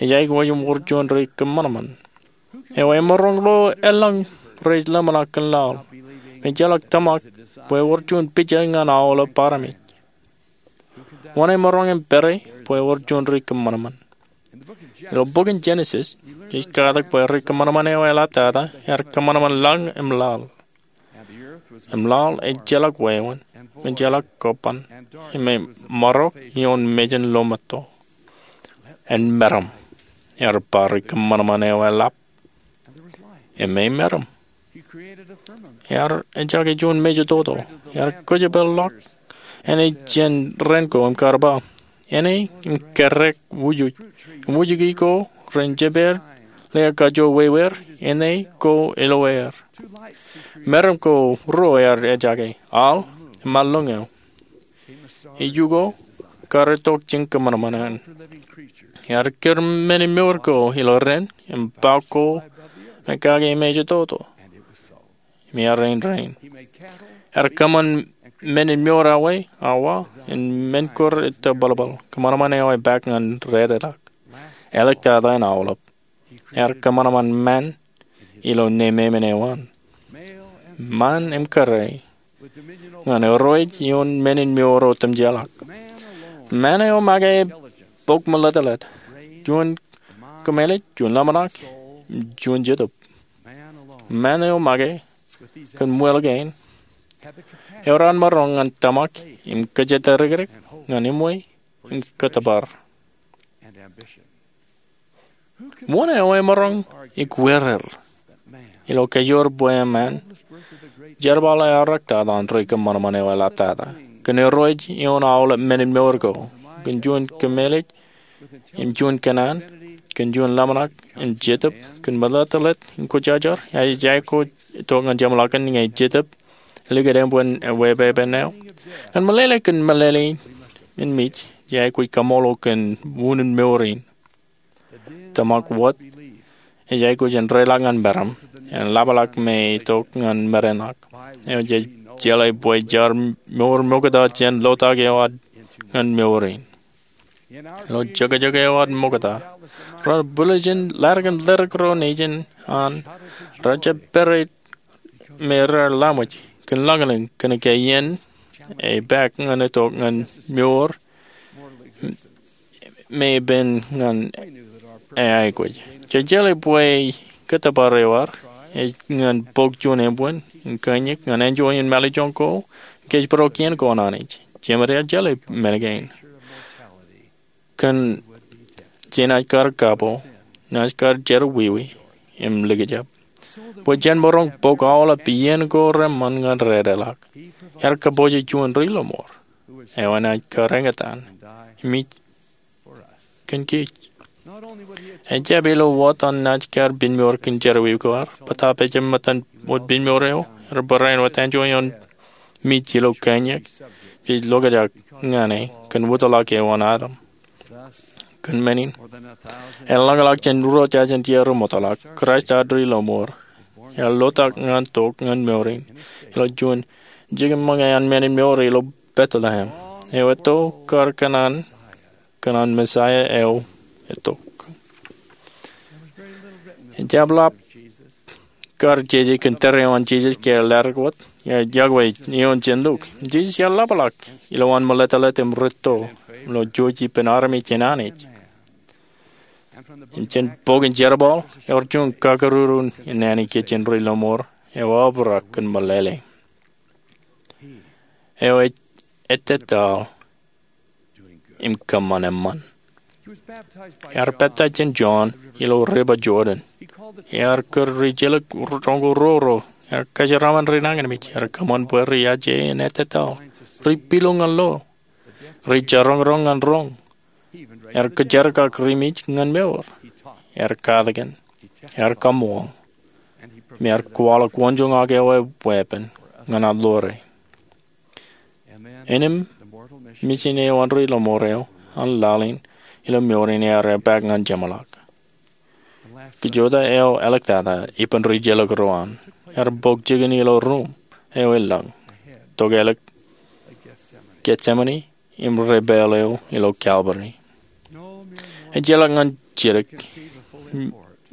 ej aikuj im wōr juon ri kōṃanṃan eo emaroñ lo eḷaññe rej ḷōmṇak kōn laḷ, im ejjeḷọk tōmak bwe ewōr juon pija ñan aolep armej. Wōn emaroñ im pere bwe ewōr juon ri kōṃanṃan? Ilo bok in Jenesis, jej katak bwe ri kōṃanṃan eo eḷaptata ear kōṃanṃan lañ im laḷ. Im laḷ ejjeḷọk wāween, im ejjeḷọk kobban, im emaroñ ioon mejān lometo. En meram, ear ba ri kōṃanṃan eo eḷap. Im e meram. Ear ejake juon mejatoto, ear kōjepel ḷọk āne jān ren ko im kar ba, āne im kōrā wūjwūj, im wūjiki ko ren jepaer, lea kajoor wāween, āne ko ilo aer. Meram ko ruo ear ejake, al im alloñ eo. Iju ko kar itok jān kōṃanṃan eṇ. Ear kūr men in mour ko ilo ren im ba ko me kake mejatoto. Im ear rein. Ear kōṃṃan men in mour awa, awa, im men ko ettōbalbal, kōṃanṃan eo epaak ñan rādeḷọk. Āliktata in aolep, ear kōṃanṃan ṃaan ilo nemāmein eo an. Ṃaan im kōrā ñan irooj ioon men in mour otemjeḷọk. Ṃaan eo make bok meletlet, juon kōmālij, juon ḷōmṇak, im juon jetōb. Ṃaan eo make kōn ṃwil kein, ewōr an maroñ ñan tōmak im kōjatdikdik ñan eṃṃan im kōttōpar. Wōn eo emaroñ ikweer ilo kajoor bwe eṃṃan jerbal eaorōk tata an ri kōṃanṃan eo eḷaptata kōn irooj ioon aolep men in mour ko, kōn juon kōmālij im juon kōnnaan, kōn juon ḷōmṇak im jetōb, kōn meletlet im kwōjarjar? Ij aikuj itok ñan jeṃḷọkin ñe jetōb elikūt ānbwin ewepepen eo. Ñan meḷeḷe kōn meḷeḷein in mej, ij aikuj kaṃṃoolol kōn unin mour in. Tōmak wōt ej aikuj in reiḷọk ñan meram, im ḷapḷọk me itok ñan merenḷọk. Eo jej jeḷā bwe jaar mour mokta jān lotak eo ad ñan mour in. Ilo jokjok eo ad mokta, ro bwilōñ in ḷaddik im ḷaddik ro nejin an, rejjab pere me raar laṃōj kōn lañlōñ kōnke iien epaak ñan itok ñan mour me epen ñan eaikuj. Jej jeḷā bwe kōttōpar eo ad ej ñan bōk juon ānbwin im kōnñik ñan enjoy in mālejjoñ ko, kōjparok kien ko an Anij. Jemed ear jeḷā men kein. Kōn jenaaj kar kapo, naaj kar jerọwiwi im likjab. Bwe jen maroñ bōk aolep iien ko reṃṃan ñan rādeḷọk, ear kōpooje juon ri lọmọọr eo enaaj kar eñtaan im ij kōn kōj. Ejjab ilo wōt an naaj kar piñmour kōn jerọwiwi ko ad, bōtaab ejjab ṃōttan wōt piñmour eo, ear barāinwōt enjoy ioon mej ilo kōnñik, jej lokjak ñan e kōn wōtlọk eo an Adam. Kōn men in, eḷaññe ḷọk jān ruo jajen iiō ri ṃōttan ḷọk, Kraist ad ri lọmọọr, ear lotak ñan tok ñan mour in ilo juon jikin ṃōñā an men in mour ilo Bethlehem. Eo etto kar kōṇaan kōn an Messiah eo etok. Ejjab ḷap kar jeje kōn tōre eo an Jisōs ke ear ḷaddik wōt, ear iọkwe ioon jān Luk. Jisōs ear ḷapḷọk ilowaan meletlet im rūtto ilo jouj ippān armej jān Anij. Im jān bok in Jerbal, ewōr juon kakaruru in naan ikijjien ri lọmọọr eo obrak kōn meḷeḷe. eo ej ettetaḷ im kōṃṃan eṃṃan. Ear pāptaij jān Jon ilo River Jordan. Ear kūr rijelōk roñoul ruo ruo. Ear kōjeraaṃṃan rinañinmej. Ear kōṃṃan bwe rijaje in ettetaḷ. Ri-pilu ñan lo. Rijaroñroñ ñan roñ. Ear kōjerkak ri-mej ñan mour. Ear katakin. Ear kaṃṃoolol. Im ear kwaḷọk wōnjoñak eo e weeppān ñan aḷḷoore. Innām, mijin eo āindein lọmọọr eo an laḷ in ilo mour in ear epaak ñan jeṃḷọk. Kajjojo eo āliktata ippān rijelōk ro an, ear bōk jikin ilo ruuṃ eo e lañ, tokālik Getsemane im repeeḷ eo ilo Kalvari. Ejjeḷọk ñan jidik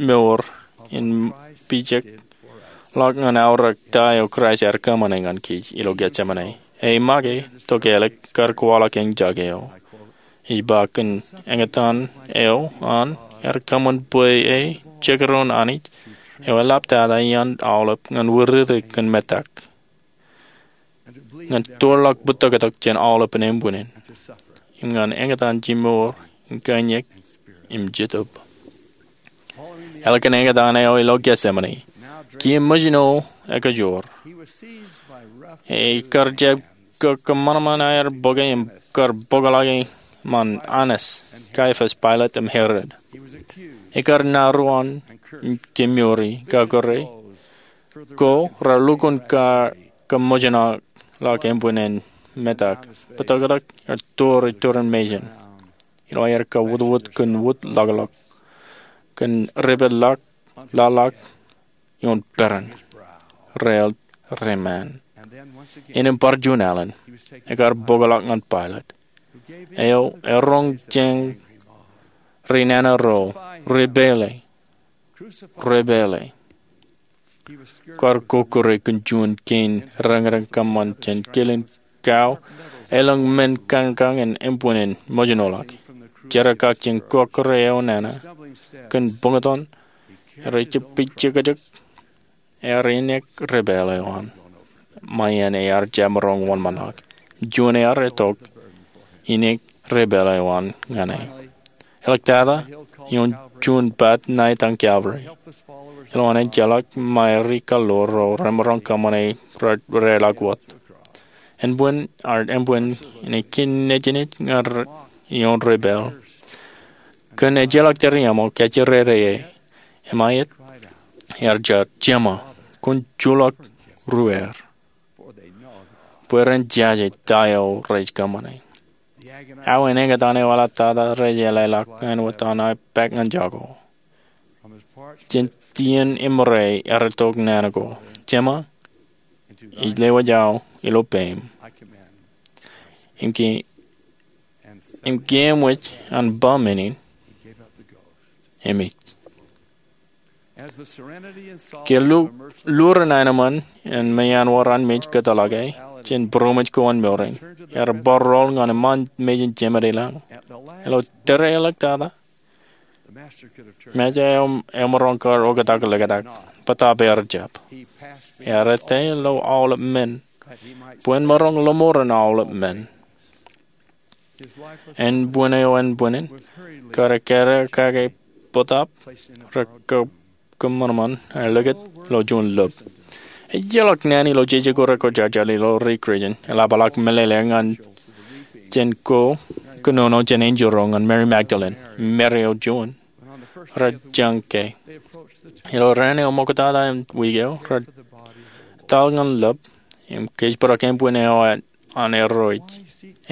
mour in pijekḷọk ñan aorōk ta eo Kraist ear kōṃṃane ñan kōj ilo Getsemane. Ak make, tokālik, kar kwaḷọk eñjake eo. Ij ba kōn eñtaan eo an, ear kōṃṃan bwe e jekdọọn Anij eo eḷaptata iaan aolep ñan wūrere kōn metak, ñan tōrḷọk bōtōktōk jān aolepen embwinnin, im ñan eñtaan jimour in kaiñak im jetōb. Ālikin eñtaan eo ilo Getsemane, kiiō ṃōjin eo ekajoor. Ekar jab kōṃanṃan aer bōke im kar bōkḷọk e ṃaan Annas, Kaiapas, Pailat, im Herod. Ekar naruon im kemouri, kakōrā, ko rā lukkuun kar kaṃōjṇọ ḷọk embwinnin metak, bōtōktōk, im tōre turin mejān. Ilo aer kawōtwōt kōn wōt ḷọkḷọk, kōn repeḷḷọk, laḷḷọk ioon peran, rael reṃṃan. Innām bar juon alen, ekar bōkḷọk ñan Pailat, eo eroñ jān ri nana ro, repeeḷe, repeeḷe. Kar kokkure kōn juon kein reñreñ kōṃṃan jān kilen kao elōñ men kañkañ in embwinnin ṃōjṇoḷọk. Jerkakakjeṇ kokkure eo nana kōn buñtōn, rej pijekjek, ear inek repeeḷ eo an. Ṃae iien ear jab maroñ wōnṃaanḷọk. Juon ear itok inek repeeḷ eo an ñan e. Āliktata, ioon juon bat ṇa etaṃ Kalvari, ilowaan ejjeḷọk ṃae ri-kallo ro remaroñ kōṃṃane, reḷak wōt. Embwin, embwin in ekōn nejin ej ñan ioon repeeḷ. Kōn ejjeḷọk tōre iṃō, kōjjere e. Im ṃae iet, ear jar, Jeṃa, kwōn joḷọk ruwaer, bwe ren jaje ta eo rej kōṃṃane. Awa in eñtaan eo eḷaptata rej ālōkḷọk āinwōt an epaak ñan jako. Jān tiōn eṃōrā ear itok naan ko, Jeṃa, ij lewōj aō ilo peiṃ. Im ke, im ke eṃōj an ba men in, emōj. Ke lu, lurin aenōṃṃan in meanwōr an mej kōtḷọk e jān būroṃōj ko an mour in, ear bar rool ñan eṃṃaan mejān jemed ilañ. Ilo tōre āliktata, Mejān eo emaroñ kar oktak liktak, bōtaab ear jab. Ear ettā ilo aolep men, bwe en maroñ lọmọọren aolep men. Ānbwin eo ānbwinnin, kar ekkāre kake bōtaab, re kōṃanṃan, ear likūt ilo juon lōb. Ejjeḷọk naan ilo jeje ko rekwojarjar ilo ri Kūrjin, eḷapḷọk meḷeḷe ñan jān ko kōnono jān enjeḷ ro ñan Mary Magdalene, Mary eo juon, rej jañin ke. Ilo raan eo ṃoktata im wiik eo, rej etal ñan lōb, im kōjparok ānbwin eo an erro ej.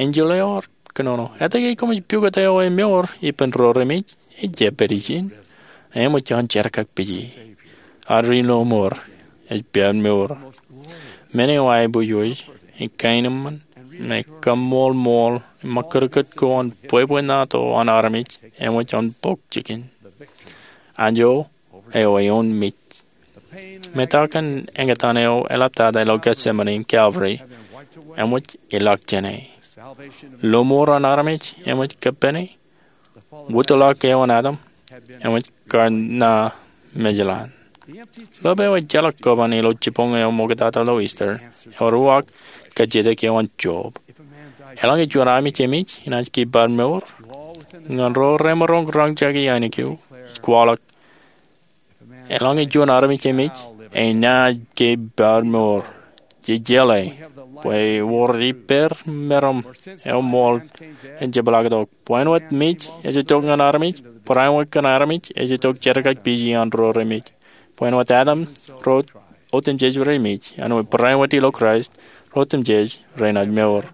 Enjeḷ eo ear kōnono, etke koṃij pukot eo e mour ippān ro remej? Ejjab pād ijin. Eṃōj an jerkakpeje. Ad ri lọmọọr ej pād mour. Men eo aiboojoj, im kaenōṃṃan, im kaṃṃoolol, im ṃakūtkūt ko an bwebwenato an armej, eṃōj an bōk jikin. Anjo eo eoon mej. Metak in eñtaan eo eḷaptata ilo Getsemane im Calvary, eṃōj ilọk jāne. Lọmọọr an armej, eṃōj kōppāne. Wūtḷọk eo an Adam, eṃōj kar ṇa mejeḷaan. Lōb eo ejjeḷọk kōban ilo jibboñ eo ṃoktata ilo Easter, ewōr uwaak kajjitōk eo an Job. Eḷaññe juon armej emej enaaj kein bar mour, ñan ro remaroñ roñjake ainikien ej kwaḷọk. Eḷaññe juon armej emej enaaj kein bar mour, jejeḷā bwe ewōr ippāer meram eo ṃool en jepḷaaktok. Bwe āinwōt mej ej itok ñan armej, barāinwōt kōn armej ej itok jerkakpeje an ro remej. Bwe āinwōt Adam ro otemjej remej, āinwōt barāinwōt ilo Kraist ro otemjej renaaj mour.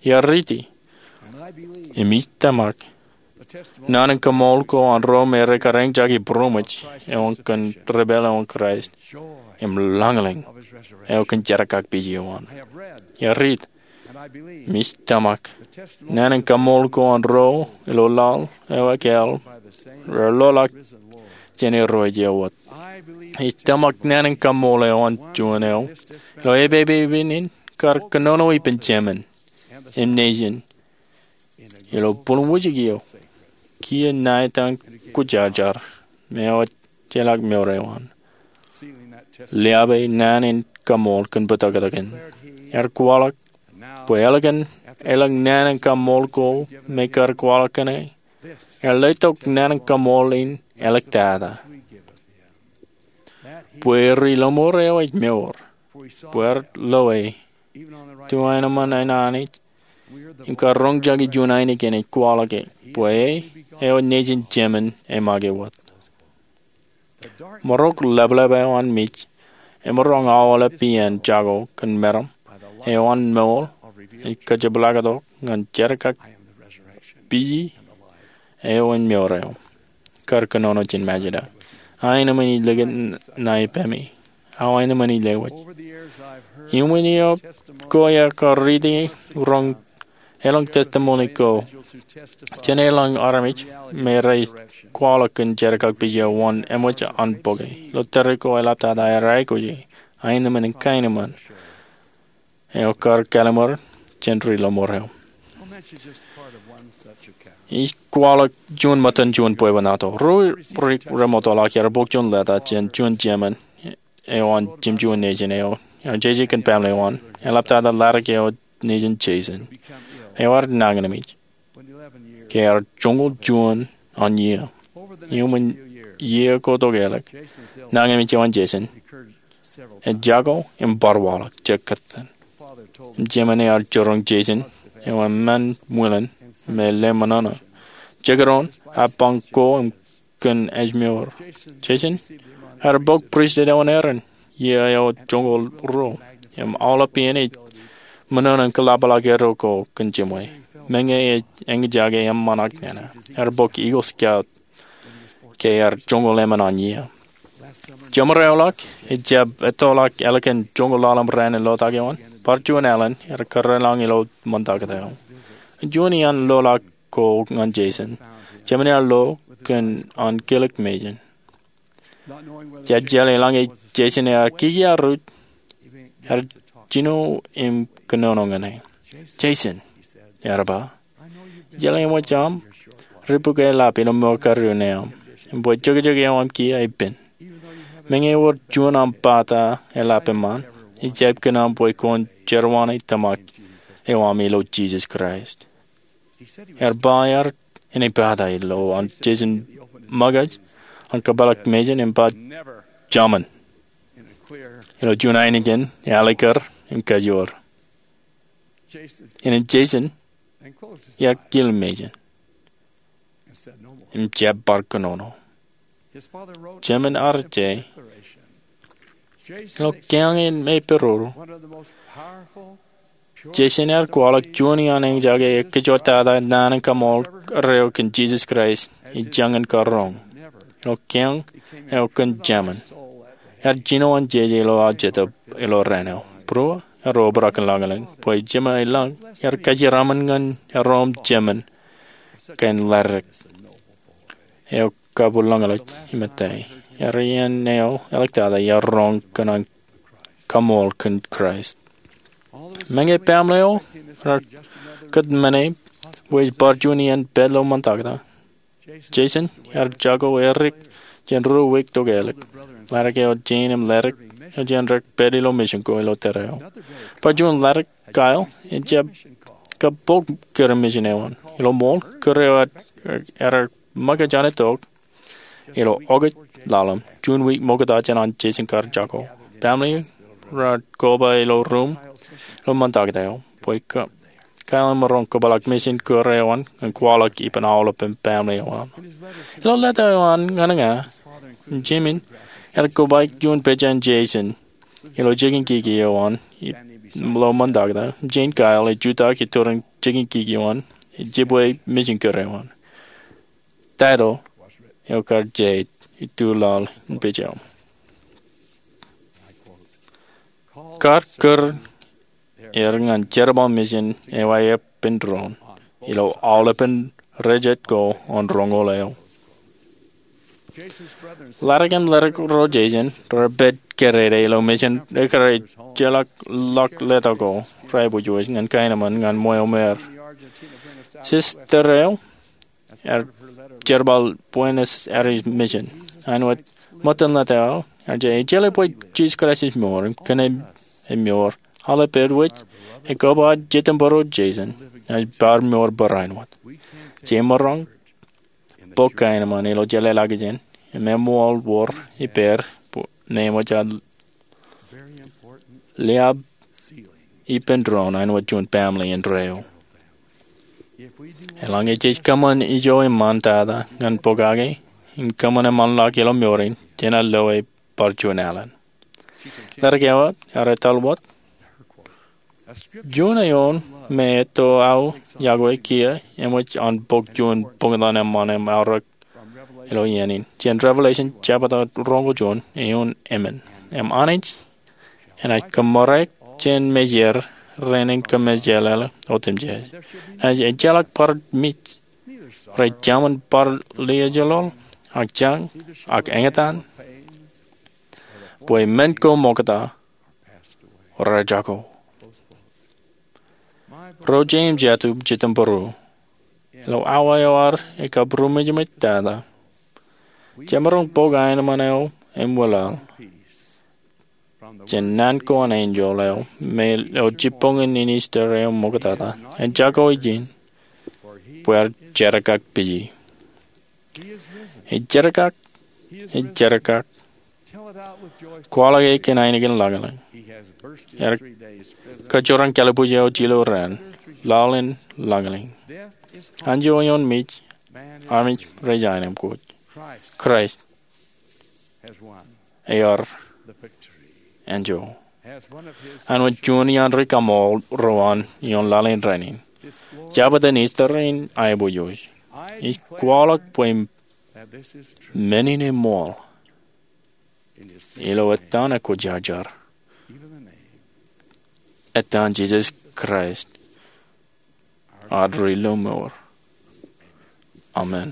Iar riiti im ij tōmak naan in kaṃool ko an ro me rej kar eñjake būroṃōj eo an kōn ri-pāl eo an Kraist im lañlōñ eo kōn jerkakpeje eo an. Iar riit im ij tōmak naan in kaṃool ko an ro ilo laḷ eo ekāāl rear loḷọk jān Irooj eo wōt. Ij tōmak naan in kaṃool eo an juon eo ilo epepepen in kar kōnono ippān Jemān im Nejin ilo būruon wōjke eo kiiō ṇa etaṃ kwōjarjar me ejjeḷọk mour eo an. Liabe naan in kaṃool kōn bōtōktōkin. Ear kwaḷọk bwe ālikin elōñ naan in kaṃool ko me kar kwaḷọk kōn e, ear letok naan in kaṃool in āliktata bwe ri-lọmọọr eo ej mour, bwe ear loe tuainmōn an Anij im kar roñjake juon ainikien ej kwaḷọk bwe e eo nejin Jemān e make wōt. Maroñ leplep eo an mej emaroñ aolep iien jako kōn meram eo an ṃool ej kajepḷaaktok ñan jerkakpeje eo an mour eo kar kōnono jān Mājeda. Aenōṃṃan ij likūt ṇa ippaṃ, aenōṃṃan ij lewōj. Iuṃwin iiō ko iar kar riiti roñ elōñ testimoni ko jān elōñ armej me rej kwaḷọk kōn jerkakpeje eo wōn eṃōj an bōke. Ilo tōre ko eḷaptata ear aikuj aenōṃṃan im kaenōṃṃan eo kar kallim̧ur jān ri-lọmọọr eo. Ij kwaḷọk juon ṃōttan juon bwebwenato. Ruo ri-remoottoḷọk ear bōk juon leta jān juon Jemān eo an jimjuon nejin eo ear jeje kōn baaṃle eo an. Eḷaptata ḷadik eo nejin Jeisen eo ear nañinmej ke ear joñoul juon an iiō. Iuṃwin iiō ko tokālik, nañinmej eo an Jeisen ej jako im bar waḷọk jekōttan. Im Jemān ear jiroñ Jeisen eo eṃṃan ṃwilen im lale ṃōṇōṇō. Jekdọọn ear bañ ko im kōn ājmour. Jeisen ear bōk pristut eo an Aaron iiō eo joñoul ruo im aolep iien ej ṃōṇōṇō in kōḷapḷọk eddo ko kōn jiṃwe. Meñe ej eñjake eṃṃan ak nana, ear bōk Eagle Scout ke ear joñoul emān an iiō. Jemān eo ḷọk ejjab ettoḷọk ālikin joñoul ḷalem raan in lotak eo an. Bar juon alen ear kōrā lañ ilo ṃantakōt eo. Juon iaan loḷọk ko ñan Jeisen, Jemān ear lo kōn an kilik mejān. Jab jeḷā eḷaññe Jeisen ear kikiar ruj, ear jino im kōnono ñan e. Jeisen, ear ba, ij jeḷā eṃōj aṃ ribukweḷap ilo mour kariō ṇe aṃ im bwe jokjok eo aṃ kiiō epen. Meñe ewōr juon aṃ bata eḷap eṃṃan, ij jab kōn aṃ bwe kwōn jeruwaṇe tōmak eo aṃ ilo Jisōs Kraist. Ear ba ear inepata ilo an Jeisen ṃōkaj an kōpeḷḷọk mejān im ba, jemān, ilo juon ainikien ealikkar im kajoor. Innem Jeisen ear kile mejān im jab bar kōnono. Jemān ear ej ilo kiañ in me peruru. Jeisen ear kwaḷọk juon iaan eñjake ekkejotata naan in kaṃool reo kōn Jisōs Kraist ej jañin kar roñ ilo kiañ eo kōn Jemān. Ear jino an jeje ilo aō jetōb ilo raan eo. Būruō, ear obrak in lañlōñ bwe Jemān ilañ ear kajeraṃṃan ñan erom Jemān kain ḷadik eo kabwilōñlōñ im ettā. Ear iien eo eḷiktata ear roñ kōn an kaṃool kōn Kraist. Meñe baaṃle eo raar kōtmāne bwe ej bar juon iien pād ilo ṃantakōt, Jeisen ear jako erik jān ruo wiik tokālik. Ḷadik eo jein im ḷadik eo jān dik pād ilo mission ko ilo tōre eo. Bar juon ḷadik, Kyle ejjab kab bōk kūr eo ilo mission eo an. Ilo ṃool, kūr eo ear make jān tok ilo August ḷalem, juon wiik ṃokta jān an Jason kar jako. Family raar koba ilo ruum ilo ṃantak eo bwe Kyle emaroñ kōpeḷḷọk mission kūr eo an ñan kwaḷọk ippān aolepān family eo an. Ilo leta eo an ñan ña, Jimmy ear kobaik juon pejān Jason ilo jikin kiki eo an ilo ṃantak. Im Kyle ej jutak iturin jikin kiki eo an ej jibwe mission kūr eo an. Title eo kar jeid ituḷaḷ in pejel, Kar kūr er ñan jerbal mission eo aō ippān doon ilo aolepān ri jet ko an roñoul eo. Ḷadik im ledik ro Jason raar pād kōrā ilo mission ekkar ejjeḷọk ḷọk leta ko rej aiboojoj ñan kaenōṃṃan ñan ṃweo me er. Sister eo ear jerbal Buenos Aires mission. Āinwōt ṃōttan leta eo, ear jab jeḷā bwe Jisōs Kraist ej mour im kōn ej mour, aolep āinwōt ej koba jitōnbōro Jason, ej bar mour barāinwōt. Jemaroñ bōk kaenōṃṃan ilo jeḷāḷọkjeṇ im eṃool wōr ippāer bwe eṃōj an liab ippān doon āinwōt juon family indeeo. Eḷaññe jej kōṃṃan ijo eṃṃan tata ñan pokake im kōṃṃan eṃṃanḷọk ilo mour in, jenaaj lo e bar juon alen. Ledik eo ear etal wōt, juon eoon me etto aō yokwe kiiō eṃōj an bōk juon bōktan eṃṃan im aorōk ilo iien in jān Revelation jebta roñoul juon, eoon emān. Im Anij enaaj kōṃṃoorōk jān mejāer rein in kōmmejeḷāḷọk otemjej. Enaaj ejjeḷọk bar mej, rej jemān bar liaajḷọk, ak jañ, ak eñtaan, bwe men ko ṃokta rej jako. Ro jet im jatū jitōnbōro, ilo awa eo ad ekabūroṃōjṃōj tata, jemaroñ bōk aenōṃṃan eo im wōlaḷ jān naan ko an enjeḷ eo me ilo jibboñin in Easter eo ṃoktata, ejako ijin bwe ear jerkakpeje. Ej jerkak, ej jerkak. Kwaḷọk e kōn ainikien lañlōñ. Ear kōjeraṃ kalbuuj eo jilō raan, laḷ in lañlōñ. Anjọ eoon mej, armej rej aenōṃṃan. Kraist ear anjọ. Āinwōt juon iaan ri kaṃool ro an ioon laḷ in rainin, jabōt in Easter in aiboojoj. Ij kwaḷọk bwe men in eṃṃool ilo etan ekwōjarjar, etan Jisōs Kraist, ad ri lọmọọr. Amen.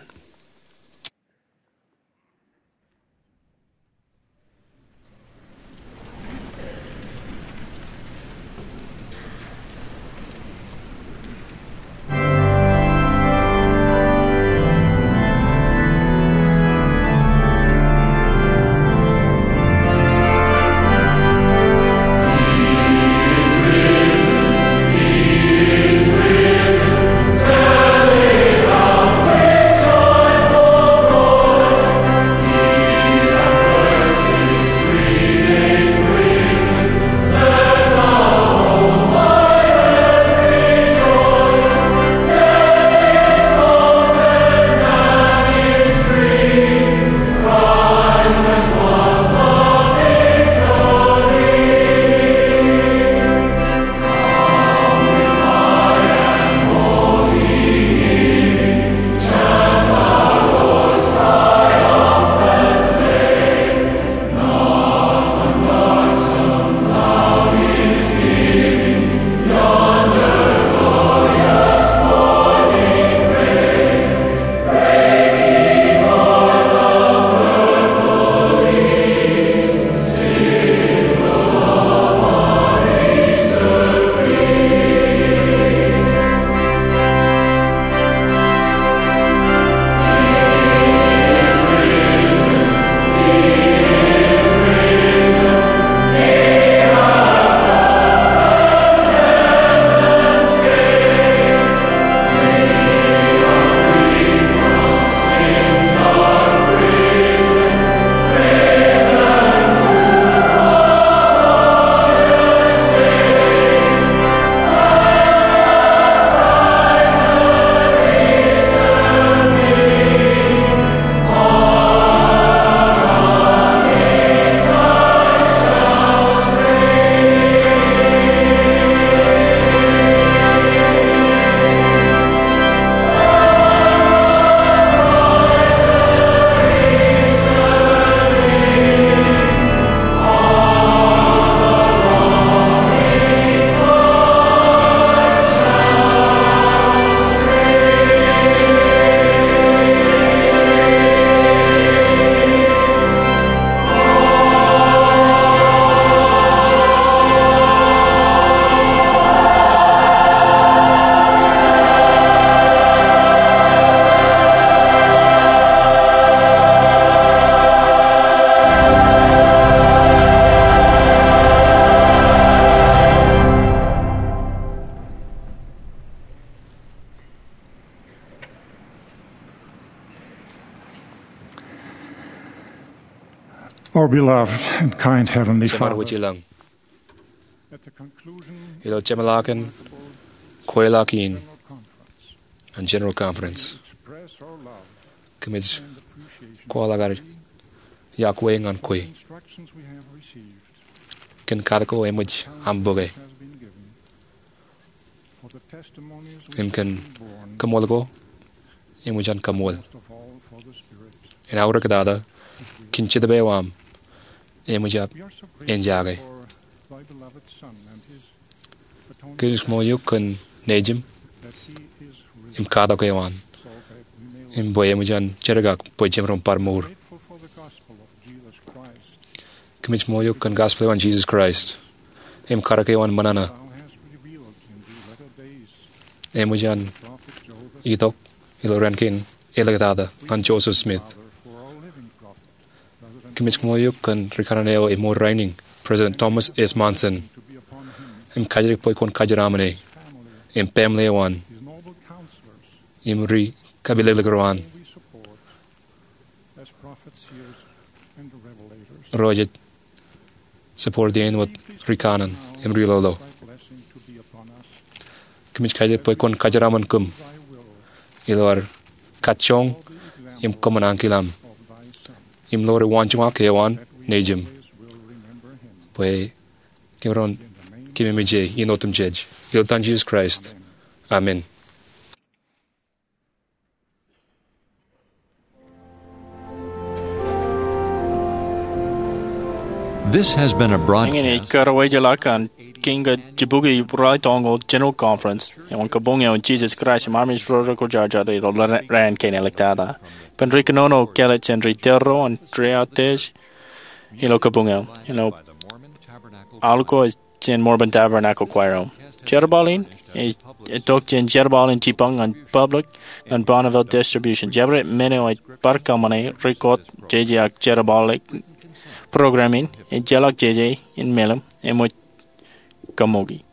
Our beloved and kind Heavenly Father, Jemān Wōj ilañ, ilo jeṃḷọkin kweilọk in an General Conference, kōmij kwaḷọk ad iọkwe ñan kwe kōn katak ko eṃōj aṃ bōke im kōn koṃṃool ko eṃōj an kaṃṃool. Im aorōk tata, kōn Jetōb eo aṃ eṃōj aṃ enjake. Kōmij ṃool eok kōn nejūṃ im katak eo an, im bwe eṃōj an jerkak bwe jemaroñ bar mour. Kōmij ṃool eok kōn gospel eo an Jesus Christ im katak eo an ṃōṇōṇō eṃōj an itok ilo raan kein āliktata ñan Joseph Smith. Kōmij ṃool eok kōn rikōṇaan eo eṃool rainin, President Thomas S. Monson, im kajidik bwe kwōn kajeraṃōne im baaṃle eo an im ri kapilōklōk ro an, ro rej support in wōt rikōṇaan im ri lolo. Kōmij kajidik bwe kwōn kajeraṃōn kōm ilo ad kajjoñ im kōṃṃan ankilōñ im ḷoor waanjoñak eo an nejūṃ, bwe kōm ren kememej e in otemjej. Ilo etan Jesus Christ, amen. This has been a broadcast. Eñin ej karuwajeḷọk an Kiiñ ke Jibukwi Ralitōñoul General Conference eo an Kabuñ eo an Jesus Christ im Armej ro Kwōjarjar ilo Raan Kein Āliktata. Ippān ri kōnono kāālōt jān ri tōre ro an Three-Arm Test ilo kabuñ eo, ilo aḷ ko jān Mormon Tabernacle Choir eo. Jerbal in ej itok jān jerbal in jipañ ñan public ñan Bonneville Distribution. Jabdewōt men eo ej bar kōṃṃane record jeje ak jerbal program in ejjeḷọk jeje in meḷeḷe, eṃōj kaṃṃoolki.